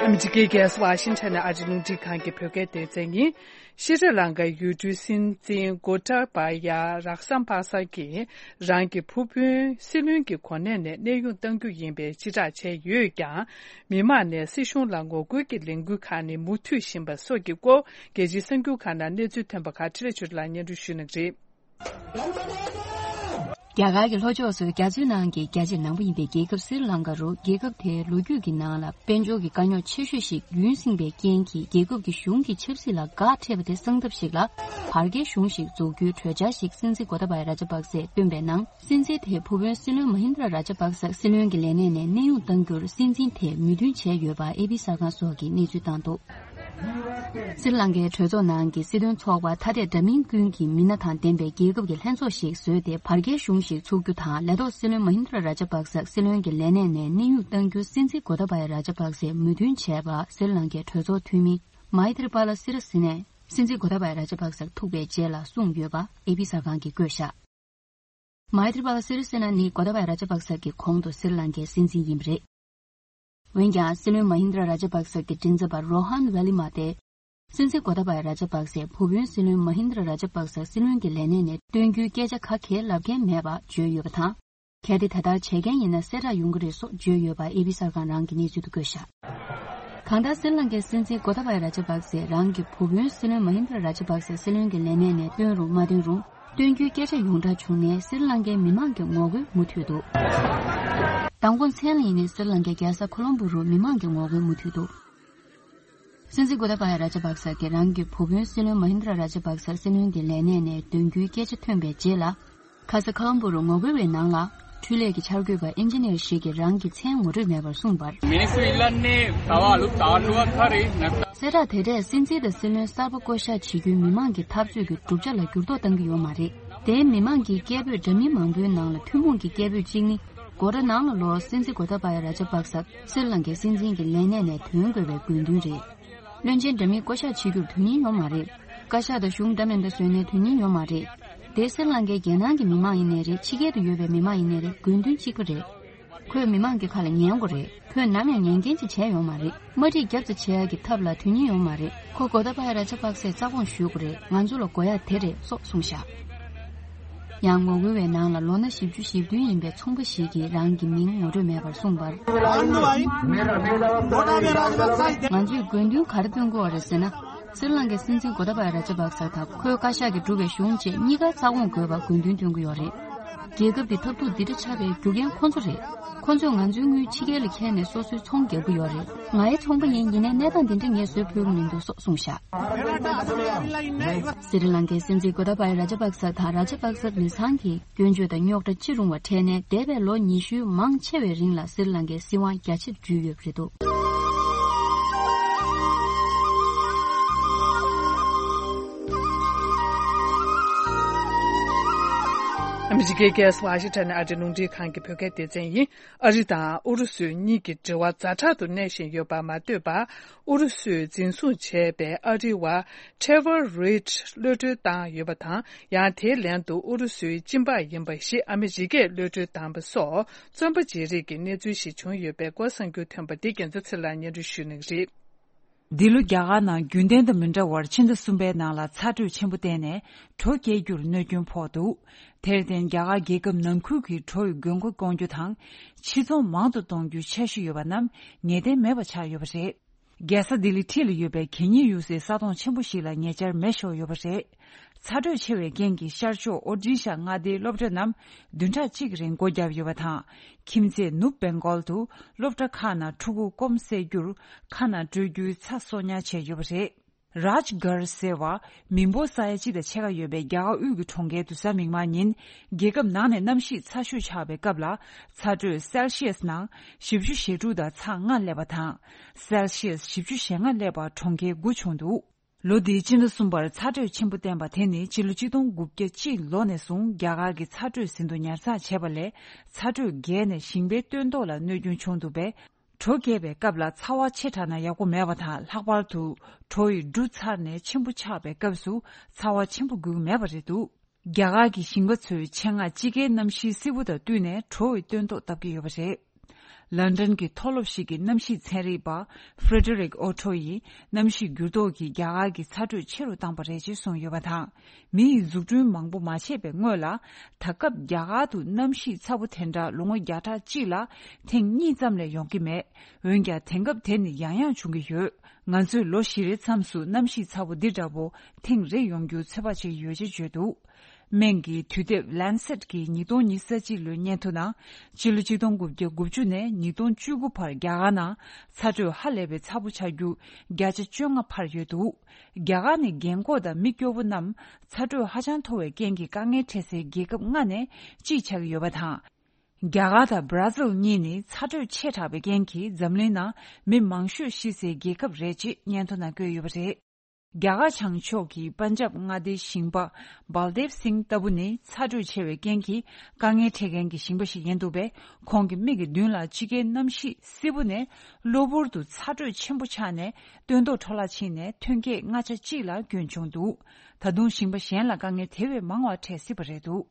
ཨ་མི་རི་ཀའི་རྒྱལ་ས་ཝ་ཤིང་ཊོན་ནས་ཨ་རིའི་རླུང་འཕྲིན་ཁང་གི་བོད་སྐད་སྡེ་ཚན་ཡིན། ཤྲི་ལང་ཀའི་ཡུལ་གྲུའི་སྲིད་འཛིན་གོ་ཏཱ་བ་ཡ་རག་སམ་པ་ས་གིས་རང་གི་ཕུ་བོའི་སྲིད་བློན་གྱི་གོ་གནས་ནས་གནས་དབྱུང་གཏང་རྒྱུ་ཡིན་པའི་སྤྱི་བསྒྲགས་བྱས་ཡོད་ཀྱང་། མི་མང་ནས་སྲིད་གཞུང་ལ་ངོ་རྒོལ་གྱི་ལས་འགུལ་ཁག་ནི་མུ་མཐུད་བཞིན་པ་སོགས་ཀྱི་སྐོར་རྒྱལ་སྤྱིའི་གསར་འགྱུར་ཁག་ནང་གནས་ཚུལ་ཐོན་པ་ཁག་འཕྲིན་ལས་ཆོས་སྒྲོན་ལགས་སྙན་སྒྲོན་ཞུ་གནང་གི་རེད། རྒྱ་གར་གྱི་ལྷོ་ཕྱོགས་སུ་རྒྱ་མཚོའི་ནང་གི་རྒྱ་ཆེ་ནང་པ་ཡིན་པའི་རྒྱལ་ཁབ་སྲི་ལང་ཀ་རུ། རྒྱལ་ཁབ་དེའི་ལོ་རྒྱུས་ཀྱི་ནང་ལ་དཔལ་འབྱོར་གྱི་དཀའ་རྙོག་ཆེ་ཤོས་ཤིག་ཡུན་བསྲིངས་པའི་རྐྱེན་གྱིས། རྒྱལ་ཁབ་ཀྱི་གཞུང་གི་ཆབ་སྲིད་ལ་འགག་འཕྲད་པ་དེ་སངས་ཐབས་ཤིག་ལ། བར་བརྒལ་གཞུང་ཞིག་འཛུགས་རྒྱུའི་གྲོས་འཆར་ཞིག་སྲིད་འཛིན་གོ་ཏཱ་བ་ཡ་ར་ཇ་པག་སས་བཏོན་པའི་ནང་། སྲིད་འཛིན་དེའི་ཕུ་བོའི་སྲིད་བློན་མ་ཧིན་དྲ་ར་ཇ་པག་ས་སྲིད་བློན་གྱི་ལས་གནས་ནས་གནས་དབྱུང་གཏང་རྒྱུར་སྲིད་འཛིན་དེས་མོས་མཐུན་བྱས་ཡོད་པ་ཨེ་པི་གསར་ཁང་སོགས་ཀྱིས་གནས་ཚུལ་བཏང་འདུག་སྲི་ལང་ཀའི་གྲོས་ཚོགས་ནང་གི་སྲིད་དོན་ཚོགས་པ་ཐ་དད་འདྲ་མིན་ཀུན་གྱི་མི་སྣ་དང་ལྡན་པའི་རྒྱལ་ཁབ་ཀྱི་ལྷན་ཚོགས་ཤིག་བཟོས་ཏེ། བར་བརྒལ་གཞུང་ཞིག་འཛུགས་རྒྱུ་དང་། ལས་ཐོག་སྲིད་བློན་མ་ཧིན་དྲ་ར་ཇ་པག་སག་སྲིད་བློན་གྱི་ལས་གནས་ནས་གནས་དབྱུང་གཏང་རྒྱུ་སྲིད་འཛིན་གོ་ཏཱ་བ་ཡ་ར་ཇ་པག་སས་མོས་མཐུན་བྱས་པ་སྲི་ལང་ཀའི་གྲོས་ཚོགས་འཐུས་མི་མཱི་ཐི་རི་པཱ་ལ་སི་རི་སི་ནས་སྲིད་འཛིན་གོ་ཏཱ་བ་ཡ་ར་ཇ་པག་སག་ཐུག་པའི་རྗེས་ལ་གསུངས་ཡོད་པ་ཨེ་པི་གསར་ཁང་གིས་བཀོད་བཞག་མཱི་ཐི་རི་པཱ་ལ་སི་རི་སེ་ན་ནི་གོ་ཏཱ་བ་ཡ་ར་ཇ་པག་ས་གི་གོང་དུ་སྲི་ལང་ཀའི་སྲིད་འཛིན་ཡིན་པ་རེད། འོན་ཀྱང་སྲིད་བློན་མ་ཧིན་དྲ་ར་ཇ་པག་ས་གི་མགྲིན་ཚབ་པ་རོ་ཧན་ཝེ་ལི་མ་དེ། སྲིད་འཛིན་གོ་ཏཱ་བ་ཡ་ར་ཇ་པག་སའི་ཕུ་བོའི་སྲིད་བློན་མ་ཧིན་དྲ་ར་ཇ་པག་ས་སྲིད་བློན་གྱི་ལས་གནས་ནས་བཏོན་རྒྱུའི་སྐད་ཆ་ག་གེ་ལབ་མཁན་མེད་པ་བརྗོད་ཡོད་པ་དང་། གལ་ཏེ་ད་ལྟར་བྱེད་མཁན་ཡིན་ན་གསལ་བསྒྲགས་ཡོང་གི་རེད་སོགས་བརྗོད་ཡོད་པ་ཨེ་པི་གསར་ཁང་རང་གི་གནས་ཚུལ་དུ་བཀོད་བཞག་གང་ལྟར་སྲི་ལང་ཀའི་སྲིད་འཛིན་གོ་ཏཱ་བ་ཡ་ར་ཇ་པག་སས་རང་གི་བུ་སྤུན་སྲིད་བློན་མ་ཧིན་དྲ་ར་ཇ་པག་སའི་སྲིད་བློན་གྱི་ལས་གནས་ནས་བཏོན་རུང་མ་བཏོན་རུང་། བཏོན་རྒྱུའི་སྐད་ཆ་ཡོངས་གྲགས་བྱུང་ནས་སྲི་ལང་ཀའི་མི་མང་གི་ངོ་རྒོལ་མུ་མཐུད་འདུག་མདང་དགོང་མཚན་ལ་ཡིན་ནའི་སྲི་ལང་ཀའི་རྒྱལ་ས་ཁོ་ལོམ་བུ་རུ་མི་མང་གི་ངོ་རྒོལ་མུ་མཐུད་འདུག་སྲིད་འཛིན་གོ་ཏཱ་བ་ཡ་ར་ཇ་པག་ས་གིས་རང་གི་བུ་སྤུན་སྲིད་བློན་མ་ཧིན་དྲ་ར་ཇ་པག་ས་སྲིད་བློན་གྱི་ལས་གནས་ནས་འདོན་རྒྱུའི་སྐད་ཆ་ཐོན་པའི་རྗེས་ལ། ཁ་ས་ཁ་ལོམ་བུ་རུ་ངོ་རྒོལ་བའི་ནང་ལ། འཕྲུལ་ལས་ཀྱི་འཆར་འགོད་པ་ཨིན་ཇི་ནིར་ཞིག་གིས་རང་གི་མཚན་ངོ་སྤྲོད་མེད་པར་གསུངས་པར། Ministro Ilan ne tava alu talu kare nata. གསལ་བསྒྲགས་དེ་འདྲས་སྲིད་འཛིན་དང་སྲིད་བློན་གསར་པ་བསྐོ་གཞག་བྱེད་རྒྱུའི་མི་མང་གི་འཐབ་རྩོད་ཀྱི་གྲུབ་ཆ་ལ་འགྱུར་ལྡོག་གཏང་གི་ཡོད་མ་རེད། དེའི་མི་མང་གི་སྐད་འབོད་འདྲ་མིན་མང་པོའི་ནང་ལ་ཐུན་མོང་གི་སྐད་འབོད་གཅིག་ནི། སྒོ་ར་ནང་ལ་ལོག་སྲིད་འཛིན་གོ་ཏཱ་བ་ཡ་ར་ཇ་པག་ས་སྲི་ལང་ཀའི་སྲིད་འཛིན་གྱི་ལས་གནས་ནས་ཐོན་དགོས་པའི་དགོས་འདུན་རེད། བློན་ཆེན་འདྲ་མིན་བསྐོ་གཞག་བྱེད་རྒྱུར་དོན་སྙིང་ཡོད་མ་རེད། བཀའ་ཤག་དང་གཞུང་འདྲ་མིན་འདྲ་བཟོས་ནས་དོན་སྙིང་ཡོད་མ་རེད། དེ་སྲི་ལང་ཀའི་རྒྱལ་ནང་གི་མི་མང་ཡིན་ནའི་རེད། ཕྱི་རྒྱལ་དུ་ཡོད་པའི་མི་མང་ཡིན་ནའི་རེད། དགོས་འདུན་གཅིག་པ་རེད། ཁོས་མི་མང་གི་ཁ་ལ་ཉན་དགོས་རེད། ཁོས་ནམ་ཡང་ཉན་མཁན་ཅིག་བྱས་ཡོད་མ་རེད། དམའ་འཁྲིད་རྒྱབ་ཙམ་བྱེད་ཡག་གི་ཐབས་ལ་དོན་སྙིང་ཡོད་མ་རེད། ཁོ་གོ་ཏཱ་བ་ཡ་ར་ཇ་པག་སའི་རྩ་དགོངས་ཞུ་དགོས་རེད། ང་ཚོ་ལ་དགོས་ཡག་དེ་རེད་སོགས་གསུངས་བཞག་ཡང་ངོ་རྒོལ་བའི་ནང་ལ་ལོ་ན་བཞི་བཅུ་ཞེ་བདུན་ཡིན་པའི་ཚོང་པ་ཞིག་གིས་རང་གི་མིང་ངོ་སྤྲོད་མེད་པར་གསུངས་པར། ང་ཚོས་དགོས་འདུན་ག་རེ་བཏོན་དགོས་པ་རེད་ཟེར་ན། སྲི་ལང་ཀའི་སྲིད་འཛིན་གོ་ཏཱ་བ་ཡ་ར་ཇ་པག་ས་དང་ཁོའི་བཀའ་ཤག་གིས་བསྒྲུབས་པའི་གཞུང་བཅས་གཉིས་ཀ་རྩ་དགོངས་དགོས་པར་དགོས་འདུན་བཏོན་གྱི་ཡོད་རེད། རྒྱལ་ཁབ་འདི་འཐབ་འཁྲུག་འདི་འདྲ་ཆགས་པའི་རྒྱུ་རྐྱེན་ཁོ་ཚོ་རེད། ཁོ་ཚོས་ང་ཚོའི་དངུལ་ཕྱི་རྒྱལ་ལ་འཁྱེར་ནས་སོ་སོའི་ཚོང་རྒྱག་གི་ཡོད་རེད། ང་ཡང་ཚོང་པ་ཡིན། ཡིན་ནའི་གནས་སྟངས་འདི་འདྲ་ངས་བཟོས་ཕོད་ཀྱི་མི་འདུག་སོགས་གསུངས་བཞག་སི་རི་ལང་ཀའི་སྲིད་འཛིན་གོ་ཏཱ་བ་ཡ་ར་ཇ་པག་ས་དང་ར་ཇ་པག་ས་མི་ཚང་གིས་སྐྱོན་བརྗོད་དང་རྙོག་དྲ་ཅི་རུང་བ་འཕྲད་ནས་འདས་པའི་ལོ་ཉི་ཤུའི་མང་ཆེ་བའི་རིང་ལ་སི་རི་ལང་ཀའི་སྲིད་དབང་རྒྱ་ཆེར་བསྒྱུར་ཡོད་པ་རེད་འདུག་ཨ་མི་རི་ཀའི་རྒྱལ་ས་ཝ་ཤིང་ཊོན་ནས་ཨ་རིའི་རླུང་འཕྲིན་ཁང་གི་བོད་སྐད་སྡེ་ཚན་ཡིན། ཨ་རི་དང་ཨུ་རུ་སུའི་གཉིས་ཀྱི་འབྲེལ་བ་ཛ་དྲག་ཏུ་གནས་བཞིན་ཡོད་པར་མ་ལྟོས་པར། ཨུ་རུ་སུས་འཛིན་བཟུང་བྱས་པའི་ཨ་རིའི་བ་Trevor Reed གློད་གྲོལ་བཏང་ཡོད་པ་དང་། ཡང་དེའི་ལན་དུ་ཨུ་རུ་སུའི་སྤྱི་འབངས་ཡིན་པ་ཞིག་ཨ་མི་རི་ཀས་གློད་གྲོལ་བཏང་པ་སོགས་བཙོན་པ་བརྗེ་རེས་ཀྱི་གནས་ཚུལ་ཞིག་བྱུང་ཡོད་པའི་སྐོར་གསར་འགྱུར་ཐོན་པ་འདི་རྒྱལ་མཚན་ཚེ་ལགས་སྙན་སྒྲོན་ཞུ་གནང་གི་རེད། འདི་ལོ་རྒྱ་གར་ནང་རྒྱུན་ལྡན་དང་མི་འདྲ་བར་ཕྱི་ཟླ་གསུམ་པའི་ནང་ལ་ཚ་དྲོད་ཆེན་པོ་བསྟན་ནས་གྲོ་སྐྱེ་རྒྱུར་གནོད་སྐྱོན་ཕོག་འདུག་དེར་བརྟེན་རྒྱ་གར་རྒྱལ་ཁབ་ནང་ཁུལ་གྱི་གྲོ་ཡི་དགོས་མཁོ་སྐོང་རྒྱུ་དང་། ཕྱིར་ཚོང་མང་དུ་གཏོང་རྒྱུའི་འཆར་གཞི་ཡོད་པ་རྣམས་ངེས་གཏན་མེད་པ་ཆགས་ཡོད་པ་རེད། རྒྱལ་ས་ལྡི་ལི་འཁྲིས་ལ་ཡོད་པའི་གད་སྙིགས་གཡུག་སའི་ས་དོང་ཆེན་པོ་ཞིག་ལ་ཉེ་ཆར་མེ་ཤོར་ཡོད་པ་རེད། ཚ་དྲོད་ཆེ་བའི་རྐྱེན་གྱིས་ཤར་ཕྱོགས་ཨོ་ཌི་ཤ་མངའ་སྡེའི་སློབ་གྲྭ་རྣམས་བདུན་ཕྲག་གཅིག་རིང་སྒོ་བརྒྱབ་ཡོད་པ་དང་། ཁྱིམ་མཚེས་ནུབ་བེང་གོལ་དུ་སློབ་གྲྭ་ཁག་ནང་ཕྲུ་གུ་སྐོམ་སེལ་རྒྱུར་མཁའ་ནང་སྤྲོད་རྒྱུའི་ཚྭ་གསོག་ཉར་བྱས་ཡོད་པ་རེད། རཱཇ་གར་ཟེར་བ། མི་འབོར་ས་ཡ་གཅིག་དང་ཕྱེད་ཀ་ཡོད་པའི་རྒྱ་གར་དབུས་ཀྱི་གྲོང་ཁྱེར་དུ་གཟའ་མིག་དམར་ཉིན། རྒྱལ་ཁབ་ནང་ནས་གནམ་གཤིས་ཚ་ཤོས་ཆགས་པའི་སྐབས་ལ། ཚ་དྲོད་སེལ་ཤི་ཡས་ནང་བཞི་བཅུ་ཞེ་དྲུག་དང་ཚེག་ལྔ་སླེབས་པ་དང་། སེལ་ཤི་ཡས་བཞི་བཅུ་ཞེ་ལྔ་སླེབས་པ་གྲོང་ཁྱེར་དགུ་བྱུང་འདུག་ལོ་འདིའི་སྤྱི་ཟླ་གསུམ་པར་ཚ་དྲོད་ཆེན་པོ་བསྟན་པ་དེ་ནི་ཕྱི་ལོ་ཆིག་སྟོང་དགུ་བརྒྱ་གཅིག་ལོ་ནས་བཟུང་རྒྱ་གར་གྱི་ཚ་དྲོད་ཟིན་ཐོ་ཉར་ཚགས་བྱས་པ་ལས། ཚ་དྲོད་རྒྱས་ནས་ཞིང་པའི་སྟོན་ཐོག་ལ་གནོད་སྐྱོན་བྱུང་འདུག་པས། དྲོ་རྒྱས་པའི་སྐབས་ལ་ཚ་བ་ཆེ་དྲགས་ན་ཡག་པོ་མེད་པ་དང་། ལྷག་པར་དུ་དྲོ་ཡི་འབྲུ་ཚར་ནས་ཆེན་པོ་ཆགས་པའི་སྐབས་སུ་ཚ་བ་ཆེན་པོ་དགོས་ཀྱི་མེད་པ་རེད་འདུག་རྒྱ་གར་གྱི་ཞིང་པ་ཚོས་ཆེད་མངགས་དཔྱིད་ཀའི་གནམ་གཤིས་བསིལ་པོ་དང་བསྟུན་ནས་དྲོ་ཡི་སྟོན་ཐོག་བཏབ་ཀྱི་ཡོད་པ་རེད། ལན་ཀྲན་གྱི་མཐོ་སློབ་ཞིག་གི་གནམ་གཤིས་ཚན་རིག་པ་Frederick Otto ཡིས་གནམ་གཤིས་འགྱུར་ལྡོག་གིས་རྒྱ་གར་གྱི་ཚ་དྲོད་ཆེ་རུ་བཏང་པ་རེད་ཅེས་གསུངས་ཡོད་པ་དང་། མི་ཡི་འཛུགས་སྐྲུན་མང་པོ་མ་བྱས་པའི་སྔོན་ལ། ད་སྐབས་རྒྱ་གར་དུ་གནམ་གཤིས་ཚ་པོ་དེ་འདྲ་ལོ་ངོ་བརྒྱ་ཕྲག་གཅིག་ལ་ཐེངས་གཉིས་ཙམ་ལས་ཡོང་གི་མེད། འོན་ཀྱང་དེང་སྐབས་དེ་ནི་ཡང་ཡང་བྱུང་གི་ཡོད། ང་ཚོས་ལོ་བཞི་རེའི་མཚམས་སུ་གནམ་གཤིས་ཚ་པོ་འདི་འདྲ་པོ་ཐེངས་རེ་ཡོང་རྒྱུ་ཚོད་དཔག་བྱེད་ཀྱི་ཡོད་ཅེས་བརྗོད་འདུག་སྨན་གྱི་དུས་དེབ་Lancet གྱི་ཉིས་སྟོང་ཉི་ཤུ་རྩ་གཅིག་ལོའི་སྙན་ཐོ་ནང་། ཕྱི་ལོ་ཆིག་སྟོང་དགུ་བརྒྱ་དགུ་བཅུ་ནས་ཉིས་སྟོང་བཅུ་དགུ་བར་རྒྱ་གར་ནང་ཚ་དྲོད་ཧ་ལས་པའི་ཚ་པོ་ཆགས་རྒྱུ་བརྒྱ་ཆ་བཅོ་ལྔ་འཕར་ཡོད་འདུག་རྒྱ་གར་ནི་རྒན་འཁོགས་དང་མི་སྐྱོ་པོ་རྣམས་ཚ་དྲོད་ཧ་ཅང་མཐོ་བའི་རྐྱེན་གྱིས་དཀའ་ངལ་འཕྲད་སའི་རྒྱལ་ཁབ་ལྔ་ནས་གཅིག་ཆགས་ཀྱི་ཡོད་པ་དང་། རྒྱ་གར་དང་བྷ་ར་ཟིལ་གཉིས་ནི་ཚ་དྲོད་ཆེ་དྲགས་པའི་རྐྱེན་གྱིས་འཛམ་གླིང་ནང་མི་མང་ཤོས་ཤི་སའི་རྒྱལ་ཁབ་རེད་ཅེས་སྙན་ཐོ་ནང་བཀོད་ཡོད་པ་རེད། རྒྱ་གར་བྱང་ཕྱོགས་ཀྱི་པན་ཇབ་མངའ་སྡེའི་ཞིང་པ་Baldev Singh ལྟ་བུ་ནི་ཚ་དྲོད་ཆེ་བའི་རྐྱེན་གྱིས་དཀའ་ངལ་འཕྲད་མཁན་གྱི་ཞིང་པ་ཞིག་ཡིན་འདུག་པས། ཁོང་གི་མིག་གི་མདུན་ལ་དཔྱིད་ཀའི་གནམ་གཤིས་བསིལ་པོ་ནས་གློ་བུར་དུ་ཚ་དྲོད་ཆེན་པོ་ཆགས་ནས་སྟོན་ཐོག་འཕྲོ་བརླག་ཕྱིན་ནས་ཐོན་སྐྱེད་ལྔ་ཆ་གཅིག་ལ་སྐྱོན་བྱུང་འདུག་ད་དུང་ཞིང་པ་གཞན་ལ་དཀའ་ངལ་དེ་བས་མང་བ་འཕྲད་སྲིད་པ་རེད་འདུག་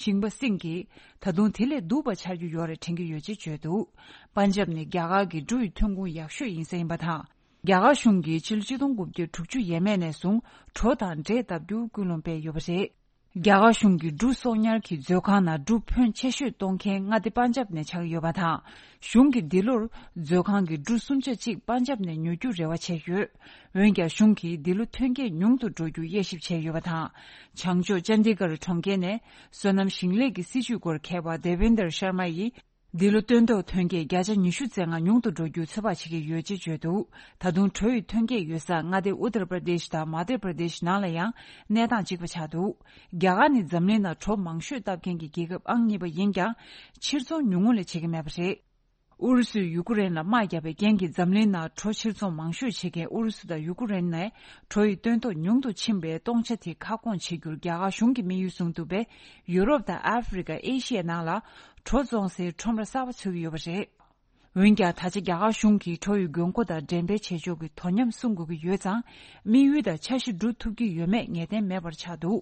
ཞིང་པ་སིང་གིས། ད་དུང་དེ་ལས་སྡུག་པ་ཆགས་རྒྱུ་ཡོད་རེད་དྲན་གྱི་ཡོད་ཅེས་བརྗོད་འདུག་པན་ཇབ་ནི་རྒྱ་གར་གྱི་འབྲུ་ཡི་ཐོན་ཁུངས་ཡག་ཤོས་ཡིན་ས་ཡིན་པ་དང་། རྒྱ་གར་གཞུང་གིས་ཕྱི་ལོ་ཆིག་སྟོང་དགུ་བརྒྱ་དྲུག་ཅུ་ཡས་མས་ནས་བཟུང་གྲོ་དང་འབྲས་བཏབ་རྒྱུར་ཀུན་སློང་སྤེལ་ཡོད་པ་རེད། རྒྱ་གར་གཞུང་གིས་འབྲུ་གསོག་ཉར་གྱི་མཛོད་ཁང་ནང་འབྲུ་ཕོན་ཆེ་ཤོས་གཏོང་མཁན་མངའ་སྡེ་པན་ཇབ་ནས་ཆགས་ཡོད་པ་དང་། གཞུང་གིས་འདི་ལོར་མཛོད་ཁང་གི་འབྲུ་སུམ་ཆ་གཅིག་པན་ཇབ་ནས་ཉོ་རྒྱུར་རེ་བ་བྱས་ཡོད། འོན་ཀྱང་གཞུང་གིས་འདི་ལོ་ཐོན་སྐྱེད་ཉུང་དུ་འགྲོ་རྒྱུ་དབྱེ་ཞིབ་བྱས་ཡོད་པ་དང་། བྱང་ཕྱོགས་ཅན་དི་གྷར་གྲོང་ཁྱེར་ནས་སོ་ནམ་ཞིང་ལས་ཀྱི་སྲིད་ཇུས་སྐོར་མཁས་པ་Devinder Sharma ཡིས། འདི་ལོ་སྟོན་ཐོག་ཐོན་སྐྱེད་བརྒྱ་ཆ་ཉི་ཤུ་རྩ་ལྔ་ཉུང་དུ་འགྲོ་རྒྱུ་ཚོད་དཔག་བྱེད་ཀྱི་ཡོད་ཅེས་བརྗོད་འདུག་ད་དུང་གྲོ་ཡི་ཐོན་སྐྱེད་ཡོད་ས་མངའ་སྡེ་ཨུ་ཏར་པར་དེཤ་དང་མ་དྷྱ་པར་དེཤ་ནང་ལ་ཡང་གནས་སྟངས་གཅིག་པ་ཆགས་འདུག་རྒྱ་གར་ནི་འཛམ་གླིང་ནང་གྲོ་མང་ཤོས་བཏབ་མཁན་གྱི་རྒྱལ་ཁབ་ཨང་གཉིས་པ་ཡིན་ཀྱང་། ཕྱིར་ཚོང་ཉུང་ངུ་ལས་བྱེད་ཀྱི་མེད་པ་རེད། ཨུ་རུ་སུས་ཡུ་ཀུ་རེན་ལ་དམག་བརྒྱབ་པའི་རྐྱེན་གྱིས་འཛམ་གླིང་ནང་གྲོ་ཕྱིར་ཚོང་མང་ཤོས་བྱེད་མཁན་ཨུ་རུ་སུ་དང་ཡུ་ཀུ་རེན་ནས་གྲོ་ཡི་སྟོན་ཐོག་ཉུང་དུ་ཕྱིན་པའི་སྟོང་ཆ་དེ་ཁ་སྐོང་བྱེད་རྒྱུར་རྒྱ་གར་གཞུང་གིས་དམིགས་ཡུལ་བཟུང་འདུག་པས། ཡུ་རོབ་དང་ཨ་ཧྥེ་རི་ཀ་ཨེ་ཤི་ཡའི་ནང་ལ་གྲོ་བཙོང་སའི་ཁྲོམ་ར་གསར་པ་ཚུགས་ཀྱི་ཡོད་པ་རེད། འོན་ཀྱང་ད་ཆ་རྒྱ་གར་གཞུང་གིས་གྲོ་ཡི་དགོས་མཁོ་དང་འགྲེམས་སྤེལ་བྱེད་ཕྱོགས་ཀྱི་དོ་མཉམ་སྲུང་དགོས་ཀྱི་ཡོད་ཙང་། དམིགས་ཡུལ་དང་འཆར་གཞི་འགྲུབ་ཐུབ་ཀྱི་ཡོད་མེད་ངེས་གཏན་མེད་པར་ཆགས་འདུག་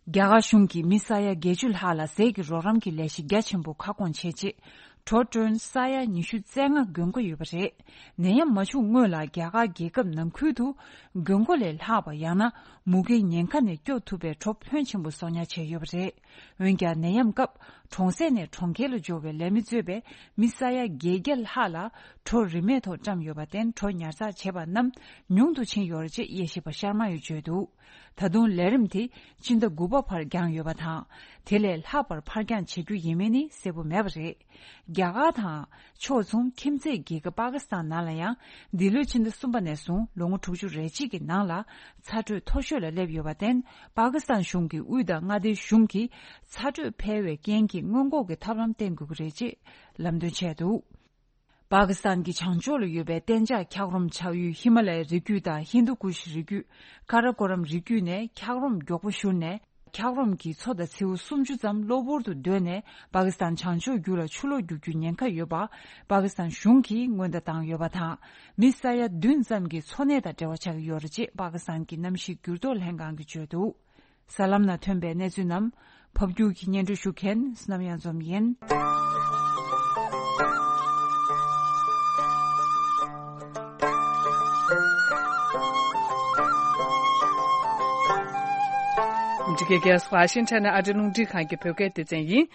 རྒྱ་གར་གཞུང་གིས་མི་ས་ཡ་བརྒྱད་ཅུ་ལྷག་ལ་ཟས་ཀྱི་རོགས་རམ་གྱི་ལས་གཞི་རྒྱ་ཆེན་པོ་ཁ་སྐོང་བྱས་རྗེས། གྲོ་ཊོན་ས་ཡ་ཉི་ཤུ་རྩ་ལྔ་དགོས་མཁོ་ཡོད་པ་རེད། ནད་ཡམས་མ་བྱུང་སྔོན་ལ་རྒྱ་གར་རྒྱལ་ཁབ་ནང་ཁུལ་དུ་དགོས་མཁོ་ལས་ལྷག་པ་ཡང་ན་མུ་གེའི་ཉེན་ཁ་ནས་སྐྱོབ་ཐུབ་པའི་གྲོ་ཕོན་ཆེན་པོ་གསོག་ཉར་བྱས་ཡོད་པ་རེད། འོན་ཀྱང་ནད་ཡམས་སྐབས་གྲོང་གསེབ་ནས་གྲོང་ཁྱེར་ལ་འབྱོར་བའི་ལས་མི་གཙོས་པའི་མི་ས་ཡ་བརྒྱད་བརྒྱ་ལྷག་ལ་གྲོ་རིན་མེད་ཐོག་བཀྲམ་ཡོད་པར་བརྟེན། གྲོ་ཉར་ཚགས་བྱས་པ་རྣམས་ཉུང་དུ་ཕྱིན་ཡོད་རེད་ཅེས་དབྱེ་ཞིབ་པ་ཤར་མ་ཡིས་བརྗོད་འདུག་ད་དུང་ལས་རིམ་དེ་ཕྱི་ཟླ་དགུ་པ་བར་འགྱངས་ཡོད་པ་དང་། དེ་ལས་ལྷག་པར་ཕར་འགྱངས་བྱེད་རྒྱུ་ཡིན་མིན་ནི་གསལ་པོ་མེད་པ་རེད། རྒྱ་གར་དང་ཕྱོགས་མཚུངས་ཁྱིམ་མཚེས་རྒྱལ་ཁབ་པ་ཀི་སི་ཐན་ནང་ལ་ཡང་འདི་ལོའི་ཕྱི་ཟླ་གསུམ་པ་ནས་བཟུང་ལོ་ངོ་དྲུག་ཅུ་རེ་གཅིག་གི་ནང་ལ་ཚ་དྲོད་མཐོ་ཤོས་ལ་སླེབས་ཡོད་པར་བརྟེན། པ་ཀི་སི་ཐན་གཞུང་གིས་དབུས་དང་མངའ་སྡེའི་གཞུང་གིས་ཚ་དྲོད་འཕེལ་བའི་རྐྱེན་གྱིས་སྔོན་འགོག་གི་ཐབས་ལམ་བསྟེན་དགོས་ཀྱི་རེད་ཅེས་ལམ་སྟོན་བྱས་འདུག་པ་ཀི་སི་ཐན་གྱི་བྱང་ཕྱོགས་ལ་ཡོད་པའི་གཏན་འཇགས་འཁྱགས་རོམ་ཆགས་ཡུལ་ཧི་མ་ལ་ཡའི་རི་རྒྱུད་དང་ཧིན་དུ་ཀུ་ཤི་རི་རྒྱུད། ཀ་ར་ཀོ་རམ་རི་རྒྱུད་ནས་འཁྱགས་རོམ་མགྱོགས་པོ་བཞུར་ནས། འཁྱགས་རོམ་གྱི་མཚོ་དང་མཚེའུ་སུམ་ཅུ་ཙམ་གློ་བུར་དུ་རྡོལ་ནས། པ་ཀི་སི་ཐན་བྱང་ཕྱོགས་རྒྱུད་ལ་ཆུ་ལོག་རྒྱུག་རྒྱུའི་ཉེན་ཁ་ཡོད་པ། པ་ཀི་སི་ཐན་གཞུང་གིས་སྔོན་བརྡ་བཏང་ཡོད་པ་དང་། མི་ས་ཡ་བདུན་ཙམ་གྱི་འཚོ་གནས་དང་འབྲེལ་བ་ཆགས་ཀྱི་ཡོད་རེད་ཅེས་པ་ཀི་སི་ཐན་གྱི་གནམ་གཤིས་འགྱུར་ལྡོག་ལྷན་ཁང་གིས་བརྗོད་འདུག་གསར་ལམ་ནང་ཐོན་པའི་གནས་ཚུལ་རྣམས་ཕབ་སྒྱུར་གྱིས་སྙན་སྒྲོན་ཞུ་མཁན་བསོད་ནམས་གཡང་འཛོམས་ཡིན། ཨ་མི་རི་ཀའི་རྒྱལ་ས་ཝ་ཤིང་ཊོན་ནས་ཨ་རིའི་རླུང་འཕྲིན་ཁང་གི་བོད་སྐད་སྡེ་ཚན་ཡིན།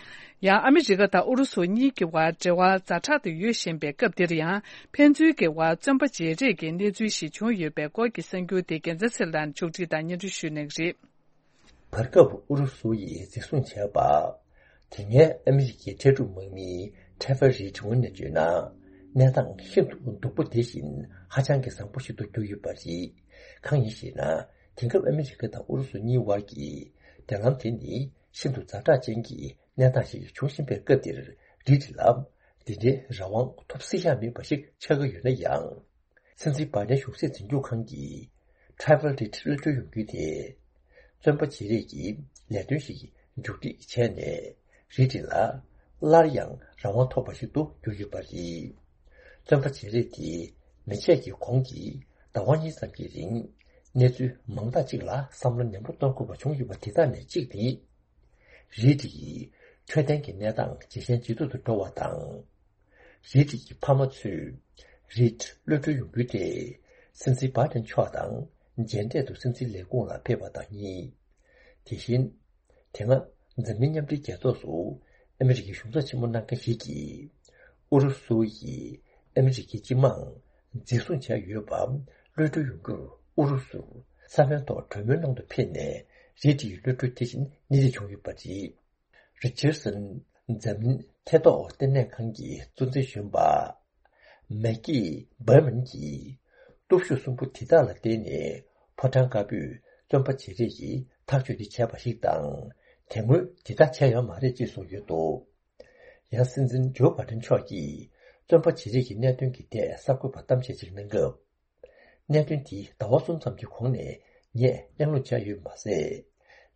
ཡང་ཨ་མི་རི་ཀ་དང་ཨུ་རུ་སུ་གཉིས་ཀྱི་བར་འབྲེལ་བ་ཛ་དྲག་ཏུ་ཡོད་བཞིན་པའི་སྐབས་འདིར་ཡང་ཕན་ཚུན་གྱི་བར་བཙོན་པ་བརྗེ་རེས་ཀྱི་གནས་ཚུལ་ཞིག་བྱུང་ཡོད་པའི་སྐོར་གྱི་གསར་འགྱུར་དེ་རྒྱལ་མཚན་ཚེ་རིང་ལགས་ནས་ཕྱོགས་སྒྲིག་དང་སྙན་སྒྲོན་ཞུ་གནང་གི་རེད། བར་སྐབས་ཨུ་རུ་སུ་ཡིས་འཛིན་བཟུང་བྱས་པ། དེ་སྔའི་ཨ་མི་རི་ཀའི་འཕྲལ་སྒྲུབ་དམག་མི་ཊེ་ཕར་རིད་ངོས་ནས་བརྗོད་ན། གནས་སྟངས་ཤིན་ཏུ་སྡུག་པོ་དེ་བཞིན་ཧ་ཅང་གི་བཟང་པོ་ཞིག་ཏུ་གྱུར་ཡོད་པ་རེད། གང་ཡིན་ཞེ་ན། དེང་སྐབས་ཨ་མི་རི་ཀ་དང་ཨུ་རུ་སུ་གཉིས་བར་གྱི་འབྲེལ་ལམ་དེ་ནི་ཤིན་ཏུ་ཛ་དྲག་ཅན་གྱི་གནས་སྟངས་ཤིག་བྱུང་བཞིན་པའི་སྐབས་འདིར། རིད་ལ་འདི་འདྲའི་རང་དབང་ཐོབ་སྲིད་ཡ་མེད་པ་ཞིག་ཆགས་ཀྱི་ཡོད་ན་ཡང་། སྲིད་འཛིན་བྷའི་ཌེན་གཞུང་སྲིད་འཛིན་སྐྱོང་ཁང་གིས་ཊེ་ཕར་རིད་གློད་གྲོལ་ཡོང་རྒྱུ་དེ། བཙོན་པ་བརྗེ་རེས་ཀྱི་ལས་དོན་ཞིག་མཇུག་སྒྲིལ་བྱས་ནས། རིད་ལ་སླར་ཡང་རང་དབང་ཐོབ་པ་ཞིག་ཏུ་གྱུར་ཡོད་པ་རེད། བཙོན་པ་བརྗེ་རེས་དེ་མེ་ཆད་ཀྱི་གོང་གི་ཟླ་བ་གཉིས་ཙམ་གྱི་རིང་། གནས་ཚུལ་མང་དག་ཅིག་ལ་བསམ་བློ་ནན་པོ་གཏོང་དགོས་པ་བྱུང་ཡོད་པ་དེ་དག་ནས་གཅིག་ནི། རིད་ཡི་འཕྲོད་བསྟེན་གྱི་གནས་སྟངས་ཇེ་ཞན་ཇེ་སྡུག་ཏུ་འགྲོ་བ་དང་། རིད་ཀྱི་ཕ་མ་ཚོས་རིད་གློད་གྲོལ་ཡོང་རྒྱུ་དེ་སྲིད་འཛིན་བྷའི་ཌེན་མཆོག་དང་མཇལ་འཕྲད་དུ་སྲིད་འཛིན་ལས་ཁུངས་ལ་ཕེབས་པ་དང་གཉིས། དེ་བཞིན། དེ་སྔ་འཛམ་གླིང་མཉམ་འབྲེལ་རྒྱལ་ཚོགས་སུ་ཨ་མི་རི་ཀའི་གཞུང་ཚབ་ཆེན་མོ་གནང་མཁན་ཞིག་གིས། ཨུ་རུ་སུ་ཡིས་ཨ་མི་རི་ཀའི་སྤྱི་དམངས་འཛིན་བཟུང་བྱས་ཡོད་པ་གློད་གྲོལ་ཡོང་རྒྱུར་ཨུ་རུ་སུར་ས་བོན་ཐོག་གྲོས་མོལ་གནང་དུ་ཕེབས་ནས་རིད་ཡི་གློད་གྲོལ་དེ་བཞིན་གནས་རིགས་བྱུང་ཡོད་པ་རེད། རི་ཅར་སན་འཛམ་གླིང་ཐེ་གཏོགས་ལྟེ་གནས་ཁང་གི་གཙོ་འཛིན་གཞོན་པ་མེག་ཀི་བྷར་མན་གྱིས་སྟོབས་ཤུགས་གསུམ་པོ་དེ་དག་ལ་བརྟེན་ནས་ཕོ་བྲང་དཀར་པོས་བཙོན་པ་བརྗེ་རེས་ཀྱི་ཐག་གཅོད་དེ་བྱས་པ་ཞིག་དང་། དེ་སྔོན་དེ་ལྟར་བྱས་ཡོད་མ་རེད་ཅེས་གསུངས་ཡོད་འདུག་ཡང་སྲིད་འཛིན་ཇོ་བྷའི་ཌེན་མཆོག་གིས་བཙོན་པ་བརྗེ་རེས་ཀྱི་གནད་དོན་གྱི་ཐད་གསར་འགོད་པར་གཏམ་བཤད་ཅིག་གནང་སྐབས། གནད་དོན་དེ་ཟླ་བ་གསུམ་ཙམ་གྱི་གོང་ནས་ངས་གླེང་སློང་བྱས་ཡོད་མ་ཟད།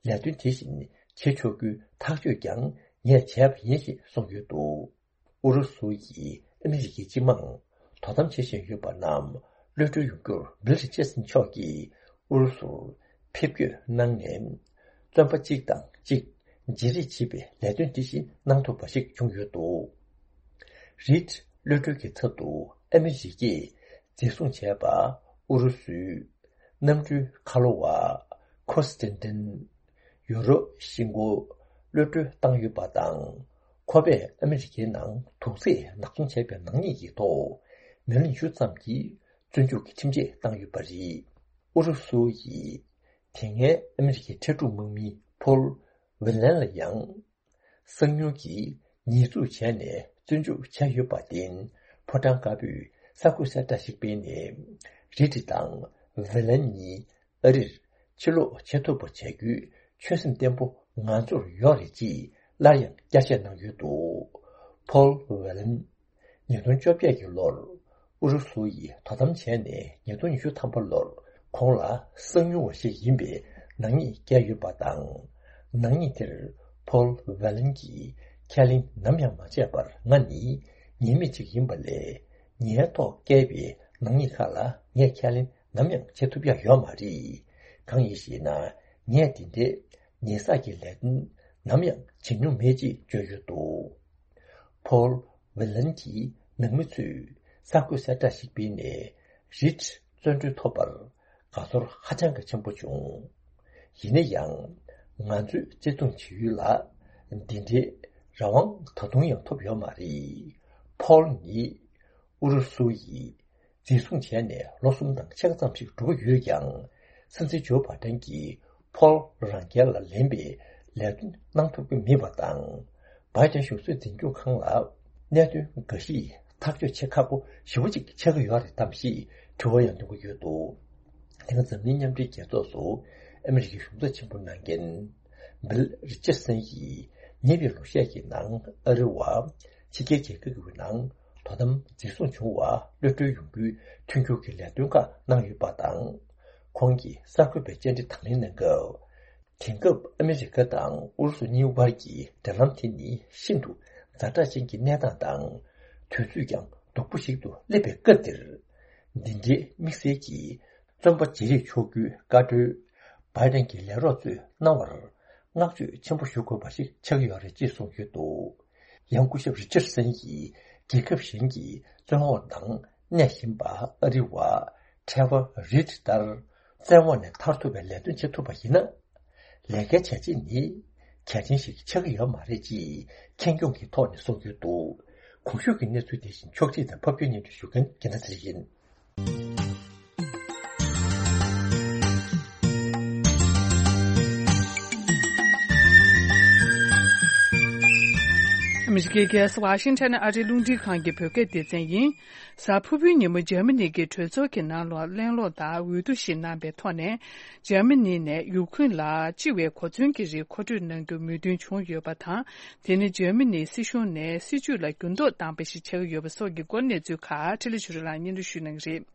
ལས་དོན་དེ་བཞིན་བྱེད་ཆོག་རྒྱུའི་ཐག་གཅོད་ཀྱང་ངས་བྱས་པ་ཡིན་ཞེས་གསུངས་ཡོད་འདུག་ཨུ་རུ་སུ་ཡིས་ཨ་མི་རི་ཀའི་སྤྱི་དམངས་དོ་དམ་བྱེད་བཞིན་ཡོད་པ་རྣམས་གློད་གྲོལ་ཡོང་རྒྱུར་བིལ་རི་ཅར་སན་མཆོག་གིས་ཨུ་རུ་སུར་ཕེབས་སྐྱོད་གནང་ནས། བཙོན་པ་གཅིག་དང་གཅིག་བརྗེ་རེས་བྱེད་པའི་ལས་དོན་དེ་བཞིན་གནང་ཐུབ་པ་ཞིག་བྱུང་ཡོད་འདུག་རིད་གློད་གྲོལ་གྱི་ཚབ་ཏུ་ཨ་མི་རི་ཀས་འཛིན་བཟུང་བྱས་པ་ཨུ་རུ་སུའི་གནམ་གྲུའི་ཁ་ལོ་བ་ཁོ་སི་ཏན་ཏིན། ཡུ་རོ་ཤིང་ཀོ་གློད་གྲོལ་བཏང་ཡོད་པ་དང་། ཁོ་པས་ཨ་མི་རི་ཀའི་ནང་དུག་རྫས་ནག་འཚོང་བྱས་པའི་ནག་ཉེས་ཀྱི་ཐོག་མི་ལོ་ཉི་ཤུ་ཙམ་གྱི་བཙོན་འཇུག་གི་ཁྲིམས་ཆད་བཏང་ཡོད་པ་རེད། ཨུ་རུ་སུ་ཡིས་དེ་སྔའི་ཨ་མི་རི་ཀའི་འཕྲལ་སྒྲུབ་དམག་མི་ཕོལ་ཝེ་ལན་ལ་ཡང་། གསང་མྱུལ་གྱིས་ཉེས་འཛུགས་བྱས་ནས་བཙོན་འཇུག་བྱས་ཡོད་པར་བརྟེན། ཕོ་བྲང་དཀར་པོས་གསར་འགོད་གསལ་བསྒྲགས་ཤིག་སྤེལ་ནས། རིད་དང་ཝེ་ལན་གཉིས་ཨ་རིར་ཕྱིར་ལོག་བྱེད་ཐུབ་པ་བྱ་རྒྱུའི་ཆོད་སེམས་བརྟན་པོ་ང་ཚོར་ཡོད་རེད་ཅེས་སླར་ཡང་བསྐྱར་བཤད་གནང་ཡོད་འདུག་ཕོལ་ཝེ་ལན། ཉིས་སྟོང་བཅོ་བརྒྱད་ཀྱི་ལོར་ཨུ་རུ་སུ་ཡིས་དོ་དམ་བྱས་ནས་ཉིས་སྟོང་ཉི་ཤུ་ཐམ་པ་ལོར་ཁོང་ལ་གསང་མྱུལ་བ་ཞིག་ཡིན་པའི་ནག་ཉེས་བཀལ་ཡོད་པ་དང་། ནག་ཉེས་དེར་ཕོལ་ཝེ་ལན་གྱིས་ཁས་ལེན་ནམ་ཡང་མ་བྱས་པར། ང་ནི་ཉེས་མེད་ཅིག་ཡིན་པ་ལས། ངའི་ཐོག་བཀལ་བའི་ནག་ཉེས་ཁག་ལ་ངས་ཁས་ལེན་ནམ་ཡང་བྱེད་ཐུབ་ཡ་ཡོད་མ་རེད། གང་ཡིན་ཞེ་ན། ངས་འདི་འདྲའི་ཉེས་བསགས་ཀྱི་ལས་དོན་ནམ་ཡང་བྱེད་མྱོང་མེད་ཅེས་བརྗོད་ཡོད་འདུག་ཕོལ་ཝེ་ལན་གྱི་ནང་མི་ཚོས་གསར་འགོད་གསལ་བསྒྲགས་ཤིག་སྤེལ་ནས། རིད་བཙོན་གྲོལ་ཐོབ་པར་དགའ་ཚོར་ཧ་ཅང་གི་ཆེན་པོ་བྱུང་། ཡིན་ན་ཡང་། ང་ཚོས་བརྩི་མཐོང་བྱེད་ཡུལ་ལ་འདི་འདྲའི་རང་དབང་ད་དུང་ཡང་ཐོབ་ཡོད་མ་རེད། ཕོལ་ནི་ཨུ་རུ་སུ་ཡིས་འཛིན་བཟུང་བྱས་ནས་ལོ་གསུམ་དང་ཕྱེད་ཀ་ཙམ་ཞིག་འགྲོ་གི་ཡོད་ཀྱང་། སྲིད་འཛིན་ཇོ་བྷའི་ཌེན་གྱིས་ཕོལ་རང་རྒྱལ་ལ་ལེན་པའི་ལས་དོན་གནང་ཐུབ་ཀྱི་མེད་པ་དང་། བྷའི་ཌེན་གཞུང་སྲིད་འཛིན་སྐྱོང་ཁང་ལ་གནད་དོན་འགའ་ཞིག་ཐག་གཅོད་བྱེད་ཁག་པོ་ཞེ་པོ་ཅིག་ཆགས་ཀྱི་ཡོད་རེད་དམ་ཞེས་དྲི་བ་ཡང་འདོན་གྱི་ཡོད་འདུག་དེ་སྔ་འཛམ་གླིང་མཉམ་འབྲེལ་རྒྱལ་ཚོགས་སུ་ཨ་མི་རི་ཀའི་གཞུང་ཚབ་ཆེན་པོ་གནང་མཁན་བིལ་རི་ཅར་སན་ཡིས་ཉེ་བའི་ལོ་ཤས་ཀྱི་ནང་ཨ་རི་བ་ཕྱི་རྒྱལ་རྒྱལ་ཁབ་ཀྱི་ནང་དོ་དམ་འཛིན་བཟུང་བྱུང་བ་གློད་གྲོལ་ཡོང་རྒྱུའི་མཐུན་འགྱུར་གྱི་ལས་དོན་ཁག་གནང་ཡོད་པ་དང་། ཁོང་གིས་གསར་འགོད་པའི་བཅར་འདྲི་དང་ལེན་གནང་སྐབས། དེང་སྐབས་ཨ་མི་རི་ཀ་དང་ཨུ་རུ་སུ་གཉིས་དབར་གྱི་འབྲེལ་ལམ་དེ་ནི་ཤིན་ཏུ་ཛ་དྲག་ཅན་གྱི་གནས་སྟངས་དང་། དུས་ཚོད་ཀྱང་སྡུག་པོ་ཞིག་ཏུ་སླེབས་པའི་སྐབས་འདིར། འདི་འདྲའི་དམིགས་བསལ་གྱི་བཙོན་པ་བརྗེ་རེས་ཆོག་རྒྱུའི་བཀའ་འཁྲོལ་བྷའི་ཌེན་གྱི་ལས་རོགས་ཚོས་གནང་བར་བསྔགས་བརྗོད་ཆེན་པོ་ཞུ་དགོས་པ་ཞིག་ཆགས་ཀྱི་ཡོད་རེད་ཅེས་གསུངས་ཡོད་འདུག་ཡང་སྐུ་ཞབས་རི་ཅར་སན་གྱིས་རྒྱལ་ཁབ་གཞན་གྱི་བཙོན་འོག་ནང་གནས་བཞིན་པ་ཨ་རི་བ་ཊེ་ཕར་རིད་ལྟར། བཙོན་འོག་ནས་ཐར་ཐུབ་པའི་ལས་དོན་བྱེད་ཐུབ་པ་ཡིན་ན། ལས་ཀའི་བྱས་རྗེས་ནི་གལ་ཆེན་ཞིག་ཆགས་ཀྱི་ཡོད་མ་རེད་ཅེས་ཁེངས་སྐྱུང་གི་ཐོག་ནས་གསུངས་ཡོད་འདུག། གོང་ཞུས་ཀྱི་གནས་ཚུལ་དེ་བཞིན་ཕྱོགས་སྒྲིག་དང་ཕབ་སྒྱུར་སྙན་སྒྲོན་ཞུ་མཁན་རྒྱལ་མཚན་ཚེ་རིང་ཡིན། ཨ་མི་རི་ཀའི་རྒྱལ་ས་ཝ་ཤིང་ཊོན་ཨ་རིའི་རླུང་འཕྲིན་ཁང་གི་བོད་སྐད་སྡེ་ཚན་ཡིན། གཟའ་ཕུར་བུའི་ཉིན་མོ་འཇར་མ་ནི་གི་གྲོས་ཚོགས་ཀྱི་ནང་ལོགས་གླེང་སློང་དང་འོས་བསྡུ་ཞིག་གནང་པའི་ཐོག་ནས། འཇར་མ་ནི་ནས་ཡུ་ཁུ་རེན་ལ་ལྕི་བའི་གོ་མཚོན་གྱི་རིགས་མཁོ་སྤྲོད་གནང་རྒྱུ་མོས་མཐུན་བྱུང་ཡོད་པ་དང་། དེ་ནི་འཇར་མ་ནིའི་སྲིད་གཞུང་ནས་སྲིད་ཇུས་ལ་འགྱུར་ལྡོག་བཏང་པ་ཞིག་ཆགས་ཀྱི་ཡོད་པ་སོགས་ཀྱི་སྐོར་གནས་ཚུལ་ཁག་འཕྲིན་ལས་ཆོས་སྒྲོན་ལགས་སྙན་སྒྲོན་ཞུ་གནང་གི་རེད།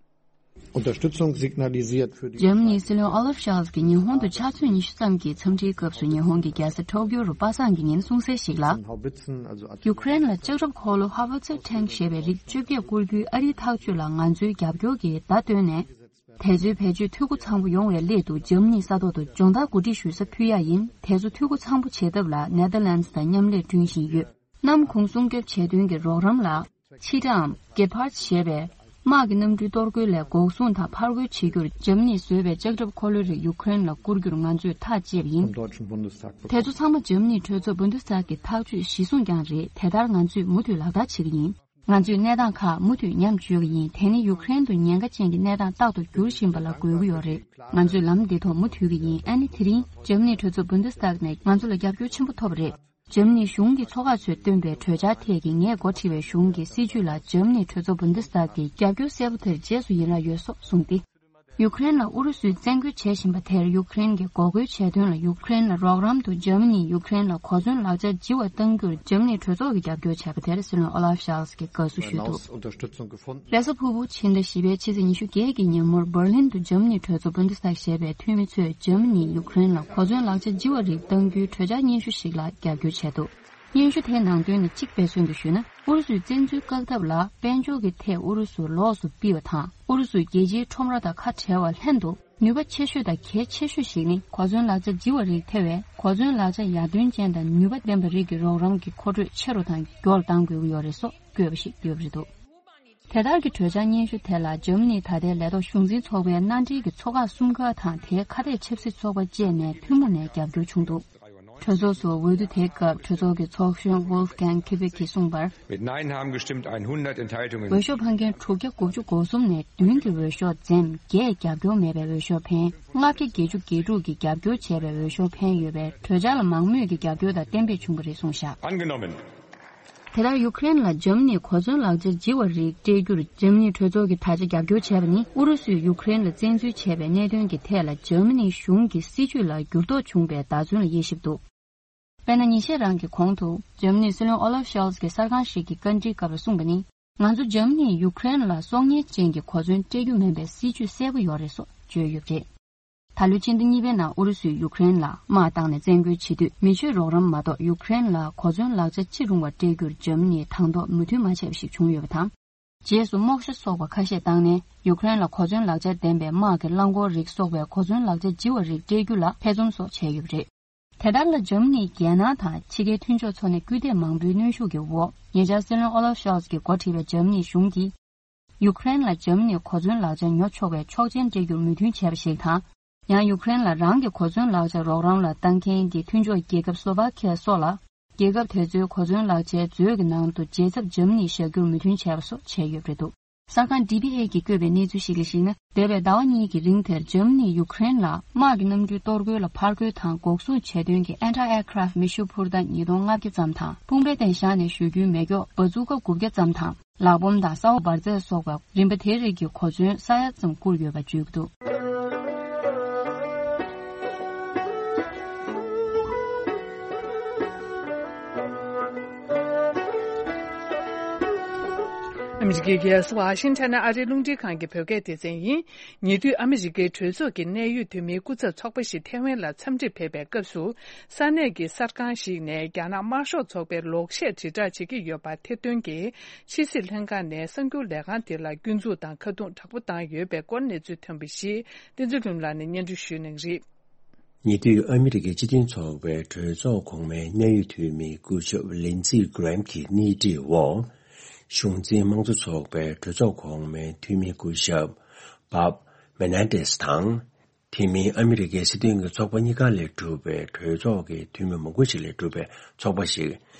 Unterstützung signalisiert für die འཇར་མ་ནིའི་སྲིད་བློན་ཨོ་ལབ་ཤོལ་ཚ་གིས་ཉི་ཧོང་དུ་ཕྱག་ཚོད་ཉི་ཤུ་ཙམ་གྱི་འཚམས་འདྲིའི་སྐབས་སུ་ཉི་ཧོང་གི་རྒྱལ་ས་ཊོ་ཀྱོ་རུ་པ་སངས་ཀྱི་ཉིན་གསུངས་གསལ་ཞིག་ལ། Haubitzen, also ཡུ་ཁུ་རེན་ལ་ལྕགས་ཁྲབ་འཁོར་ལོ་ཧ་ཝེ་ཚེར་ཊེང་ཞེས་པའི་རིགས་བཅོ་བརྒྱད་བསྐུར་རྒྱུའི་ཨ་རིའི་ཐག་གཅོད་ལ་ང་ཚོའི་རྒྱབ་སྐྱོར་གྱི་བརྡ་བཏོན་ནས། དེ་ཚོའི་བེད་སྤྱོད་འཐུས་སྒོ་ཚང་པོ་ཡོང་བའི་སླད་དུ་འཇར་མ་ནིའི་ས་ཐོག་ཏུ་སྦྱོང་བརྡར་གོ་སྒྲིག་ཞུ་ས་ཕུལ་ཡ་ཡིན། དེ་ཚོ་འཐུས་སྒོ་ཚང་པོ་བྱེད་ཐབས་ལ་ནེ་ཐར་ལན་སི་དང་མཉམ་ལས་བསྐྲུན་བཞིན་ཡོད། གནམ་གུང་སྲུང་སྐྱོབ་བྱེད་དོན་གྱི་རོགས་རམ་ལ། ཕྱི་དྲའམ་གེ་ཕར་ཞེས་པའི་དམག་གི་གནམ་གྲུའི་གཏོར་རྒོལ་ལས་འགོག་སྲུང་དང་ཕར་རྒོལ་བྱེད་རྒྱུར་འཇར་མ་ནིས་བཟོས་པའི་ལྕགས་ཁྲབ་འཁོར་ལོའི་རིགས་ཡུ་ཁུ་རེན་ལ་བསྐུར་རྒྱུར་ང་ཚོས་ཐག་བཅད་པ་ཡིན། Vom Deutschen Bundestag དེ་ཚོ་ཚང་མ་འཇར་མ་ནིའི་གྲོས་ཚོགས་བུན་དེ་སི་ཊག་གི་ཐག་གཅོད་གཞི་བཟུང་རྐྱང་རེད། དེ་ལྟར་ང་ཚོས་མུ་མཐུད་ལག་བསྟར་བྱེད་ཀྱི་ཡིན། ང་ཚོས་གནས་སྟངས་ཁག་མུ་མཐུད་ཉམས་བཅོས་ཀྱི་ཡིན། དེ་ནི་ཡུ་ཁུ་རེན་དུ་ཉེན་ཁ་ཅན་གྱི་གནས་སྟངས་རྟག་ཏུ་འགྱུར་བཞིན་པ་ལ་རྒོལ་གྱི་ཡོད་རེད། ང་ཚོས་ལམ་འདི་ཐོག་མུ་མཐུད་ཀྱི་ཡིན། ཨ་ནི་དེ་རིང་འཇར་མ་ནིའི་གྲོས་ཚོགས་བུན་དེ་སི་ཊག་ནས་ང་ཚོ་ལ་རྒྱབ་སྐྱོར་ཆེན་པོ་ཐོབ་པ་རེད། འཇར་མ་ནིའི་གཞུང་གི་ཚོགས་ཁག་ཚོས་བཏོན་པའི་གྲོས་འཆར་ཐད་ཀྱི་ངས་འགོ་ཁྲིད་པའི་གཞུང་གི་སྲིད་ཇུས་ལ་འཇར་མ་ནིའི་གྲོས་ཚོགས་བུན་དེ་སི་ཊག་གིས་རྒྱབ་སྐྱོར་གསལ་པོ་དེར་རྗེས་སུ་ཡི་རངས་ཡོད་སོགས་གསུངས་ཏེ། ཡུ་ཁུ་རེན་ལ་ཨུ་རུ་སུས་བཙན་རྒོལ་བྱེད་བཞིན་པ་དེར་ཡུ་ཁུ་རེན་གྱིས་འགོག་རྒོལ་བྱས་དོན་ལ་ཡུ་ཁུ་རེན་ལ་རོགས་རམ་དུ་འཇར་མ་ནིས་ཡུ་ཁུ་རེན་ལ་གོ་མཚོན་ལག་ཆ་ལྗི་བ་གཏང་རྒྱུར་འཇར་མ་ནིའི་གྲོས་ཚོགས་ཀྱིས་རྒྱབ་སྐྱོར་བྱས་པ་དེར་སྲིད་བློན་ཨོ་ལབ་ཤོལ་ཚ་གིས་དགའ་བསུ་ཞུས་འདུག། Unterstützung gefunden. རེས་གཟའ་ཕུར་བུ་ཕྱི་ཟླ་བཞི་པའི་ཕྱི་ཚེས་ཉི་ཤུ་བརྒྱད་ཀྱི་ཉིན་མོར་འབར་ལིན་དུ་འཇར་མ་ནིའི་གྲོས་ཚོགས་བུན་དེ་སི་ཊག་ཞེས་པའི་འཐུས་མི་ཚོས་འཇར་མ་ནིས་ཡུ་ཁུ་རེན་ལ་གོ་མཚོན་ལག་ཆ་ལྗི་བ་རིགས་གཏང་རྒྱུའི་གྲོས་འཆར་སྙན་ཞུ་ཞིག་ལ་རྒྱབ་སྐྱོར་བྱས་འདུག། སྙན་ཞུ་དེའི་ནང་དོན་ནི་གཅིག་དཔེ་མཚོན་དུ་ཞུས་ན། ཨུ་རུ་སུའི་བཙན་འཛུལ་བཀག་ཐབས་ལ་དཔལ་འབྱོར་གྱི་ཐད་ཨུ་རུ་སུར་ལོགས་སུ་ཕུད་པ་དང་། ཨུ་རུ་སུའི་རྒྱལ་སྤྱིའི་ཁྲོམ་ར་དང་ཁ་བྲལ་བ་ལྷན་དུ། ནུས་པ་ཆེ་ཤོས་དང་གལ་ཆེ་ཤོས་ཤིག་ནི་གོ་མཚོན་ལག་ཆ་ལྗི་བ་རིགས་ཐེ་བའི་གོ་མཚོན་ལག་ཆ་ཡར་ཐོན་ཅན་དང་ནུས་པ་ལྡན་པ་རིགས་ཀྱི་རོགས་རམ་གྱི་མཁོ་སྤྲོད་ཆེ་རུ་དང་མགྱོགས་གཏང་དགོས་ཀྱི་ཡོད་རེད་སོགས་བཀོད་པ་ཞིག་ཡོད་པ་རེད་འདུག། དེ་ལྟར་གྱི་གྲོས་འཆར་སྙན་ཞུ་དེ་ལ་འཇར་མ་ནིའི་ད་ལྟའི་ལས་ཐོག་གཞུང་འཛིན་ཚོགས་པའི་མནའ་འབྲེལ་གྱི་ཚོགས་ཁག་གསུམ་ཀ་དང་དེའི་ཁ་གཏད་ཆབ་སྲིད་ཚོགས་པ་བཅས་ནས་ཐུན་མོང་ནས་རྒྱབ་སྐྱོར་བྱུང་འདུག། གྲོས་ཚོགས་སུ་འོས་བསྡུ་དེའི་སྐབས་གྲོས་ཚོགས་ཀྱི་ཚོགས་གཞོན་Wolfgang Kübek གིས་གསུངས་པར། Mit Nein haben gestimmt hundert Enthaltungen. འོས་ཤོག་འཕངས་མཁན་དྲུག་བརྒྱ་དགུ་བཅུ་གོ་གསུམ་ནས་བདུན་གྱིས་འོས་ཤོག་འཛེམས། བརྒྱད་རྒྱབ་སྐྱོར་མེད་པའི་འོས་ཤོག་འཕེན། ལྔ་བརྒྱ་བརྒྱད་ཅུ་གྱ་དྲུག་གིས་རྒྱབ་སྐྱོར་བྱས་པའི་འོས་ཤོག་འཕེན་ཡོད་པས་གྲོས་འཆར་ལ་མང་མོས་ཀྱི་རྒྱབ་སྐྱོར་དང་གཏན་འབེབས་བྱུང་བ་རེད་གསུངས་བཞག། Angenommen. དེ་ལྟར་ཡུ་ཁུ་རེན་ལ་འཇར་མ་ནིས་གོ་མཚོན་ལག་ཆ་ལྗི་བ་རིགས་སྤྲད་རྒྱུར་འཇར་མ་ནིའི་གྲོས་ཚོགས་ཀྱིས་ད་ཆ་རྒྱབ་སྐྱོར་བྱས་པ་ནི་ཨུ་རུ་སུས་ཡུ་ཁུ་རེན་ལ་བཙན་འཛུལ་བྱས་པའི་གནད་དོན་གྱི་ཐད་ལ་འཇར་མ་ནིའི་གཞུང་གི་སྲིད་ཇུས་ལ་འགྱུར་ལྡོག་བྱུང་བའི་བརྡ་མཚོན་ལ་དབྱེ་ཞིབ་འདུག། དཔེར་ན། ཉིན་ཤས་རིང་གི་གོང་དུ་འཇར་མ་ནིའི་སྲིད་བློན་ཨོ་ལབ་ཤོལ་ཚ་གིས་གསར་ཁང་ཞིག་གི་བཀའ་འདྲིའི་སྐབས་ལ་གསུངས་པ་ནི། ང་ཚོ་འཇར་མ་ནིས་ཡུ་ཁུ་རེན་ལ་སྲོག་ཉེན་ཅན་གྱི་གོ་མཚོན་སྤྲད་རྒྱུ་མིན་པའི་སྲིད་ཇུས་གསལ་པོ་ཡོད་རེད་སོགས་བརྗོད་ཡོད་པ་རེད། ད་ལོའི་ཕྱི་ཟླ་གཉིས་པའི་ནང་ཨུ་རུ་སུས་ཡུ་ཁུ་རེན་ལ་དམག་བཏང་ནས་བཙན་རྒོལ་བྱེད་དུས་མི་ཆོས་རོགས་རམ་མ་གཏོགས་ཡུ་ཁུ་རེན་ལ་གོ་མཚོན་ལག་ཆ་ཅི་རུང་བ་སྤྲད་རྒྱུར་འཇར་མ་ནིས་དང་ཐོག་མོས་མཐུན་མ་བྱས་པ་ཞིག་བྱུང་ཡོད་པ་དང་། རྗེས་སུ་རྨོག་ཞྭ་སོགས་པ་ཁ་ཤས་བཏང་ནས་ཡུ་ཁུ་རེན་ལ་གོ་མཚོན་ལག་ཆ་ལྡན་པའི་དམག་གི་རླངས་འཁོར་རིགས་སོགས་པའི་གོ་མཚོན་ལག་ཆ་ལྗི་བ་རིགས་སྤྲད་རྒྱུ་ལ་ཐེ་ཚོམ་སོགས་བྱས་ཡོད་པ་རེད། དེ་ལྟར་ལ་འཇར་མ་ནིས་རྒྱལ་ནང་དང་ཕྱི་རྒྱལ་མཐུན་ཕྱོགས་ཚོ་ནས་སྐུལ་འདེད་མང་པོའི་གནོན་ཤུགས་ཀྱི་འོག་ཉེ་ཆར་སྲིད་བློན་ཨོ་ལབ་ཤོལ་ཚ་གིས་འགོ་ཁྲིད་པའི་འཇར་མ་ནིའི་གཞུང་གིས། ཡུ་ཁུ་རེན་ལ་འཇར་མ་ནིས་གོ་མཚོན་ལག་ཆ་ཉོ་ཆོག་པའི་ཆོག་མཆན་སྤྲད་རྒྱུར་མོས་མཐུན་བྱས་པ་ཞིག་དང་། ཡང་ཡུ་ཁུ་རེན་ལ་རང་གི་གོ་མཚོན་ལག་ཆ་རོགས་རམ་ལ་བཏང་མཁན་གྱི་མཐུན་ཕྱོགས་རྒྱལ་ཁབ་སློ་བྷ་ཁི་ཡ་སོགས་ལ། རྒྱལ་ཁབ་དེ་ཚོའི་གོ་མཚོན་ལག་ཆའི་མཛོད་ཀྱི་ནང་དུ་རྗེས་ཚབ་འཇར་མ་ནིས་བཞག་རྒྱུར་མོས་མཐུན་བྱས་པ་སོགས་བྱས་ཡོད་པ་རེད་འདུག། གསར་ཁང་ཌི་བྷི་ཨེ་གིས་བཀོད་པའི་གནས་ཚུལ་ཞིག་ལ་གཞིགས་ན། འདས་པའི་ཟླ་བ་གཉིས་ཀྱི་རིང་དེར་འཇར་མ་ནིས་ཡུ་ཁུ་རེན་ལ་དམག་གི་གནམ་གྲུའི་གཏོར་རྒོལ་ལ་ཕར་རྒོལ་དང་འགོག་སྲུང་བྱས་དོན་གྱི་ཨན་ཊི་ཨེར་ཀ་རབ་མེ་ཤུགས་འཕུར་མདའ་ཉིས་སྟོང་ལྔ་བརྒྱ་ཙམ་དང་། དཔུང་པའི་སྟེང་བཞག་ནས་གཞུ་རྒྱུའི་མེ་སྒྱོགས་འབར་ཚུགས་ཀ་དགུ་བརྒྱ་ཙམ་དང་། ལག་བོམ་དང་གསར་པ་འབར་རྫས་སོགས་པ་རིམ་པ་དེ་རིགས་ཀྱི་གོ་མཚོན་ས་ཡ་ཙམ་བསྐུར་ཡོད་པ་བརྗོད་ཀྱི་འདུག། ཨ་མི་རི་ཀའི་རྒྱལ་ས་ཝ་ཤིང་ཊོན་ནས་ཨ་རིའི་རླུང་འཕྲིན་ཁང་གི་བོད་སྐད་སྡེ་ཚན་ཡིན། ཉེ་དུས་ཨ་མི་རི་ཀའི་གྲོས་ཚོགས་ཀྱི་གནད་ཡོད་འཐུས་མིའི་སྐུ་ཚབ་ཚོགས་པ་ཞིག་ཐེ་ཝན་ལ་འཚམས་འདྲིར་ཕེབས་པའི་སྐབས་སུ། ས་གནས་ཀྱི་གསར་ཁང་ཞིག་ནས་རྒྱ་ནག་དམར་ཤོག་ཚོགས་པའི་ལོག་བཤད་དྲིལ་བསྒྲགས་བྱེད་ཀྱི་ཡོད་པ་ཐེར་འདོན་གྱིས། ཕྱི་སྲིད་ལྷན་ཁང་ནས་གསར་འགྱུར་ལས་ཁང་དེ་ལ་སྐྱོན་འཛུགས་དང་ཁ་རྡུང་དྲག་པོ་བཏང་ཡོད་པའི་སྐོར་གནས་ཚུལ་ཐོན་པ་ཞིག་བསྟན་འཛིན་ལྷུན་ལགས་ནས་སྙན་སྒྲོན་ཞུ་གནང་གི་རེད། ཉེ་དུས་ཨ་མི་རི་ཀའི་སྤྱི་མཐུན་ཚོགས་པའི་གྲོས་ཚོགས་གོང་མའི་གནད་ཡོད་འཐུས་མི་སྐུ་ཞབས་ལིན་ཛི་གྷི་རེམ་གྱི་སྣེ་ཁྲིད་འོག་གཞུང་འཛིན་དམངས་གཙོ་ཚོགས་པའི་གྲོས་ཚོགས་གོང་མའི་འཐུས་མི་སྐུ་ཞབས་བབ་མེ་ནན་ཏེས་དང་། དེ་མིན་ཨ་མི་རི་ཀའི་སྲིད་དོན་གྱི་ཚོགས་པ་གཉིས་ཀ་ལས་གྲུབ་པའི་གྲོས་ཚོགས་ཀྱི་འཐུས་མི་མང་པོ་ཞིག་ལས་གྲུབ་པའི་ཚོགས་པ་ཞིག་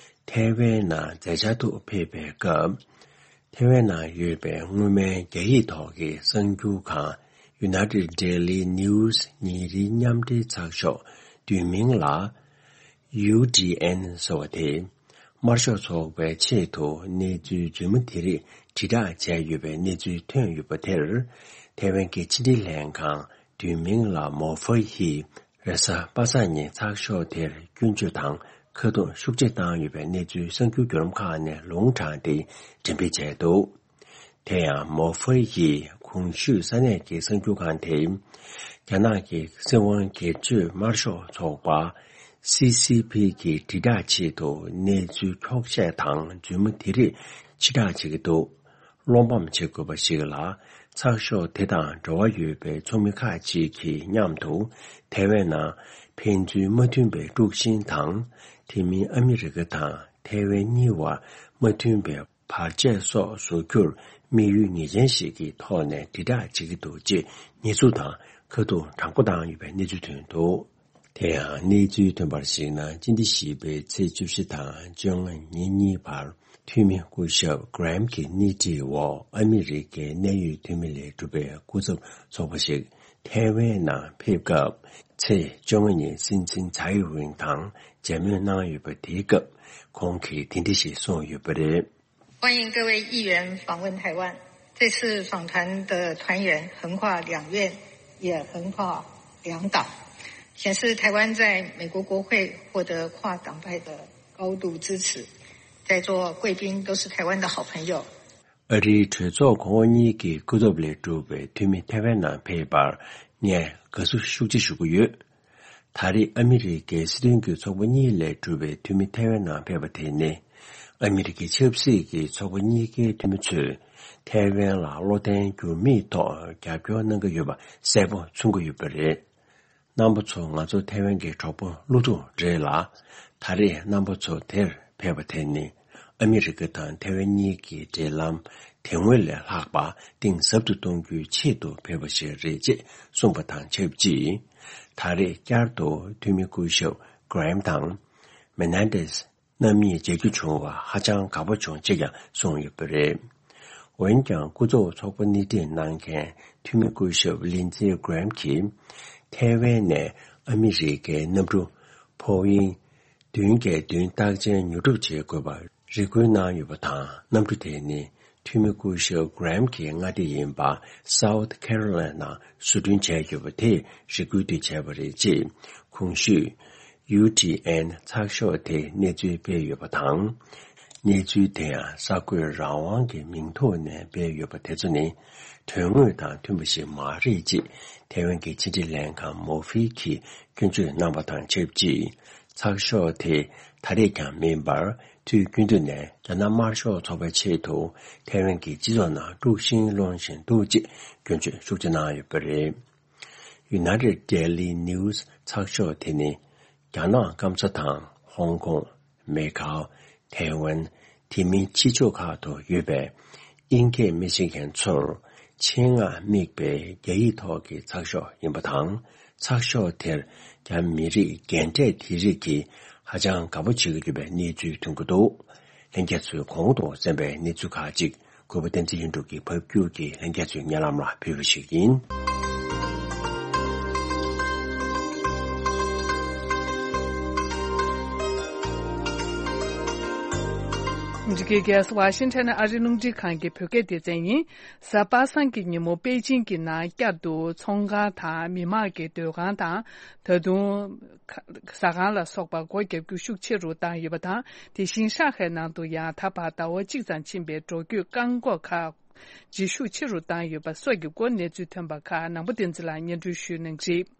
ཐའེ་ཝན་ནང་མཛད་འཆར་དུ་ཕེབས་པའི་སྐབས། ཐའེ་ཝན་ནང་ཡོད་པའི་སྔོན་མའི་རྒྱ་ཡིག་ཐོག་གི་གསར་འགྱུར་ཁང་United Daily News ཉིན་རེའི་མཉམ་འབྲེལ་ཚགས་ཤོག་བསྡུས་མིང་ལ་ཡུ་ཊི་ཨེན་ཟེར་བ་དེ། དམར་ཤོག་ཚོགས་པའི་ཆེད་དུ་གནས་ཚུལ་རྫུན་མ་དེ་རིགས་དྲིལ་བསྒྲགས་བྱས་ཡོད་པའི་གནས་ཚུལ་ཐོན་ཡོད་པ་དེར། ཐའེ་ཝན་གྱི་ཕྱི་འབྲེལ་ལྷན་ཁང་བསྡུས་མིང་ལ་མོ་ཧྥེ་ཡིས་རེས་གཟའ་པ་སངས་ཉིན་ཚགས་ཤོག་དེར་སྐྱོན་བརྗོད་དང་ཁ་རྡུང་ཤུགས་ཆེ་བཏང་ཡོད་པའི་གནས་ཚུལ་གསར་འགྱུར་བརྒྱུད་ལམ་ཁག་ནས་ལུང་དྲངས་ཏེ་འགྲེམས་སྤེལ་བྱས་འདུག་དེ་ཡང་མོ་ཧྥེ་ཡིས་གོང་ཞུས་ས་གནས་ཀྱི་གསར་འགྱུར་ཁང་དེས། རྒྱ་ནག་གི་སྲིད་དབང་སྒེར་གཅོད་དམར་ཤོག་ཚོགས་པ་སི་སི་པི་གི་དྲིལ་བསྒྲགས་ཆེད་དུ་གནས་ཚུལ་འཁྱོག་བཤད་དང་རྫུན་མ་དེ་རིགས་ཕྱིར་བསྒྲགས་བྱེད་ཀྱི་འདུག་བློ་ཕམ་བྱེད་དགོས་པ་ཞིག་ལ། ཚགས་ཤོག་དེ་དང་འབྲེལ་བ་ཡོད་པའི་ཚོགས་མི་ཁག་ཅིག་གིས་མཉམ་དུ་ཐའེ་ཝན་ནང་ཕན་ཚུན་མ་མཐུན་པའི་དཀྲུག་ཤིང་དང་། དེ་མིན་ཨ་མི་རི་ཀ་དང་ཐའེ་ཝན་གཉིས་བར་མ་མཐུན་པའི་བར་ཆད་སོགས་བཟོ་རྒྱུར་དམིགས་ཡུལ་ངེས་ཅན་ཞིག་གི་ཐོག་ནས་དྲིལ་བསྒྲགས་བྱེད་ཀྱི་འདུག་ཅེས་ཉེས་འཛུགས་དང་ཁ་རྡུང་དྲང་པོ་བཏང་ཡོད་པའི་གནས་ཚུལ་ཐོན་འདུག་དེ་ཡང་གནས་ཚུལ་ཐོན་པར་གཞིགས་ན། སྤྱི་ཟླ་བཞི་པའི་ཚེས་བཅུ་བཞི་དང་བཅོ་ལྔ་ཉིན་གཉིས་བར་འཐུས་མི་སྐུ་ཞབས་Graham གྱི་སྣེ་ཁྲིད་འོག་ཨ་མི་རི་ཀའི་གནད་ཡོད་འཐུས་མི་ལས་གྲུབ་པའི་སྐུ་ཚབ་ཚོགས་པ་ཞིག་ཐའེ་ཝན་ནང་ཕེབས་སྐབས། ཚེས་བཅོ་ལྔ་ཉིན་སྲིད་འཛིན་ཚའེ་ཝེན་དང་མཇལ་མོལ་གནང་ཡོད་པ་དེའི་སྐབས་ཁོང་གིས་དེ་འདྲ་ཞིག་གསུངས་ཡོད་པ་རེད། 欢迎各位议员访问台湾。这次访谈的团员横跨两院，也横跨两党，显示台湾在美国国会获得跨党派的高度支持。在座贵宾都是台湾的好朋友。 ཨ་རིའི་གྲོས་ཚོགས་གོང་འོག་གཉིས་ཀྱི་སྐུ་ཚབ་ལས་གྲུབ་པའི་འཐུས་མི་ཐའེ་ཝན་ནང་ཕེབས་པར་ངས་དགའ་བསུ་ཤུགས་ཆེ་ཞུ་གི་ཡོད། ད་རེས་ཨ་མི་རི་ཀའི་སྲིད་དོན་གྱི་ཚོགས་པ་གཉིས་ལས་གྲུབ་པའི་འཐུས་མི་ཐའེ་ཝན་ནང་ཕེབས་པ་དེ་ནི། ཨ་མི་རི་ཀའི་ཆབ་སྲིད་ཀྱི་ཚོགས་པ་གཉིས་ཀའི་འཐུས་མི་ཚོས་ཐའེ་ཝན་ལ་བློ་བརྟན་འགྱུར་མེད་ཐོག་རྒྱབ་སྐྱོར་གནང་གི་ཡོད་པ་གསལ་པོ་མཚོན་གྱི་ཡོད་པ་རེད། རྣམ་པ་ཚོ་ང་ཚོ་ཐའེ་ཝན་གྱི་གྲོགས་པོ་བློ་ཐུག་རེད་ལ། ད་རེས་རྣམ་པ་ཚོ་དེར་ཕེབས་པ་དེ་ནི། ཨ་མི་རི་ཀ་དང་ཐའེ་ཝན་གཉིས་ཀྱི་འབྲེལ་ལམ་དེ་སྔོན་ལས་ལྷག་པ་གཏིང་ཟབ་ཏུ་གཏོང་རྒྱུའི་ཆེད་དུ་ཕེབས་པ་ཞིག་རེད་ཅེས་གསུངས་པ་དང་ཆབས་ཅིག་ད་རེས་བསྐྱར་དུ་འཐུས་མི་སྐུ་ཞབས་Graham དང་Menendez རྣམ་གཉིས་མཇལ་རྒྱུ་བྱུང་བར་ཧ་ཅང་དགའ་པོ་བྱུང་ཅེས་ཀྱང་གསུངས་ཡོད་པ་རེད། འོན་ཀྱང་སྐུ་ཚབ་ཚོགས་པ་སྣེ་ཁྲིད་གནང་མཁན་འཐུས་མི་སྐུ་ཞབས་Lindsey Graham གྱིས་ཐའེ་ཝན་ནས་ཨ་མི་རི་ཀའི་གནམ་གྲུ་Boeing བདུན་བརྒྱད་བདུན་རྟགས་ཅན་ཉོ་སྒྲུབ་བྱེད་དགོས་པར་རེ་སྐུལ་གནང་ཡོད་པ་དང་། གནམ་གྲུ་དེ་ནི་འཐུས་མི་སྐུ་ཞབས་Graham གྱི་མངའ་སྡེ་ཡིན་པ་South Carolina ནང་བཟོ་སྐྲུན་བྱས་ཡོད་པ་དེས་རེ་སྐུལ་དེ་བྱས་པ་རེད་ཅེས་གོང་ཞུས་ཡུ་ཊི་ཨེན་ཚགས་ཤོག་དེས་གནས་ཚུལ་སྤེལ་ཡོད་པ་དང་། གནས་ཚུལ་དེ་ཡང་གསར་འགོད་རང་དབང་གི་མིང་ཐོག་ནས་སྤེལ་ཡོད་པ་དེ་ཚོ་ནི་དོན་དངོས་དང་མཐུན་པ་ཞིག་མ་རེད་ཅེས་ཐའེ་ཝན་གྱི་ཕྱི་འབྲེལ་ལྷན་ཁང་མོ་ཧྥེ་གིས་སྐྱོན་བརྗོད་གནང་བ་དང་ཆབས་ཅིག་ཚགས་ཤོག་དེས་ད་རེས་ཀྱང་མིན་པར་དུས་རྒྱུན་དུ་ནས་རྒྱ་ནག་དམར་ཤོག་ཚོགས་པའི་ཆེད་དུ་ཐའེ་ཝན་གྱི་སྤྱི་ཚོགས་ནང་དཀྲུག་ཤིང་སློང་བཞིན་འདུག་ཅེས་སྐྱོན་བརྗོད་ཤུགས་ཆེ་གནང་ཡོད་པ་རེད། United Daily News ཚགས་ཤོག་དེ་ནི་རྒྱ་ནག་སྐམ་ས་དང་ཧོང་ཀོང་། མེ་ཁའོ། ཐའེ་ཝན། དེ་མིན་ཕྱི་ཕྱོགས་ཁག་ཏུ་ཡོད་པའི་དབྱིན་སྐད་མི་ཤེས་མཁན་ཚོར་ཆེད་མངགས་དམིགས་པའི་རྒྱ་ཡིག་ཐོག་གི་ཚགས་ཤོག་ཡིན་པ་དང་། ཚགས་ཤོག་དེར་རྒྱ་མི་རིགས་རྒན་གྲས་དེ་རིགས་ཀྱིས་ཧ་ཅང་དགའ་པོ་བྱེད་ཀྱི་ཡོད་པའི་གནས་ཚུལ་ཐོན་གྱི་འདུག་ལྷན་རྒྱས་ཚོས་གོང་དུ་གསན་པའི་གནས་ཚུལ་ཁག་ཅིག་གུས་པ་བསྟན་འཛིན་ཡེ་འབྲུག་གིས་ཕབ་སྒྱུར་གྱིས་ལྷན་རྒྱས་ཚོའི་སྙན་ལམ་ལ་ཕུལ་བ་ཞིག་ཡིན། འདི་གའི་རྒྱལ་ས་ཝ་ཤིང་ཊོན་ཨ་རི་རླུང་འཕྲིན་ཁང་གི་བོད་སྐད་སྡེ་ཚན་ཡིན། གཟའ་པ་སངས་ཀྱི་ཉིན་མོ་པེ་ཅིང་གི་ནང་བསྐྱར་དུ་ཚོང་ཁང་དང་མི་མང་གི་སྡོད་ཁང་དང་། ད་དུང་ཟ་ཁང་ལ་སོགས་པ་སྒོ་བརྒྱབ་རྒྱུ་ཤུགས་ཆེ་རུ་བཏང་ཡོད་པ་དང་། དེ་བཞིན་ཧྲང་ཧའེ་ནང་དུ་ཡང་ད་བར་ཟླ་བ་གཅིག་ཙམ་ཕྱིན་པའི་འགྲོ་སྐྱོད་བཀག་འགོག་ཁག་ཇེ་ཤུགས་ཆེ་རུ་བཏང་ཡོད་པ་སོགས་ཀྱི་སྐོར་གནས་ཚུལ་ཐོན་པ་ཁག་ནང་པ་བསྟན་འཛིན་ལགས་སྙན་སྒྲོན་ཞུ་གནང་རིགས།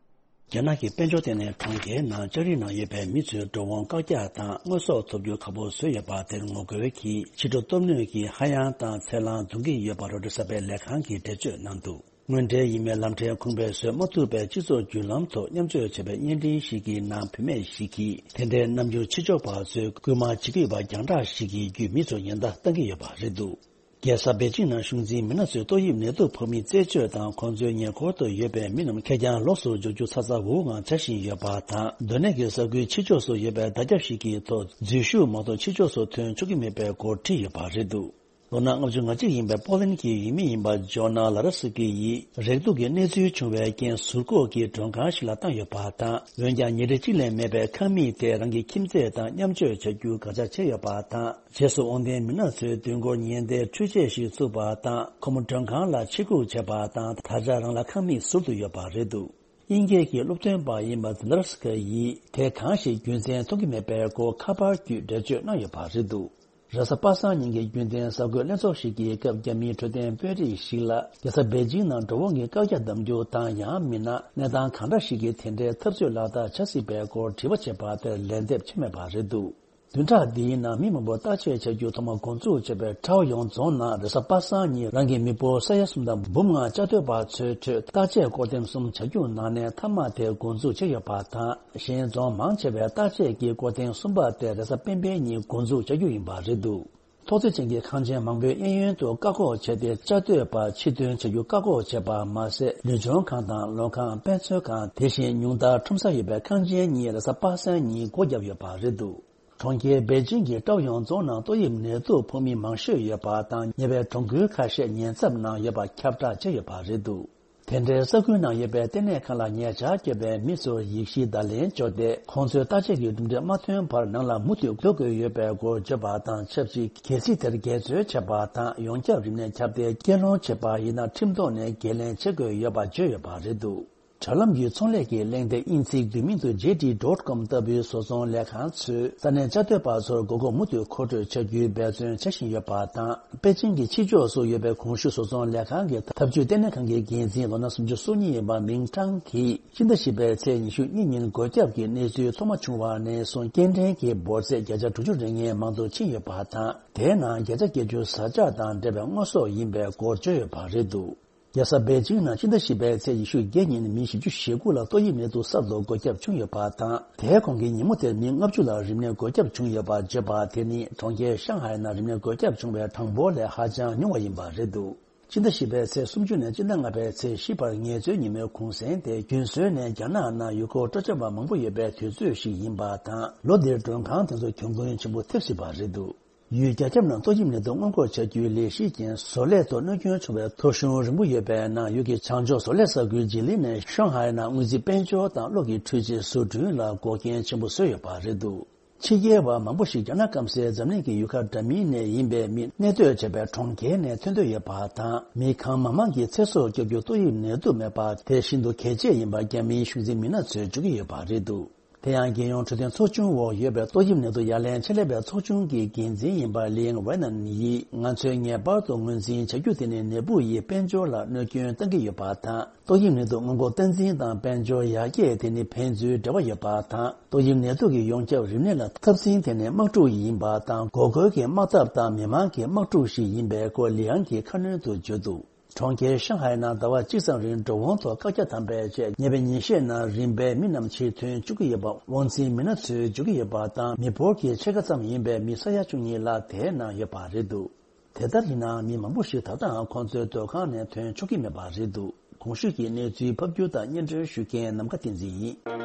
རྒྱ་ནག་གི་དཔལ་འབྱོར་ལྟེ་གནས་གྲོང་ཁྱེར་ནང་ལྕགས་རིགས་ནང་ཡོད་པའི་མི་ཚོའི་འགྲོ་འོང་བཀག་རྒྱ་དང་དངོས་ཟོག་ཐོབ་རྒྱུ་ཁག་པོ་བཟོས་ཡོད་པ་དེར་ངོ་རྒོལ་གྱིས་ཕྱི་དྲོ་སྟོབས་སྣོན་གྱིས་ཧ་ཡང་དང་ཚེར་ལངས་འཛུགས་ཀྱི་ཡོད་པ་རོའི་ཊར་གསར་པའི་ལས་ཁང་གིས་འགྲེལ་བརྗོད་གནང་འདུག་དངོས་འབྲེལ་ཡིན་མིན་ལམ་ཕྲན་ཁུངས་སྤེལ་བཟོ་མ་ཐུབ་པའི་སྤྱི་ཚོགས་བརྒྱུད་ལམ་ཐོག་མཉམ་སྤྱོད་བྱས་པའི་བརྙན་འཕྲིན་ཞིག་གི་ནང་བུད་མེད་ཞིག་གིས་དེ་འདྲའི་རྣམ་འགྱུར་ཕྱི་ཕྱོགས་པ་ཚོས་སྐུལ་མ་བྱེད་ཀྱི་ཡོད་པ་རྒྱང་བསྒྲགས་ཤིག་གི་བརྒྱུད་མི་ཚོར་ཉེན་བརྡ་བཏང་གི་ཡོད་པ་རེད་འདུག་རྒྱལ་ས་པེ་ཅིང་ནང་གཞུང་འཛིན་མི་སྣ་ཚོས་ཏོག་དབྱིབས་ནད་དུག་ཕོག་མི་རྩད་གཅོད་དང་། ཁོང་ཚོའི་ཉེ་འཁོར་དུ་ཡོད་པའི་མི་རྣམས་ཁེར་རྐྱང་ལོགས་སུ་འཇོག་རྒྱུ་ཚ་ཚ་འུར་འུར་ངང་བྱ་བཞིན་ཡོད་པ་དང་། སྡོད་གནས་ཀྱི་ས་ཁུལ་ཕྱི་ཕྱོགས་སུ་ཡོད་པའི་བརྡ་ཁྱབ་ཞིག་གི་ཐོག་འཛུལ་ཞུགས་མ་གཏོགས་ཕྱི་ཕྱོགས་སུ་ཐོན་ཆོག་གི་མེད་པའི་སྐོར་བྲིས་ཡོད་པ་རེད་འདུག་ལོ་ན་ལྔ་བཅུ་ང་གཅིག་ཡིན་པའི་པོ་ལན་གྱི་ཡུལ་མི་ཡིན་པ་ཇོ་ན་ལ་ར་སི་ཀི་ཡིས། རེག་དུག་གི་གནས་ཚུལ་བྱུང་བའི་རྐྱེན་ཟུར་བཀོག་གི་མགྲོན་ཁང་ཞིག་ལ་བཏང་ཡོད་པ་དང་། འོན་ཀྱང་ཉིན་རེ་གཅིག་ལས་མེད་པའི་ཁང་མིག་དེ་རང་གི་ཁྱིམ་མཚེས་དང་མཉམ་སྤྱོད་བྱ་རྒྱུ་དགག་བྱ་བྱས་ཡོད་པ་དང་། རྗེས་སུ་དབང་ལྡན་མི་སྣ་ཚོས་མདུན་སྐོར་ཉེན་བརྡའི་འཕྲུལ་ཆས་ཤིག་བཙུགས་པ་དང་། ཁོ་མོ་མགྲོན་ཁང་ལ་ཕྱིར་སྒུག་བྱས་པ་དང་། ད་ཆ་རང་ལ་ཁང་མིག་ཟུར་དུ་ཡོད་པ་རེད་འདུག་དབྱིན་སྐད་ཀྱི་སློབ་སྟོན་པ་ཡིན་པ་ཛི་ལར་སི་ཀ་ཡིས། དེ་གང་ཞིག་རྒྱུ་མཚན་མཐོང་གི་མེད་པའི་སྐོར་ཁ་པར་བརྒྱུད་འགྲེལ་བརྗོད་གནང་ཡོད་པ་རེད་འདུག་རེས་གཟའ་པ་སངས་ཉིན་གྱི་རྒྱུན་ལྡན་གསར་འགོད་ལྷན་ཚོགས་ཤིག་གི་སྐབས། རྒྱ་མིའི་འཕྲོད་བསྟེན་དཔོན་རིགས་ཤིག་ལ། རྒྱལ་ས་པེ་ཅིང་ནང་འགྲོ་འོང་གི་བཀག་རྒྱ་གཏང་རྒྱུ་དང་། ཡང་མིན་ན་གནས་སྟངས་གང་འདྲ་ཞིག་གིས་དེ་འདྲའི་འཐབ་རྩོད་ལག་བསྟར་བྱ་སྲིད་པའི་སྐོར་དྲི་བ་བྱས་པ་དེར་ལན་འདེབས་བྱས་མེད་པ་རེད་འདུག་བདུན་ཕྲག་འདིའི་ནང་མི་མང་པོ་བརྟག་དཔྱད་བྱ་རྒྱུ་ཐོག་མ་འགོ་འཛུགས་བྱས་པའི་ཁྲའོ་ཡོང་རྫོང་ནང་རེས་གཟའ་པ་སངས་ཉིན་རང་གི་མི་འབོར་ས་ཡ་གསུམ་དང་འབུམ་ལྔ་བཅའ་སྡོད་པ་ཚོའི་ཁྲོད་བརྟག་དཔྱད་སྐོར་ཐེངས་གསུམ་བྱ་རྒྱུ་ནང་ནས་མཐའ་མ་དེ་འགོ་འཛུགས་བྱས་ཡོད་པ་དང་། གཞན་རྫོང་མང་ཆེ་བས་བརྟག་དཔྱད་ཀྱི་སྐོར་ཐེངས་གསུམ་པ་དེ་རེས་གཟའ་སྤེན་པའི་ཉིན་འགོ་འཛུགས་བྱ་རྒྱུ་ཡིན་པ་རེད་འདུག་ཐོག་བརྩེགས་ཅན་གྱི་ཁང་ཆེན་མང་པོའི་གཡས་གཡོན་དུ་བཀག་འགོག་བྱས་ཏེ། བཅའ་སྡོད་པ་ཕྱིར་ཐོན་བྱ་རྒྱུ་བཀག་འགོག་བྱས་པ་མ་ཟད། ལུས་སྦྱོང་ཁང་དང་ལོ་ཁང་། དཔེ་མཛོད་ཁང་། དེ་བཞིན་ཉུང་མཐར་ཁྲོམ་ས་ཡོད་པའི་ཁང་ཆེན་གཉིས་རེས་གཟའ་པ་སངས་ཉིན་སྒོ་བརྒྱབ་ཡོད་པ་རེད་འདུག་གྲོང་ཁྱེར་པེ་ཅིང་གི་ཀྲའོ་ཡོང་རྫོང་ནང་ཏོག་དབྱིབས་ནད་དུག་ཕོག་མི་མང་ཤོས་ཡོད་པ་དང་། ཉེ་བའི་གྲོང་ཁུལ་ཁ་ཤས་ཉེན་ཚབས་ནང་ཡོད་པ་ཁྱབ་བསྒྲགས་བྱས་ཡོད་པ་རེད་འདུག་དེ་འདྲའི་ས་ཁུལ་ནང་ཡོད་པའི་ལྟེ་གནས་ཁང་ལ་ཉེ་ཆར་བསྐྱོད་པའི་མི་ཚོར་ཡིག་གཞི་བརྡ་ལན་བཅོལ་ཏེ། ཁོང་ཚོས་བརྟག་དཔྱད་ཀྱི་གྲུབ་འབྲས་མ་ཐོན་བར་ནང་ལ་མུ་མཐུད་སྡོད་དགོས་ཡོད་པའི་སྐོར་བརྗོད་པ་དང་ཆབས་ཅིག་གལ་སྲིད་དེར་འགལ་འཛོལ་བྱས་པ་དང་། ཡོངས་ཁྱབ་རིམས་ནད་ཁྱབ་གདལ་སྐྱེལ་སློང་བྱས་པ་ཡིན་ན། ཁྲིམས་ཐོག་ནས་འགན་ལེན་བྱེད་དགོས་ཡོད་པ་བརྗོད་ཡོད་པ་རེད་འདུག་དྲ་ལམ་གྱི་ཚོང་ལས་ཀྱི་གླེང་སྟེགས། དབྱིན་ཚིག་བསྡུས་མིང་དུ་ཇེ་ཌི་ཌོཊ་ཀོམ་ལྟ་བུའི་བཟོ་ཚོང་ལས་ཁང་ཚོས་ས་གནས་བཅའ་སྡོད་པ་ཚོར་དགོས་མཁོ་མུ་མཐུད་མཁོ་སྤྲོད་བྱ་རྒྱུའི་འབད་བརྩོན་བྱ་བཞིན་ཡོད་པ་དང་། པེ་ཅིང་གི་ཕྱི་ཕྱོགས་སུ་ཡོད་པའི་གོང་ཞུས་བཟོ་ཚོང་ལས་ཁང་གི་འཐབ་ཇུས་ལྟེ་གནས་ཁང་གི་འགན་འཛིན་ལོ་ན་སུམ་ཅུ་སོ་གཉིས་ཡིན་པ་མིང་ཀྲང་གིས། ཕྱི་ཟླ་བཞི་པའི་ཚེས་ཉི་ཤུ་གཉིས་ཉིན་འགོས་ཁྱབ་ཀྱི་གནས་ཚུལ་ཐོག་མ་བྱུང་བ་ནས་བཟུང་སྐྱེལ་འདྲེན་གྱི་འབོར་ཚད་བརྒྱ་ཆ་དྲུག་ཅུ་རེ་ལྔའི་མང་དུ་ཕྱིན་ཡོད་པ་དང་། དེའི་ནང་བརྒྱ་ཆ་བརྒྱད་ཅུ་བཟའ་ཆས་དང་འབྲེལ་བའི་དངོས་ཟོག་ཡིན་པའི་སྐོར་བརྗོད་ཡོད་པ་རེད་འདུག་རྒྱལ་ས་པེ་ཅིང་ནང་ཕྱི་ཟླ་བཞི་པའི་ཚེས་ཉི་ཤུ་བརྒྱད་ཉིན་མི་བཞི་བཅུ་ཞེ་དགུ་ལ་ཏོག་དབྱིབས་ནད་དུག་གསར་དུ་འགོས་ཁྱབ་བྱུང་ཡོད་པ་དང་། དེའི་གོང་གི་ཉིན་མོ་དེར་མི་ལྔ་བཅུ་ལ་རིམས་ནད་འགོས་ཁྱབ་བྱུང་ཡོད་པ་བརྗོད་པ་དེ་ནི་གྲོང་ཁྱེར་ཤང་ཧའེ་ནང་རིམས་ནད་འགོས་ཁྱབ་བྱུང་བའི་གྲངས་འབོར་ལས་ཧ་ཅང་ཉུང་བ་ཡིན་པ་རེད་འདུག་ཕྱི་ཟླ་བཞི་པའི་ཚེས་སུམ་ཅུ་ནས་ཕྱི་ཟླ་ལྔ་པའི་ཚེས་བཞི་བར་ངལ་རྩོལ་ཉིན་མོའི་གུང་སེང་དེ། རྒྱུན་སྲོལ་ནས་རྒྱ་ནག་ནང་ཡུལ་སྐོར་སྤྲོ་འཆམ་པ་མང་པོ་ཡོད་པའི་དུས་ཚོད་ཞིག་ཡིན་པ་དང་། ལོ་འདིར་མགྲོན་ཁང་དེ་ཚོ་གྱོང་གུན་ཆེན་པོ་ཐེབས་སྲིད་པ་རེད་འདུག་ཡུལ་རྒྱ་ཁྱབ་ནང་ཏོག་དབྱིབས་ནད་དུག་སྔོན་འགོག་བྱ་རྒྱུའི་ལས་གཞི་རྐྱེན། བཟོ་ལས་ཐོག་གནོད་སྐྱོན་བྱུང་བའི་ཐོ་གཞུང་རིང་པོ་ཡོད་པའི་ནང་། ཡུལ་གྱི་བྱང་ཕྱོགས་བཟོ་ལས་ས་ཁུལ་ཇི་ལིན་ནས་ཤང་ཧའེ་ནང་སྔོན་རྩིས་དཔལ་འབྱོར་དང་གློག་གི་འཕྲུལ་ཆས་བཟོ་སྐྲུན་ལ་འགོག་རྐྱེན་ཆེན་པོ་བཟོས་ཡོད་པ་རེད་འདུག་ཕྱི་རྒྱལ་བ་མང་པོ་ཞིག་རྒྱ་ནག་སྐམ་སའི་འཛམ་གླིང་གི་ཡུལ་ཁག་འདྲ་མིན་ནས་ཡིན་པའི་མི་གནས་སྡོད་བྱས་པའི་གྲོང་ཁྱེར་ནས་ཐོན་འདོད་ཡོད་པ་དང་། མི་གང་མང་མང་གི་ཚེ་སྲོག་སྐྱོབ་རྒྱུར་ཏོག་དབྱིབས་ནད་དུག་མེད་པ་དེ་ཤིན་ཏུ་གལ་ཆེ་ཡིན་པ་རྒྱ་མིའི་གཞུང་འཛིན་མི་སྣ་ཚོས་བརྗོད་ཀྱི་ཡོད་པ་རེད་འདུག་དེ་ཡང་རྒྱལ་ཡོངས་འཕྲོད་བསྟེན་ཚོགས་ཆུང་འོག་ཡོད་པའི་ཏོག་དབྱིབས་ནད་དུག་ཡ་ལན་ཆེད་ལས་པའི་ཚོགས་ཆུང་གི་འགན་འཛིན་ཡིན་པ་ལིང་ཝེ་ནན་ཡིས། ང་ཚོས་ངེས་པར་དུ་ངོས་འཛིན་བྱ་རྒྱུ་དེ་ནི་ནད་འབུ་ཡིས་དཔལ་འབྱོར་ལ་གནོད་སྐྱོན་གཏང་གི་ཡོད་པ་དང་། ཏོག་དབྱིབས་ནད་དུག་སྔོན་འགོག་སྟངས་འཛིན་དང་དཔལ་འབྱོར་ཡར་རྒྱས་དེ་ནི་ཕན་ཚུན་འབྲེལ་བ་ཡོད་པ་དང་། ཏོག་དབྱིབས་ནད་དུག་གི་ཡོངས་ཁྱབ་རིམས་ནད་ལ་འཐབ་འཛིང་དེ་ནི་དམག་འཁྲུག་ཡིན་པ་དང་། འགོག་རྒོལ་གྱི་དམག་འཐབ་དང་མི་མང་གི་དམག་འཁྲུག་ཞིག་ཡིན་པའི་སྐོར་ལིང་གིས་ཁ་སྣོན་དུ་བརྗོད་འདུག་གྲོང་ཁྱེར་ཤང་ཧའེ་ནང་ཟླ་བ་གཅིག་ཙམ་རིང་འགྲོ་འོང་ཐོག་བཀག་རྒྱ་དམ་པའི་རྗེས། ཉེ་བའི་ཉིན་ཤས་ནང་རིམ་པས་མི་རྣམས་ཕྱིར་ཐོན་བཅུག་གི་ཡོད་པ་དབང་འཛིན་མི་སྣ་ཚོས་བརྗོད་ཀྱི་ཡོད་པ་དང་། མི་འབོར་གྱི་ཕྱེད་ཀ་ཙམ་ཡིན་པའི་མི་ས་ཡ་བཅུ་གཉིས་ལྷག་དེའི་ནང་ཡོད་པ་རེད་འདུག་དེ་ལྟར་ཡིན་ནའང་མི་མང་པོ་ཞིག་ད་ལྟའང་ཁོང་ཚོའི་སྡོད་ཁང་ནས་ཐོན་ཆོག་གི་མེད་པ་རེད་འདུག་གོང་ཞུས་ཀྱི་གནས་ཚུལ་ཕབ་སྒྱུར་དང་སྙན་སྒྲོན་ཞུ་མཁན་ནམ་མཁའ་བསྟན་འཛིན་ཡིན།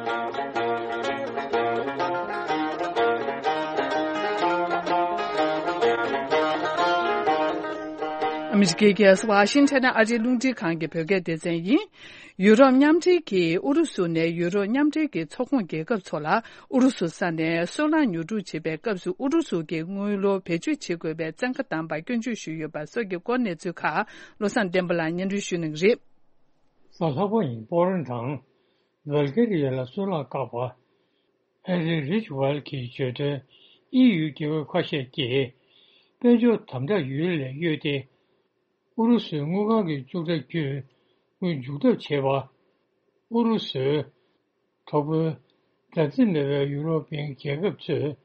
ཨ་མི་རི་ཀའི་རྒྱལ་ས་ཝ་ཤིང་ཊོན་ཨ་རིའི་རླུང་འཕྲིན་ཁང་གི་བོད་སྐད་སྡེ་ཚན་ཡིན། ཡུ་རོབ་མཉམ་འབྲེལ་གྱིས་ཨུ་རུ་སུ་ནས་ཡུ་རོབ་མཉམ་འབྲེལ་གྱི་ཚོགས་ཁོངས་རྒྱལ་ཁབ་ཚོ་ལ་ཨུ་རུ་སུ་ས་ནས་སོལ་རླངས་ཉོ་སྒྲུབ་བྱེད་པའི་སྐབས་སུ་ཨུ་རུ་སུ་གྱི་དངུལ་ལོར་བེད་སྤྱོད་བྱེད་དགོས་པའི་བཙན་བཀའ་བཏང་པར་སྐྱོན་བརྗོད་ཞུས་ཡོད་པ་སོགས་ཀྱི་སྐོར་གནས་ཚུལ་ཁག་བློ་བཟང་བསྟན་པ་ལགས་སྙན་སྒྲོན་ཞུ་གནང་གི་རེད། གཟའ་ལྷག་པ་ཉིན་པོ་ལན་དང་བལ་ཀེ་རི་ཡ་ལ་སོལ་རླངས་བཀག་པ། ཧེ་རི་རིཆ་ཝལ་གྱིས་བརྗོད་དོན། ཨི་ཡུའི་རྒྱལ་ཁབ་ཁ་ཤས་ཀྱིས་དཔལ་འབྱོར་དམ་དྲག་ཡུལ་ལས་གཡོལ་ཏེ། ཨུ་རུ་སུའི་དངུལ་ཁང་གི་བཅུག་ཁྲ་བརྒྱུད་དངུལ་འཇུག་ཐབས་བྱས་པ། ཨུ་རུ་སུའི་གྲོགས་པོའི་མཛའ་བརྩེ་མེད་པའི་ཡུ་རོབ་པའི་རྒྱལ་ཁབ་ཚོས་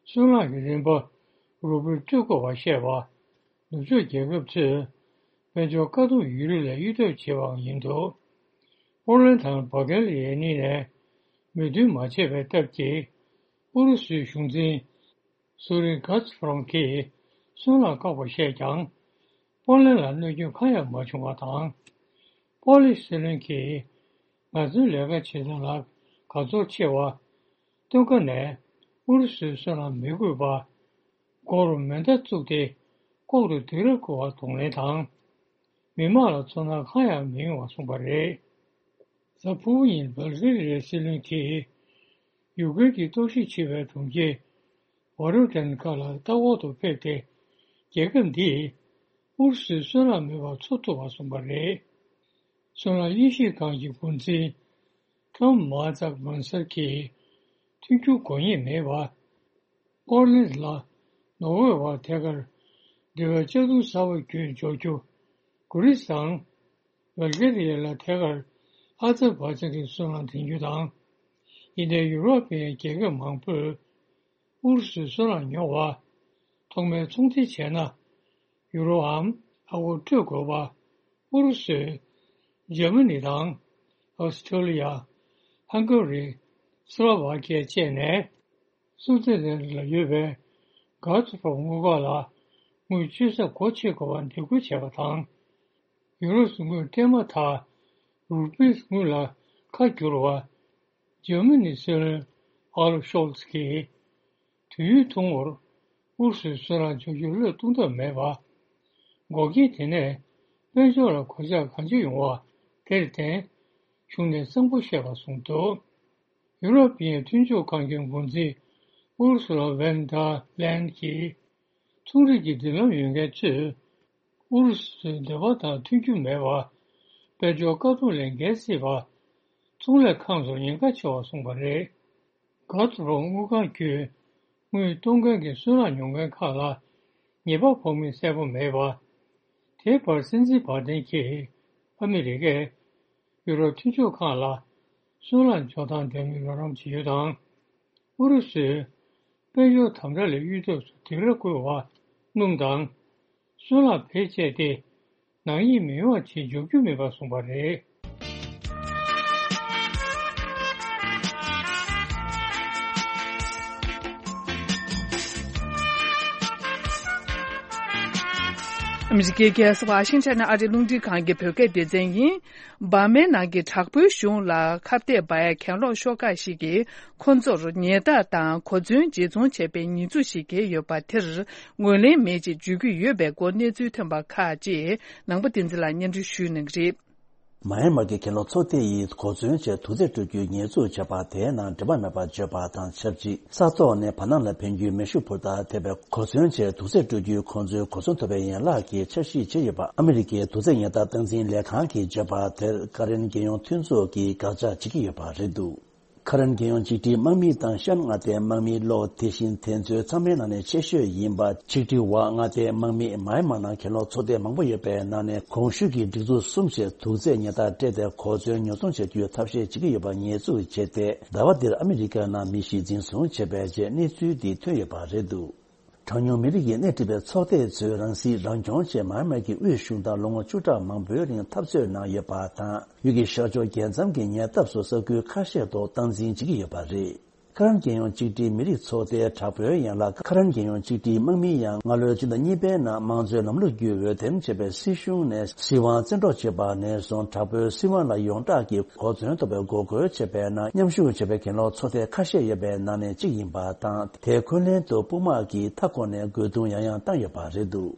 སོལ་རླངས་ཀྱི་རིན་པ་རུ་བུར་སྤྲོད་དགོས་པར་བཤད་པ། ནུབ་ཕྱོགས་རྒྱལ་ཁབ་ཚོས་དཔལ་འབྱོར་དཀའ་སྡུག་ཡུལ་ལས་གཡོལ་ཐབས་བྱས་པའང་ཡིན་འདུག་ཨོ་ལན་དང་བྷ་གྷེ་ལི་ཡ་གཉིས་ནས་མོས་མཐུན་མ་བྱས་པའི་སྟབས་ཀྱིས་ཨུ་རུ་སུའི་གཞུང་འཛིན་སུ་རིན་གྷ་ཛི་ཕ་རོམ་གྱིས་སོལ་རླངས་བཀག་པར་བཤད་ཀྱང་། པོ་ལན་ལ་གནོད་སྐྱོན་གང་ཡང་མ་བྱུང་བ་དང་། པོ་ལན་སྲིད་བློན་གྱིས་ང་ཚོའི་ལས་ཀ་བྱེད་སྟངས་ལ་དགའ་ཚོར་ཆེ་བ། སྟོན་ཁ་ནས་ཨུ་རུ་སུའི་སོལ་རླངས་མི་དགོས་པ། སྒོར་མེ་མདའ་བཙུགས་ཏེ་ལྐོག་ཏུ་སྡིགས་ར་བསྐུལ་བ་གདོང་ལེན་དང་། མི་དམངས་ལ་ཚོར་སྣང་གང་ཡང་མི་ཡོང་བ་གསུངས་པ་རེད། གཟའ་ཕུར་བུ་ཉིན་བལ་གེ་རི་ཡའི་སྲིད་བློན་གྱིས་ཡུཀ་རེན་གྱི་གཏོར་བཤིག་བྱས་པའི་གྲོང་ཁྱེར་ཝོ་རོ་ཏན་ཁ་ལ་ལྟ་སྐོར་དུ་ཕེབས་ཏེ། རྒྱལ་ཁབ་འདིས་ཨུ་རུ་སུའི་སོལ་རླངས་མེད་པར་འཚོ་ཐུབ་པ་གསུངས་པ་རེད། སོལ་རླངས་དབྱེ་ཞིབ་ཁང་གི་འགོ་འཛིན་ཀམ་མ་ཛག་མན་སར་གྱིས་མཐུན་འགྱུར་དགོས་ངེས་མེད་པ། ཨོ་ལེན་ལ་ནོར་ཝེ་བར་ཐད་ཀར་འབྲེལ་བའི་ལྕགས་རྡུང་གསར་པ་བརྒྱུད་འཇོག་རྒྱུ། གུ་རིས་དང་བལ་གེ་རི་ཡ་ལ་ཐད་ཀར་ཨ་ཛར་བྷ་ཇན་གྱི་སོལ་རླངས་འདྲེན་རྒྱུ་དང་། ཡིན་ནའི་ཡུ་རོབ་པའི་རྒྱལ་ཁབ་མང་པོས་ཨུ་རུ་སུའི་སོལ་རླངས་ཉོ་བ། ཐོག་མའི་ཚོང་འབྲེལ་བྱས་ན། ཡུ་རོའམ་ཨ་སྒོར་སྤྲོད་དགོས་པ། ཨུ་རུ་སུས་འཇར་མ་ནི་དང་། ཨོ་སི་ཁྲུ་ལི་ཡ། ཧང་ག་རི། སི་ལོ་ཝ་ཁི་ཡ་བཅས་ནས། སུའུ་ཙི་ལན་ལ་ཡོད་པའི་གྷ་ཛི་པྲོམ་དངུལ་ཁང་ལ་དངུལ་སྤྱོད་ས་སྒོ་ཕྱེ་དགོས་པར་འདེད་སྐུལ་བྱས་པ་དང་། ཡུ་རོ་སུ་དངུལ་སྤྲད་མ་ཐག་རུ་པིས་དངུལ་ལ་ཁ་བསྒྱུར་བ། འཇར་མ་ནི་སྲིད་བློན་ཨོ་ལབ་ཤོལ་ཚ་གིས། དུས་ཡུན་ཐུང་ངུར་ཨུ་རུ་སུའི་སོལ་རླངས་འཇོག་རྒྱུར་བློས་གཏོང་ཐབས་མེད་པ། འགོག་རྐྱེན་དེ་ནས་དཔལ་འབྱོར་ལ་གོད་ཆག་གང་ཆེ་ཡོང་བ་དེར་བརྟེན། གཞུང་ནས་གཙང་པོ་བཤད་པ་གསུངས་འདུག་ཡུ་རོབ་པའི་མཐུན་ཕྱོགས་ཁང་གི་འགོ་འཛིན་ཨུ་རུ་སུ་ལ་ཝན་ཌར་ལན་གྱིས། ཚོང་རིགས་ཀྱི་མདུན་ལམ་ཡོད་མཁན་ཚོས་ཨུ་རུ་སུའི་འདོད་པ་དང་མཐུན་རྒྱུ་མེད་པ། དཔལ་འབྱོར་དཀའ་སྡུག་ལས་འགལ་སྲིད་པ། ཚོང་ལས་ཁང་ཚོར་ཉེན་ཁ་ཆེ་བ་གསུངས་པ་རེད། གྷ་ཛི་པྲོམ་དངུལ་ཁང་བརྒྱུད་དངུལ་གཏོང་མཁན་གྱི་སོལ་རླངས་ཉོ་མཁན་ཁག་ལ་ཉེས་པ་ཕོག་མིན་གསལ་པོ་མེད་པ། དེའི་བར་སྲིད་འཛིན་བྷའི་ཏན་གྱིས་ཨ་མི་རི་ཀས་ཡུ་རོབ་མཐུན་ཕྱོགས་ཁག་ལ་སོལ་རླངས་འཇོག་སྟངས་འདྲ་མིན་རོགས་རམ་བྱེད་རྒྱུ་དང་། ཨུ་རུ་སུས་དཔལ་འབྱོར་དམ་དྲག་ལས་གཡོལ་ཐབས་སུ་སྡིགས་ར་བསྐུལ་བ་སྣུམ་དང་། སོལ་རླངས་བེད་སྤྱད་དེ་ནག་ཉེས་མི་ཡོང་བ་བྱེད་འཇོག་རྒྱུ་མིན་པ་གསུངས་པ་རེད། ཨ་མི་རི་ཀའི་རྒྱལ་ས་ཝ་ཤིང་ཊོན་ཨ་རིའི་རླུང་འཕྲིན་ཁང་གི་བོད་སྐད་སྡེ་ཚན་ཡིན། འབར་མའི་ནང་གི་དྲག་པོའི་གཞུང་ལ་ཁ་གཏད་པའི་གྱེན་ལོག་ཤོག་ཁག་ཞིག་གིས། ཁོ་ཚོར་ཉེས་རྡུང་དང་གོ་མཚོན་འབྱེད་བཙོང་བྱས་པའི་ཉེས་འཛུགས་ཤིག་འགེལ་ཡོད་པ་དེར་ངོས་ལེན་མེད་ཅེས་བརྗོད་ཀྱི་ཡོད་པའི་སྐོར་གནས་ཚུལ་ཐོན་པ་ཁག་ཅིག་ནང་པ་བསྟན་འཛིན་ལགས་སྙན་སྒྲོན་ཞུ་གནང་གི་རེད། མཱ་ཡན་མར་གྱི་གྱེན་ལོག་ཚོགས་སྡེ་ཡིས་གོ་མཚོན་ཆེད་དུག་རྫས་སྤྲོད་རྒྱུའི་ཉེས་འཛུགས་བྱས་པ་དེའི་ནང་འགྲེལ་པ་མེད་པར་བརྗོད་པ་དང་ཆབས་ཅིག་ས་ཐོག་ནས་བར་སྣང་ལ་འཕེན་རྒྱུའི་མེ་ཤུགས་འཕུར་མདའ་ཐེབས་པའི་གོ་མཚོན་ཆེད་དུག་རྫས་སྤྲོད་རྒྱུའི་ཁོང་ཚོའི་གོ་མཚོན་ཐོབ་པའི་ཡན་ལག་གི་འཆར་གཞི་བྱས་ཡོད་པ་ཨ་མི་རི་ཀའི་དུག་རྫས་ཉེས་དག་སྟངས་འཛིན་ལས་ཁང་གིས་བརྗོད་པ་དེར་ཀ་རན་རྒྱལ་ཡོངས་མཐུན་ཚོགས་ཀྱིས་དགག་བྱ་བྱེད་ཀྱི་ཡོད་པ་རེད་འདུག་ཁ་རན་རྒྱལ་ཡོངས་གཅིག་སྒྲིལ་དམག་མི་དང་ཤན་མངའ་སྡེའི་དམག་མིའི་གློག་དེ་བཞིན་དེ་ཚོའི་ཚང་མའི་ནང་ནས་ཆེ་ཤོས་ཡིན་པ་ཆིག་སྒྲིལ་ཝ་མངའ་སྡེའི་དམག་མི་མཱ་ཡན་མར་ནང་གྱེན་ལོག་ཚོགས་སྡེ་མང་པོ་ཡོད་པའི་ནང་ནས་གོང་ཞུས་ཀྱི་སྒྲིག་འཛུགས་གསུམ་ཞིག་དུག་རྫས་ཉེས་རྡུང་སྤྲད་དེ་གོ་མཚོན་ཉོ་ཚོང་བྱ་རྒྱུའི་ཐབས་ཤེས་བྱེད་ཀྱི་ཡོད་པ་ཉེས་འཛུགས་བྱས་ཏེ། ཟླ་བ་འདིར་ཨ་མི་རི་ཀའི་ནང་མི་ཞིག་འཛིན་བཟུང་བྱས་པའི་རྗེས་གནས་ཚུལ་འདི་ཐོན་ཡོད་པ་རེད་འདུག་གྲངས་ཉུང་མི་རིགས་ཀྱིས་སྣེ་ཁྲིད་པའི་ཚོགས་སྡེ་ཚོས་རང་སྲིད་རང་སྐྱོང་ཆེད་མཱ་མར་གྱི་དབུས་གཞུང་དང་ལོ་ངོ་བཅུ་ཕྲག་མང་པོའི་རིང་འཐབ་རྩོད་གནང་ཡོད་པ་དང་། ཡུལ་གྱི་ཤར་ཕྱོགས་རྒྱལ་མཚམས་ཀྱི་ཉེ་འདབས་སུ་ས་ཁུལ་ཁ་ཤས་ཐོག་སྟངས་འཛིན་བྱེད་ཀྱི་ཡོད་པ་རེད། ཁ་རན་རྒྱལ་ཡོངས་གཅིག་སྒྲིལ་མི་རིགས་ཚོགས་སྡེའི་དྲག་པོའི་ཡན་ལག་ཁ་རན་རྒྱལ་ཡོངས་གཅིག་སྒྲིལ་དམག་མི་ཡང་སྔ་ལོའི་སྤྱི་ཟླ་གཉིས་པའི་ནང་དམངས་གཙོའི་ལམ་ལུགས་ཀྱི་འོས་འདེམས་བྱས་པའི་སྲིད་གཞུང་ནས་སྲིད་དབང་བཙན་འཕྲོག་བྱས་པ་ནས་བཟུང་དྲག་པོའི་སྲིད་དབང་ལ་ཡོངས་གྲགས་ཀྱི་གོ་མཚོན་ཐོབ་པའི་འགོག་རྒོལ་བྱས་པའི་ནང་མཉམ་ཞུགས་བྱས་པའི་གྱེན་ལོག་ཚོགས་སྡེ་ཁ་ཤས་ཡོད་པའི་ནང་ནས་གཅིག་ཡིན་པ་དང་། དེའི་འཁོན་ལན་དུ་དཔུང་དམག་གིས་མཐའ་འཁོར་ནས་རྒོལ་རྡུང་ཡང་ཡང་བཏང་ཡོད་པ་རེད་འདུག་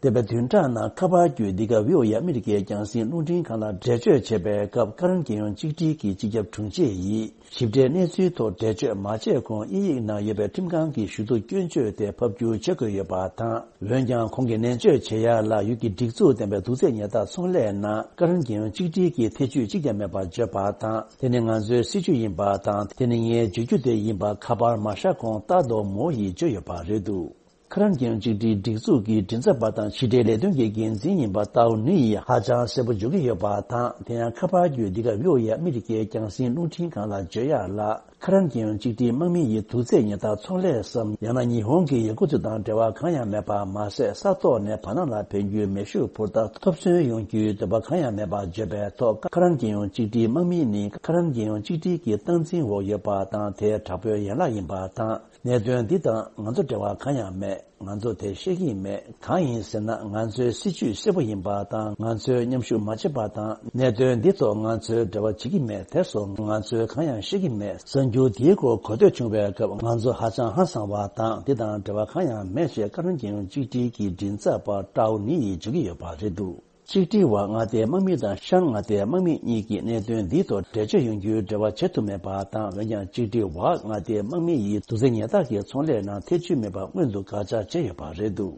འདས་པའི་བདུན་ཕྲག་ནང་ཁ་པར་བརྒྱུད་འདི་ག་བྷི་ཨོ་ཨེ་ཨ་མི་རི་ཀའི་རྒྱང་སྲིང་རླུང་འཕྲིན་ཁང་ལ་འགྲེལ་བརྗོད་བྱས་པའི་སྐབས། ཀ་རན་རྒྱལ་ཡོངས་གཅིག་སྒྲིལ་གྱི་སྤྱི་ཁྱབ་དྲུང་ཆེ་ཡིས་ཞིབ་ཕྲའི་གནས་ཚུལ་ཐོག་འགྲེལ་བརྗོད་མ་བྱས་གོང་དབྱིན་ཡིག་ནང་ཡོད་པའི་ཁྲིམས་ཁང་གི་ཞུ་གཏུག་སྐྱོན་བརྗོད་དེ་ཕབ་བསྒྱུར་བྱེད་དགོས་ཡོད་པ་དང་། འོན་ཀྱང་ཁོང་གིས་ནན་བརྗོད་བྱེད་ཡ་ལ་ཡུལ་གྱི་སྒྲིག་འཛུགས་ལྡན་པའི་དུག་རྫས་ཉེས་རྡུང་ཚོང་ལས་ནང་ཀ་རན་རྒྱལ་ཡོངས་གཅིག་སྒྲིལ་གྱི་ཐེ་ཇུས་གཅིག་ཀྱང་མེད་པར་བརྗོད་པ་དང་། དེ་ནི་ང་ཚོའི་སྲིད་བྱུས་ཡིན་པ་དང་། དེ་ནི་ངས་བརྗོད་རྒྱུ་དེ་ཡིན་པ་ཁ་པར་མ་བཞག་གོང་ཏཱ་རྡོ་མོ་ཡིས་བརྗོད་ཡོད་པ་རེད་འདུག་ཁ་རན་རྒྱལ་ཡོངས་གཅིག་སྒྲིལ་སྒྲིག་འཛུགས་ཀྱི་མགྲིན་ཚབ་པ་དང་ཕྱི་འབྲེལ་ལས་དོན་གྱི་འགན་འཛིན་ཡིན་པ་ཏའོ་ནི་ཡིས་ཧ་ཅང་གསལ་པོ་བརྗོད་ཀྱི་ཡོད་པ་དང་། དེ་ཡང་ཁ་པར་བརྒྱུད་འདི་ག་བྷི་ཨོ་ཨེ་ཨ་མི་རི་ཀའི་རྒྱང་སྲིང་རླུང་འཕྲིན་ཁང་ལ་བརྗོད་ཡག་ལ། ཁ་རན་རྒྱལ་ཡོངས་གཅིག་སྒྲིལ་དམག་མི་ཡི་དུག་རྫས་ཉེན་བརྡ་ཚོང་ལས་སམ། ཡང་ན་ཉི་ཧོང་གི་ཡ་ཀུ་ཙི་དང་འབྲེལ་བ་གང་ཡང་མེད་པ་མ་ཟད། ས་ཐོག་ནས་བར་སྣང་ལ་ཕན་རྒྱུའི་མེ་ཤུགས་འཕུར་མདའ་ཐོབ་ཚུན་ཡོང་རྒྱུའི་འདོད་པ་གང་ཡང་མེད་པར་བརྗོད་པའི་ཐོག་ཁ་རན་རྒྱལ་ཡོངས་གཅིག་སྒྲིལ་དམག་མི་ནི་ཁ་རན་རྒྱལ་ཡོངས་གཅིག་སྒྲིལ་གྱི་སྟངས་འཛིན་འོག་ཡོད་པ་དང་། དེ་དྲག་པོའི་ཡན་ལག་ཡིན་པ་དང་། གནད་དོན་འདི་དང་ང་ཚོ་འབྲེལ་བ་གང་ཡང་མེད། ང་ཚོ་དེ་ཤེས་ཀྱི་མེད། གང་ཡིན་ཟེར་ན། ང་ཚོའི་སྲིད་ཇུས་གསལ་པོ་ཡིན་པ་དང་། ང་ཚོས་མཉམ་ཞུགས་མ་བྱས་པ་དང་། གནད་དོན་འདི་ཐོག་ང་ཚོས་འབྲེལ་བ་བྱེད་ཀྱི་མེད། དེ་སོགས་ང་ཚོས་གང་ཡང་ཤེས་ཀྱི་མེད། གསར་འགྱུར་འདིའི་སྐོར་གོ་ཐོས་བྱུང་བའི་སྐབས། ང་ཚོ་ཧ་ཅང་ཧང་སངས་པ་དང་། འདི་དང་འབྲེལ་བ་གང་ཡང་མེད་ཅེས་ཁ་རན་རྒྱལ་ཡོངས་གཅིག་སྒྲིལ་གྱི་མགྲིན་ཚབ་པ་ཀྲའོ་ནི་ཡིས་བརྗོད་ཀྱི་ཡོད་པ་རེད་འདུག་གཅིག་སྒྲིལ་བ་མངའ་སྡེའི་དམག་མི་དང་ཤར་མངའ་སྡེའི་དམག་མི་གཉིས་ཀྱིས་གནད་དོན་འདིའི་ཐོག་འགྲེལ་བརྗོད་ཡོང་རྒྱུའི་འབྲེལ་བ་བྱེད་ཐུབ་མེད་པ་དང་། འོན་ཀྱང་གཅིག་སྒྲིལ་བ་མངའ་སྡེའི་དམག་མི་ཡིས་དུག་རྫས་ཉེན་བརྡ་གི་ཚོང་ལས་ནང་ཐེ་བྱུས་མེད་པ་སྔོན་དུ་བཀག་ཆ་བྱས་ཡོད་པ་རེད་འདུག་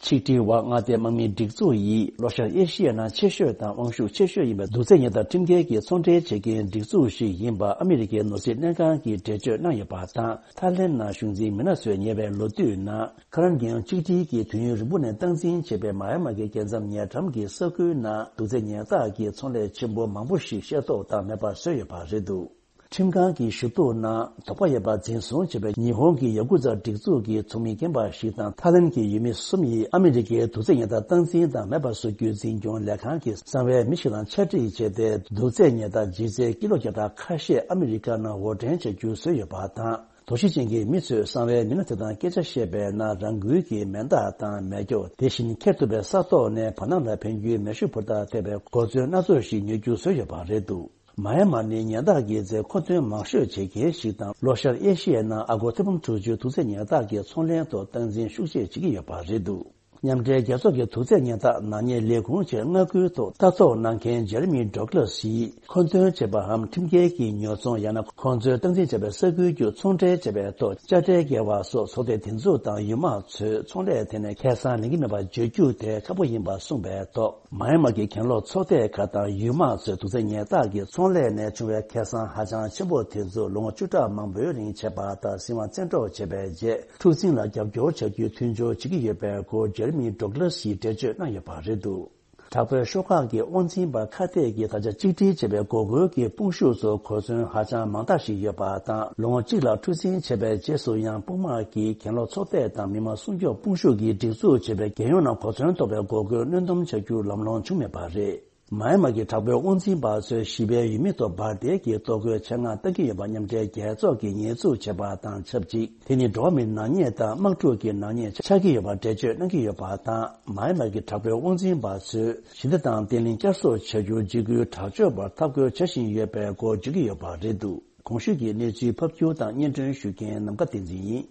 གཅིག་སྒྲིལ་བ་མངའ་སྡེའི་དམག་མིའི་སྒྲིག་འཛུགས་ཡིས་ལྷོ་ཤར་ཨེ་ཤི་ཡའི་ནང་ཆེ་ཤོས་དང་དབང་ཤུགས་ཆེ་ཤོས་ཡིན་པའི་དུག་རྫས་ཉེན་བརྡ་ཁྲིམས་འགལ་གྱི་ཚོང་འབྲེལ་བྱེད་མཁན་སྒྲིག་འཛུགས་ཤིག་ཡིན་པ་ཨ་མི་རི་ཀའི་ནོར་སྲིད་ལྷན་ཁང་གིས་འགྲེལ་བརྗོད་གནང་ཡོད་པ་དང་། ཐའི་ལེན་ནང་གཞུང་འཛིན་མི་སྣ་ཚོས་ཉེ་བའི་ལོ་དུས་ནང་། ཁ་རན་རྒྱལ་ཡོངས་གཅིག་སྒྲིལ་གྱིས་དུས་ཡུན་རིང་པོ་ནས་སྟངས་འཛིན་བྱས་པའི་མ་ཡ་མ་གི་རྒྱལ་མཚམས་ཉེ་འགྲམ་གྱི་ས་ཁུལ་ནང་དུག་རྫས་ཉེན་བརྡ་གྱི་ཚོང་ལས་ཆེན་པོ་མང་པོ་ཞིག་ཤེས་རྟོགས་དང་མེད་པར་བཟོས་ཡོད་པ་རེད་འདུག་ཁྲིམས་ཁང་གི་ཞུ་གཏུག་ནང་དོགས་པ་ཡོད་པ་འཛིན་བཟུང་བྱས་པའི་ཉི་ཧོང་གི་ཡ་ཀུ་ཛ་སྒྲིག་འཛུགས་ཀྱི་ཚོགས་མི་རྒན་པ་ཞིག་དང་། ཐའི་ལེན་གྱི་ཡུལ་མི་གསུམ་ཡིས་ཨ་མི་རི་ཀའི་དུག་རྫས་ཉེན་བརྡ་སྟངས་འཛིན་དང་མེད་པར་བཟོ་རྒྱུའི་འཛིན་སྐྱོང་ལས་ཁང་གི་གསང་བའི་མི་ཞིག་དང་ཕྱག་བྲིས་བྱས་ཏེ། དུག་རྫས་ཉེན་བརྡ་ལྗིད་ཚད་ཀི་ལོ་བརྒྱ་ཕྲག་ཁ་ཤས་ཨ་མི་རི་ཀ་ནང་དབོར་འདྲེན་བྱ་རྒྱུ་བཟོས་ཡོད་པ་དང་། དོགས་གཞི་ཅན་གྱི་མི་ཚོས་གསང་བའི་མི་སྣ་དེ་དང་སྐད་ཆ་བཤད་པའི་ནང་། རང་འགུལ་གྱིས་མེ་མདའ་དང་མེ་སྒྱོགས། དེ་བཞིན་འཁྱེར་ཐུབ་པའི་ས་ཐོག་ནས་བར་སྣང་ལ་ཕན་རྒྱུའི་མེ་ཤུགས་འཕུར་མདའ་ཐེབས་པའི་གོ་མཚོན་སྣ་ཚོགས་ཤིག་ཉོ་རྒྱུ་བཟོས་ཡོད་པ་རེད་འདུག་མ་ཡ་མ་ནི་ཉེན་བརྡ་གི་རྫས་མཁོ་འདོན་མང་ཤོས་བྱེད་མཁན་ཞིག་དང་། ལྷོ་ཤར་ཨེ་ཤི་ཡའི་ནང་ཨ་སྒོར་ཐེར་འབུམ་དྲུག་ཅུ་དུག་རྫས་ཉེན་བརྡ་གི་ཚོང་ལེན་ཐོག་སྟངས་འཛིན་ཤུགས་ཆེ་བྱེད་ཀྱི་ཡོད་པ་རེད་འདུག་མཉམ་འབྲེལ་རྒྱལ་ཚོགས་ཀྱི་དུག་རྫས་ཉེན་བརྡ་ནག་ཉེས་ལས་ཁུངས་ཆེད་མངའ་ཁུལ་ཐོག་ལྟ་རྟོག་གནང་མཁན་ཇེ་རི་མི་ཌོག་ལ་སི་ཡིས། མཁོ་འདོན་བྱས་པའམ་ཁྲིམས་འགལ་གྱིས་ཉོ་ཚོང་ཡང་ན་ཁོང་ཚོས་སྟངས་འཛིན་བྱས་པའི་ས་ཁུལ་བརྒྱུད་ཚོང་འབྲེལ་བྱས་པའི་ཐོག་དཔྱ་ཁྲལ་འགེལ་བ་སོགས་ཚོགས་སྡེ་དེ་ཚོ་དང་ཡུལ་དམག་ཚོས་ཚོང་ལས་ཐད་ནས་ཁེ་བཟང་ལེན་གྱི་མེད་པ་བརྗོད་རྒྱུ་དེ་ཁག་པོ་ཡིན་པ་གསུངས་པའི་ཐོག་མ་ཡ་མ་གི་གྱེན་ལོག་ཚོགས་སྡེ་ཁག་དང་ཡུལ་དམག་ཚོས་དུག་རྫས་ཉེན་བརྡ་གི་ཚོང་ལས་ནས་བྱུང་བའི་ཁེ་བཟང་ཧ་ཅང་ཆེན་པོ་དེ་ཚོ་ལོ་ངོ་བཅུ་ཕྲག་མང་པོའི་རིང་བྱས་པ་དང་། སྲིད་དབང་བཙན་འཕྲོག་བྱས་པའི་རྗེས། འཁྲུག་འཛིང་ལ་རྒྱབ་སྐྱོར་བྱ་རྒྱུའི་མཐུན་སྦྱོར་བྱེད་ཀྱི་ཡོད་པའི་སྐོར་ཇེ་རི་མི་ཌོག་ལ་སིས་འགྲེལ་བརྗོད་གནང་ཡོད་པ་རེད་འདུག་དྲག་པོའི་ཤོག་ཁག་གི་དབང་འཛིན་པ་ཁ་གཏད་ཀྱིས་ད་ཆ་གཅིག་སྒྲིལ་བྱས་པའི་འགོག་རྒོལ་གྱི་དཔུང་ཤུགས་ཚོ་གོ་མཚོན་ཧ་ཅང་མང་དག་ཞིག་ཡོད་པ་དང་། ལོ་ངོ་གཅིག་ལ་འཁྲུག་འཛིང་བྱས་པའི་རྗེས་སུ་ཡང་དཔུང་དམག་གིས་གྱེན་ལོག་ཚོགས་སྡེ་དང་མི་དམངས་སྲུང་སྐྱོབ་དཔུང་ཤུགས་ཀྱིས་སྒྲིག་འཛུགས་བྱས་པའི་རྒྱལ་ཡོངས་ནང་གོ་མཚོན་ཐོབ་པའི་འགོག་རྒོལ་གནོན་སྡོམ་བྱ་རྒྱུ་ལམ་ལྷོང་བྱུང་མེད་པ་རེད། མ་ཡ་མ་གི་དྲག་པོའི་དབང་འཛིན་པ་ཚོས་ཞི་བའི་ཡུལ་མི་ཐོག་འབར་མདེལ་གྱི་གཏོར་རྒོལ་ཆེད་མངགས་བཏང་གི་ཡོད་པ་མཉམ་འབྲེལ་རྒྱལ་ཚོགས་ཀྱིས་ཉེས་འཛུགས་བྱས་པ་དང་ཆབས་ཅིག་དེ་ནི་འགྲོ་བ་མིའི་ནག་ཉེས་དང་དམག་འཁྲུག་གི་ནག་ཉེས་ཆགས་ཀྱི་ཡོད་པར་འགྲེལ་བརྗོད་གནང་གི་ཡོད་པ་དང་། མ་ཡ་མ་གི་དྲག་པོའི་དབང་འཛིན་པ་ཚོས་ཞི་བདེ་དང་བརྟན་ལྷིང་བསྐྱར་གསོ་བྱ་རྒྱུར་འཇིགས་སྐུལ་དྲག་སྤྱོད་པར་འཐབ་རྒོལ་བྱ་བཞིན་ཡོད་པའི་སྐོར་བརྗོད་ཀྱི་ཡོད་པ་རེད་འདུག་གོང་ཞུས་ཀྱི་གནས་ཚུལ་ཕབ་སྒྱུར་དང་སྙན་སྒྲོན་ཞུ་མཁན་ནམ་མཁའ་བསྟན་འཛིན་ཡིན།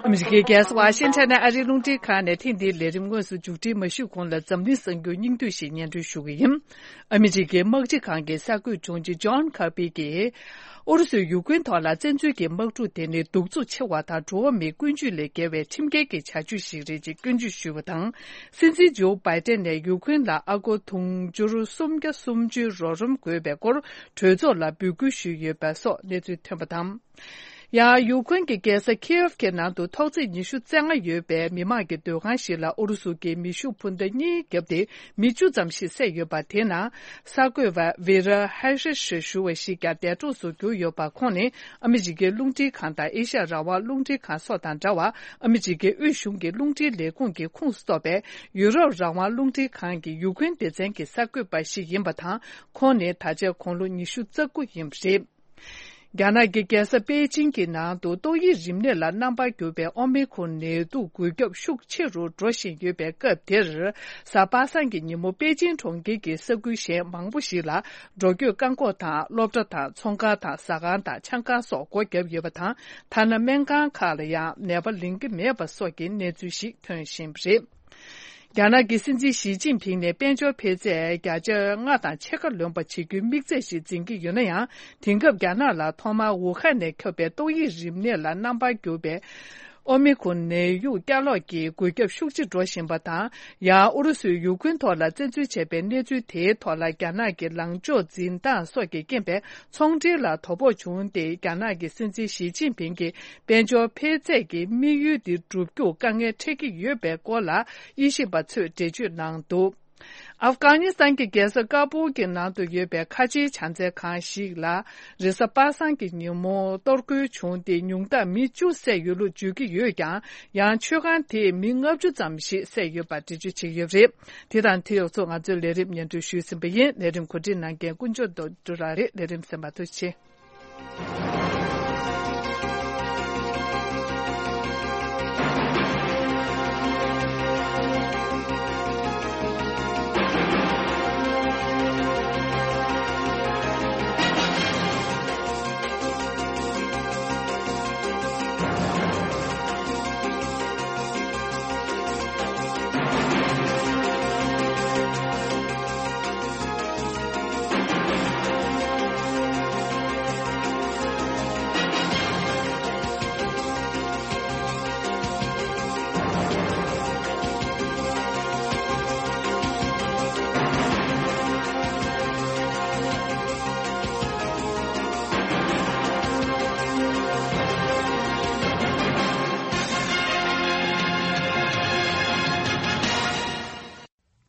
ཨ་མི་རི་ཀའི་རྒྱལ་ས་ཝ་ཤིང་ཊོན་ནས་ཨ་རིའི་རླུང་འཕྲིན་ཁང་ནས་ཐེངས་འདིའི་ལས་རིམ་དངོས་སུ་མཇུག་སྒྲིལ་མ་ཞུས་གོང་ལ། འཛམ་གླིང་གསར་འགྱུར་སྙིང་བསྡུས་ཤིག་སྙན་སྒྲོན་ཞུ་གི་ཡིན། ཨ་མི་རི་ཀའི་དམག་སྤྱི་ཁང་གི་གསར་འགོད་དྲུང་ཆེ་ཇོན་ཁར་པི་གིས། ཨུ་རུ་སུས་ཡུ་ཀེན་ཐོག་ལ་བཙན་འཛུལ་གྱི་དམག་འཁྲུག་དེ་ནི་གདུག་རྩུབ་ཆེ་བ་དང་འགྲོ་བ་མིའི་ཀུན་སྤྱོད་ལས་བརྒལ་བའི་ཁྲིམས་འགལ་གྱི་བྱ་སྤྱོད་ཞིག་རེད་ཅེས་སྐྱོན་བརྗོད་ཞུས་པ་དང་། སྲིད་འཛིན་ཇོ་བྷའི་ཏན་ནས་ཡུ་ཀེན་ལ་ཨ་སྒོར་དུང་ཕྱུར་སུམ་བརྒྱ་སུམ་ཅུའི་རོགས་རམ་དགོས་པའི་སྐོར་གྲོས་ཚོགས་ལ་འབོད་སྐུལ་ཞུས་ཡོད་པ་སོགས་གནས་ཚུལ་ཐོན་པ་དང་། ཡང་ཡུ་ཀེན་གྱི་རྒྱལ་ས་ཁིའེབ་ཀྱི་ནང་དུ་ཐོག་བརྩེགས་ཉི་ཤུ་རྩ་ལྔ་ཡོད་པའི་མི་མང་གི་སྡོད་ཁང་ཞིག་ལ་ཨུ་རུ་སུ་གིས་མེ་ཤུགས་འཕུར་མདའ་གཉིས་བརྒྱབ་སྟེ། མི་བཅུ་ཙམ་ཞིག་བསད་ཡོད་པ། དེ་ནང་གསར་འགོད་པ་ཝེ་ར་ཧའི་ཧྲི་ཞེས་ཞུ་བ་ཞིག་ཀྱང་འདས་གྲོངས་སུ་གྱུར་ཡོད་པ། ཁོང་ནི་ཨ་མི་རི་ཀའི་རླུང་འཕྲིན་ཁང་དང་ཨེ་ཤ་ཡ་རང་དབང་རླུང་འཕྲིན་ཁང་སོགས་དང་འདྲ་བར། ཨ་མི་རི་ཀའི་དབུས་གཞུང་གི་རླུང་འཕྲིན་ལས་ཁུངས་ཀྱི་ཁོངས་སུ་གཏོགས་པའི་ཡུ་རོབ་རང་དབང་རླུང་འཕྲིན་ཁང་གི་ཡུ་ཀེན་སྡེ་ཚན་གྱི་གསར་འགོད་པ་ཞིག་ཡིན་པ་དང་། ཁོང་ནི་ད་ཆ་དགུང་ལོ་ཉི་ཤུ་རྩ་དགུ་ཡིན་པ་རེད། རྒྱ་ནག་གི་རྒྱལ་ས་པེ་ཅིང་གི་ནང་དུ་ཏོག་དབྱིབས་རིམས་ནད་ལ་རྣམ་པར་གྱུར་པའི་ཨོ་མི་ཁོན་ནད་དུག་འགོས་ཁྱབ་ཤུགས་ཆེ་རུ་འགྲོ་བཞིན་ཡོད་པའི་སྐབས་དེར། གཟའ་པ་སངས་ཀྱི་ཉིན་མོ་པེ་ཅིང་གྲོང་ཁྱེར་གྱི་ས་ཁུལ་གཞན་མང་པོ་ཞིག་ལ་འགྲོ་སྐྱོད་བཀག་འགོག་དང་། སློབ་གྲྭ་དང་ཚོང་ཁང་དང་ཟ་ཁང་དང་ཆང་ཁང་སོགས་སྒོ་བརྒྱབ་ཡོད་པ་དང་། ཐ་ན་སྨན་ཁང་ཁག་ལ་ཡང་ནད་པ་ལེན་གྱི་མེད་པ་སོགས་ཀྱི་གནས་ཚུལ་ཞིག་ཐོན་བཞིན་པ་རེད། རྒྱ་ནག་གི་སྲིད་འཛིན་ཞི་ཅིན་ཕིང་ནས་དཔལ་འབྱོར་འཕེལ་ཚད་བརྒྱ་ཆ་ལྔ་དང་ཕྱེད་ཀ་ལོན་པ་བྱེད་རྒྱུའི་དམིགས་ཚད་ཞིག་འཛིན་གྱི་ཡོད་ན་ཡང་། དེང་སྐབས་རྒྱ་ནག་ལ་ཐོག་མར་ཝུ་ཧན་ནས་ཁྱབ་པའི་ཏོག་དབྱིབས་རིམས་ནད་ལ་རྣམ་པར་གྱུར་པའི་ ཨོ་མི་ཁོན་ནད་ཡུག་བསྐྱར་ལོག་གིས་འགོས་ཁྱབ་ཤུགས་ཆེ་འགྲོ་བཞིན་པ་དང་། ཡང་ཨུ་རུ་སུས་ཡུག་ཀེན་ཐོག་ལ་བཙན་འཛུལ་བྱས་པའི་གནས་ཚུལ་དེའི་ཐོག་ལ། རྒྱ་ནག་གི་ལངས་ཕྱོགས་འཛིན་སྟངས་སོགས་ཀྱི་རྐྱེན་པས་ཚོང་འབྲེལ་ལ་དོ་ཕོག་བྱུང་སྟེ། རྒྱ་ནག་གི་སྲིད་འཛིན་ཞི་ཅིན་ཕིང་གི་དཔལ་འབྱོར་འཕེལ་ཚད་ཀྱི་དམིགས་ཡུལ་འདི་བསྒྲུབ་རྒྱུར་དཀའ་ངལ་འཕྲད་ཀྱི་ཡོད་པའི་སྐོར་ལ་དབྱེ་ཞིབ་པ་ཚོས་འགྲེལ་བརྗོད་གནང་འདུག། ཨབ་གྷ་ནི་སི་ཐན་གྱི་རྒྱལ་ས་ཀ་བུལ་གྱི་ནང་དུ་ཡོད་པའི་ཁ་ཆེའི་བྱང་རྩྭའི་ཁང་ཞིག་ལ་རེས་གཟའ་པ་སངས་ཀྱི་ཉིན་མོ་གཏོར་རྒོལ་བྱུང་སྟེ། ཉུང་མཐར་མི་བཅུ་བསད་ཡོད་ལུགས་བརྗོད་ཀྱི་ཡོད་ཀྱང་། ཡང་མཆོད་ཁང་དེས་མི་ལྔ་བཅུ་ཙམ་ཞིག་བསད་ཡོད་པ་འགྲེལ་བརྗོད་བྱས་ཡོད་པ་རེད། དེ་དང་དེ་ཡོངས་རྫོགས་ང་ཚོའི་ལས་རིམ་སྙན་སྒྲོན་ཞུས་ཟིན་པ་ཡིན། ལས་རིམ་གོ་སྒྲིག་གནང་མཁན་དཀོན་མཆོག་རྡོ་རྗེ་རང་རེད། ལས་རིམ་གསན་པར་ཐུགས་རྗེ་ཆེ།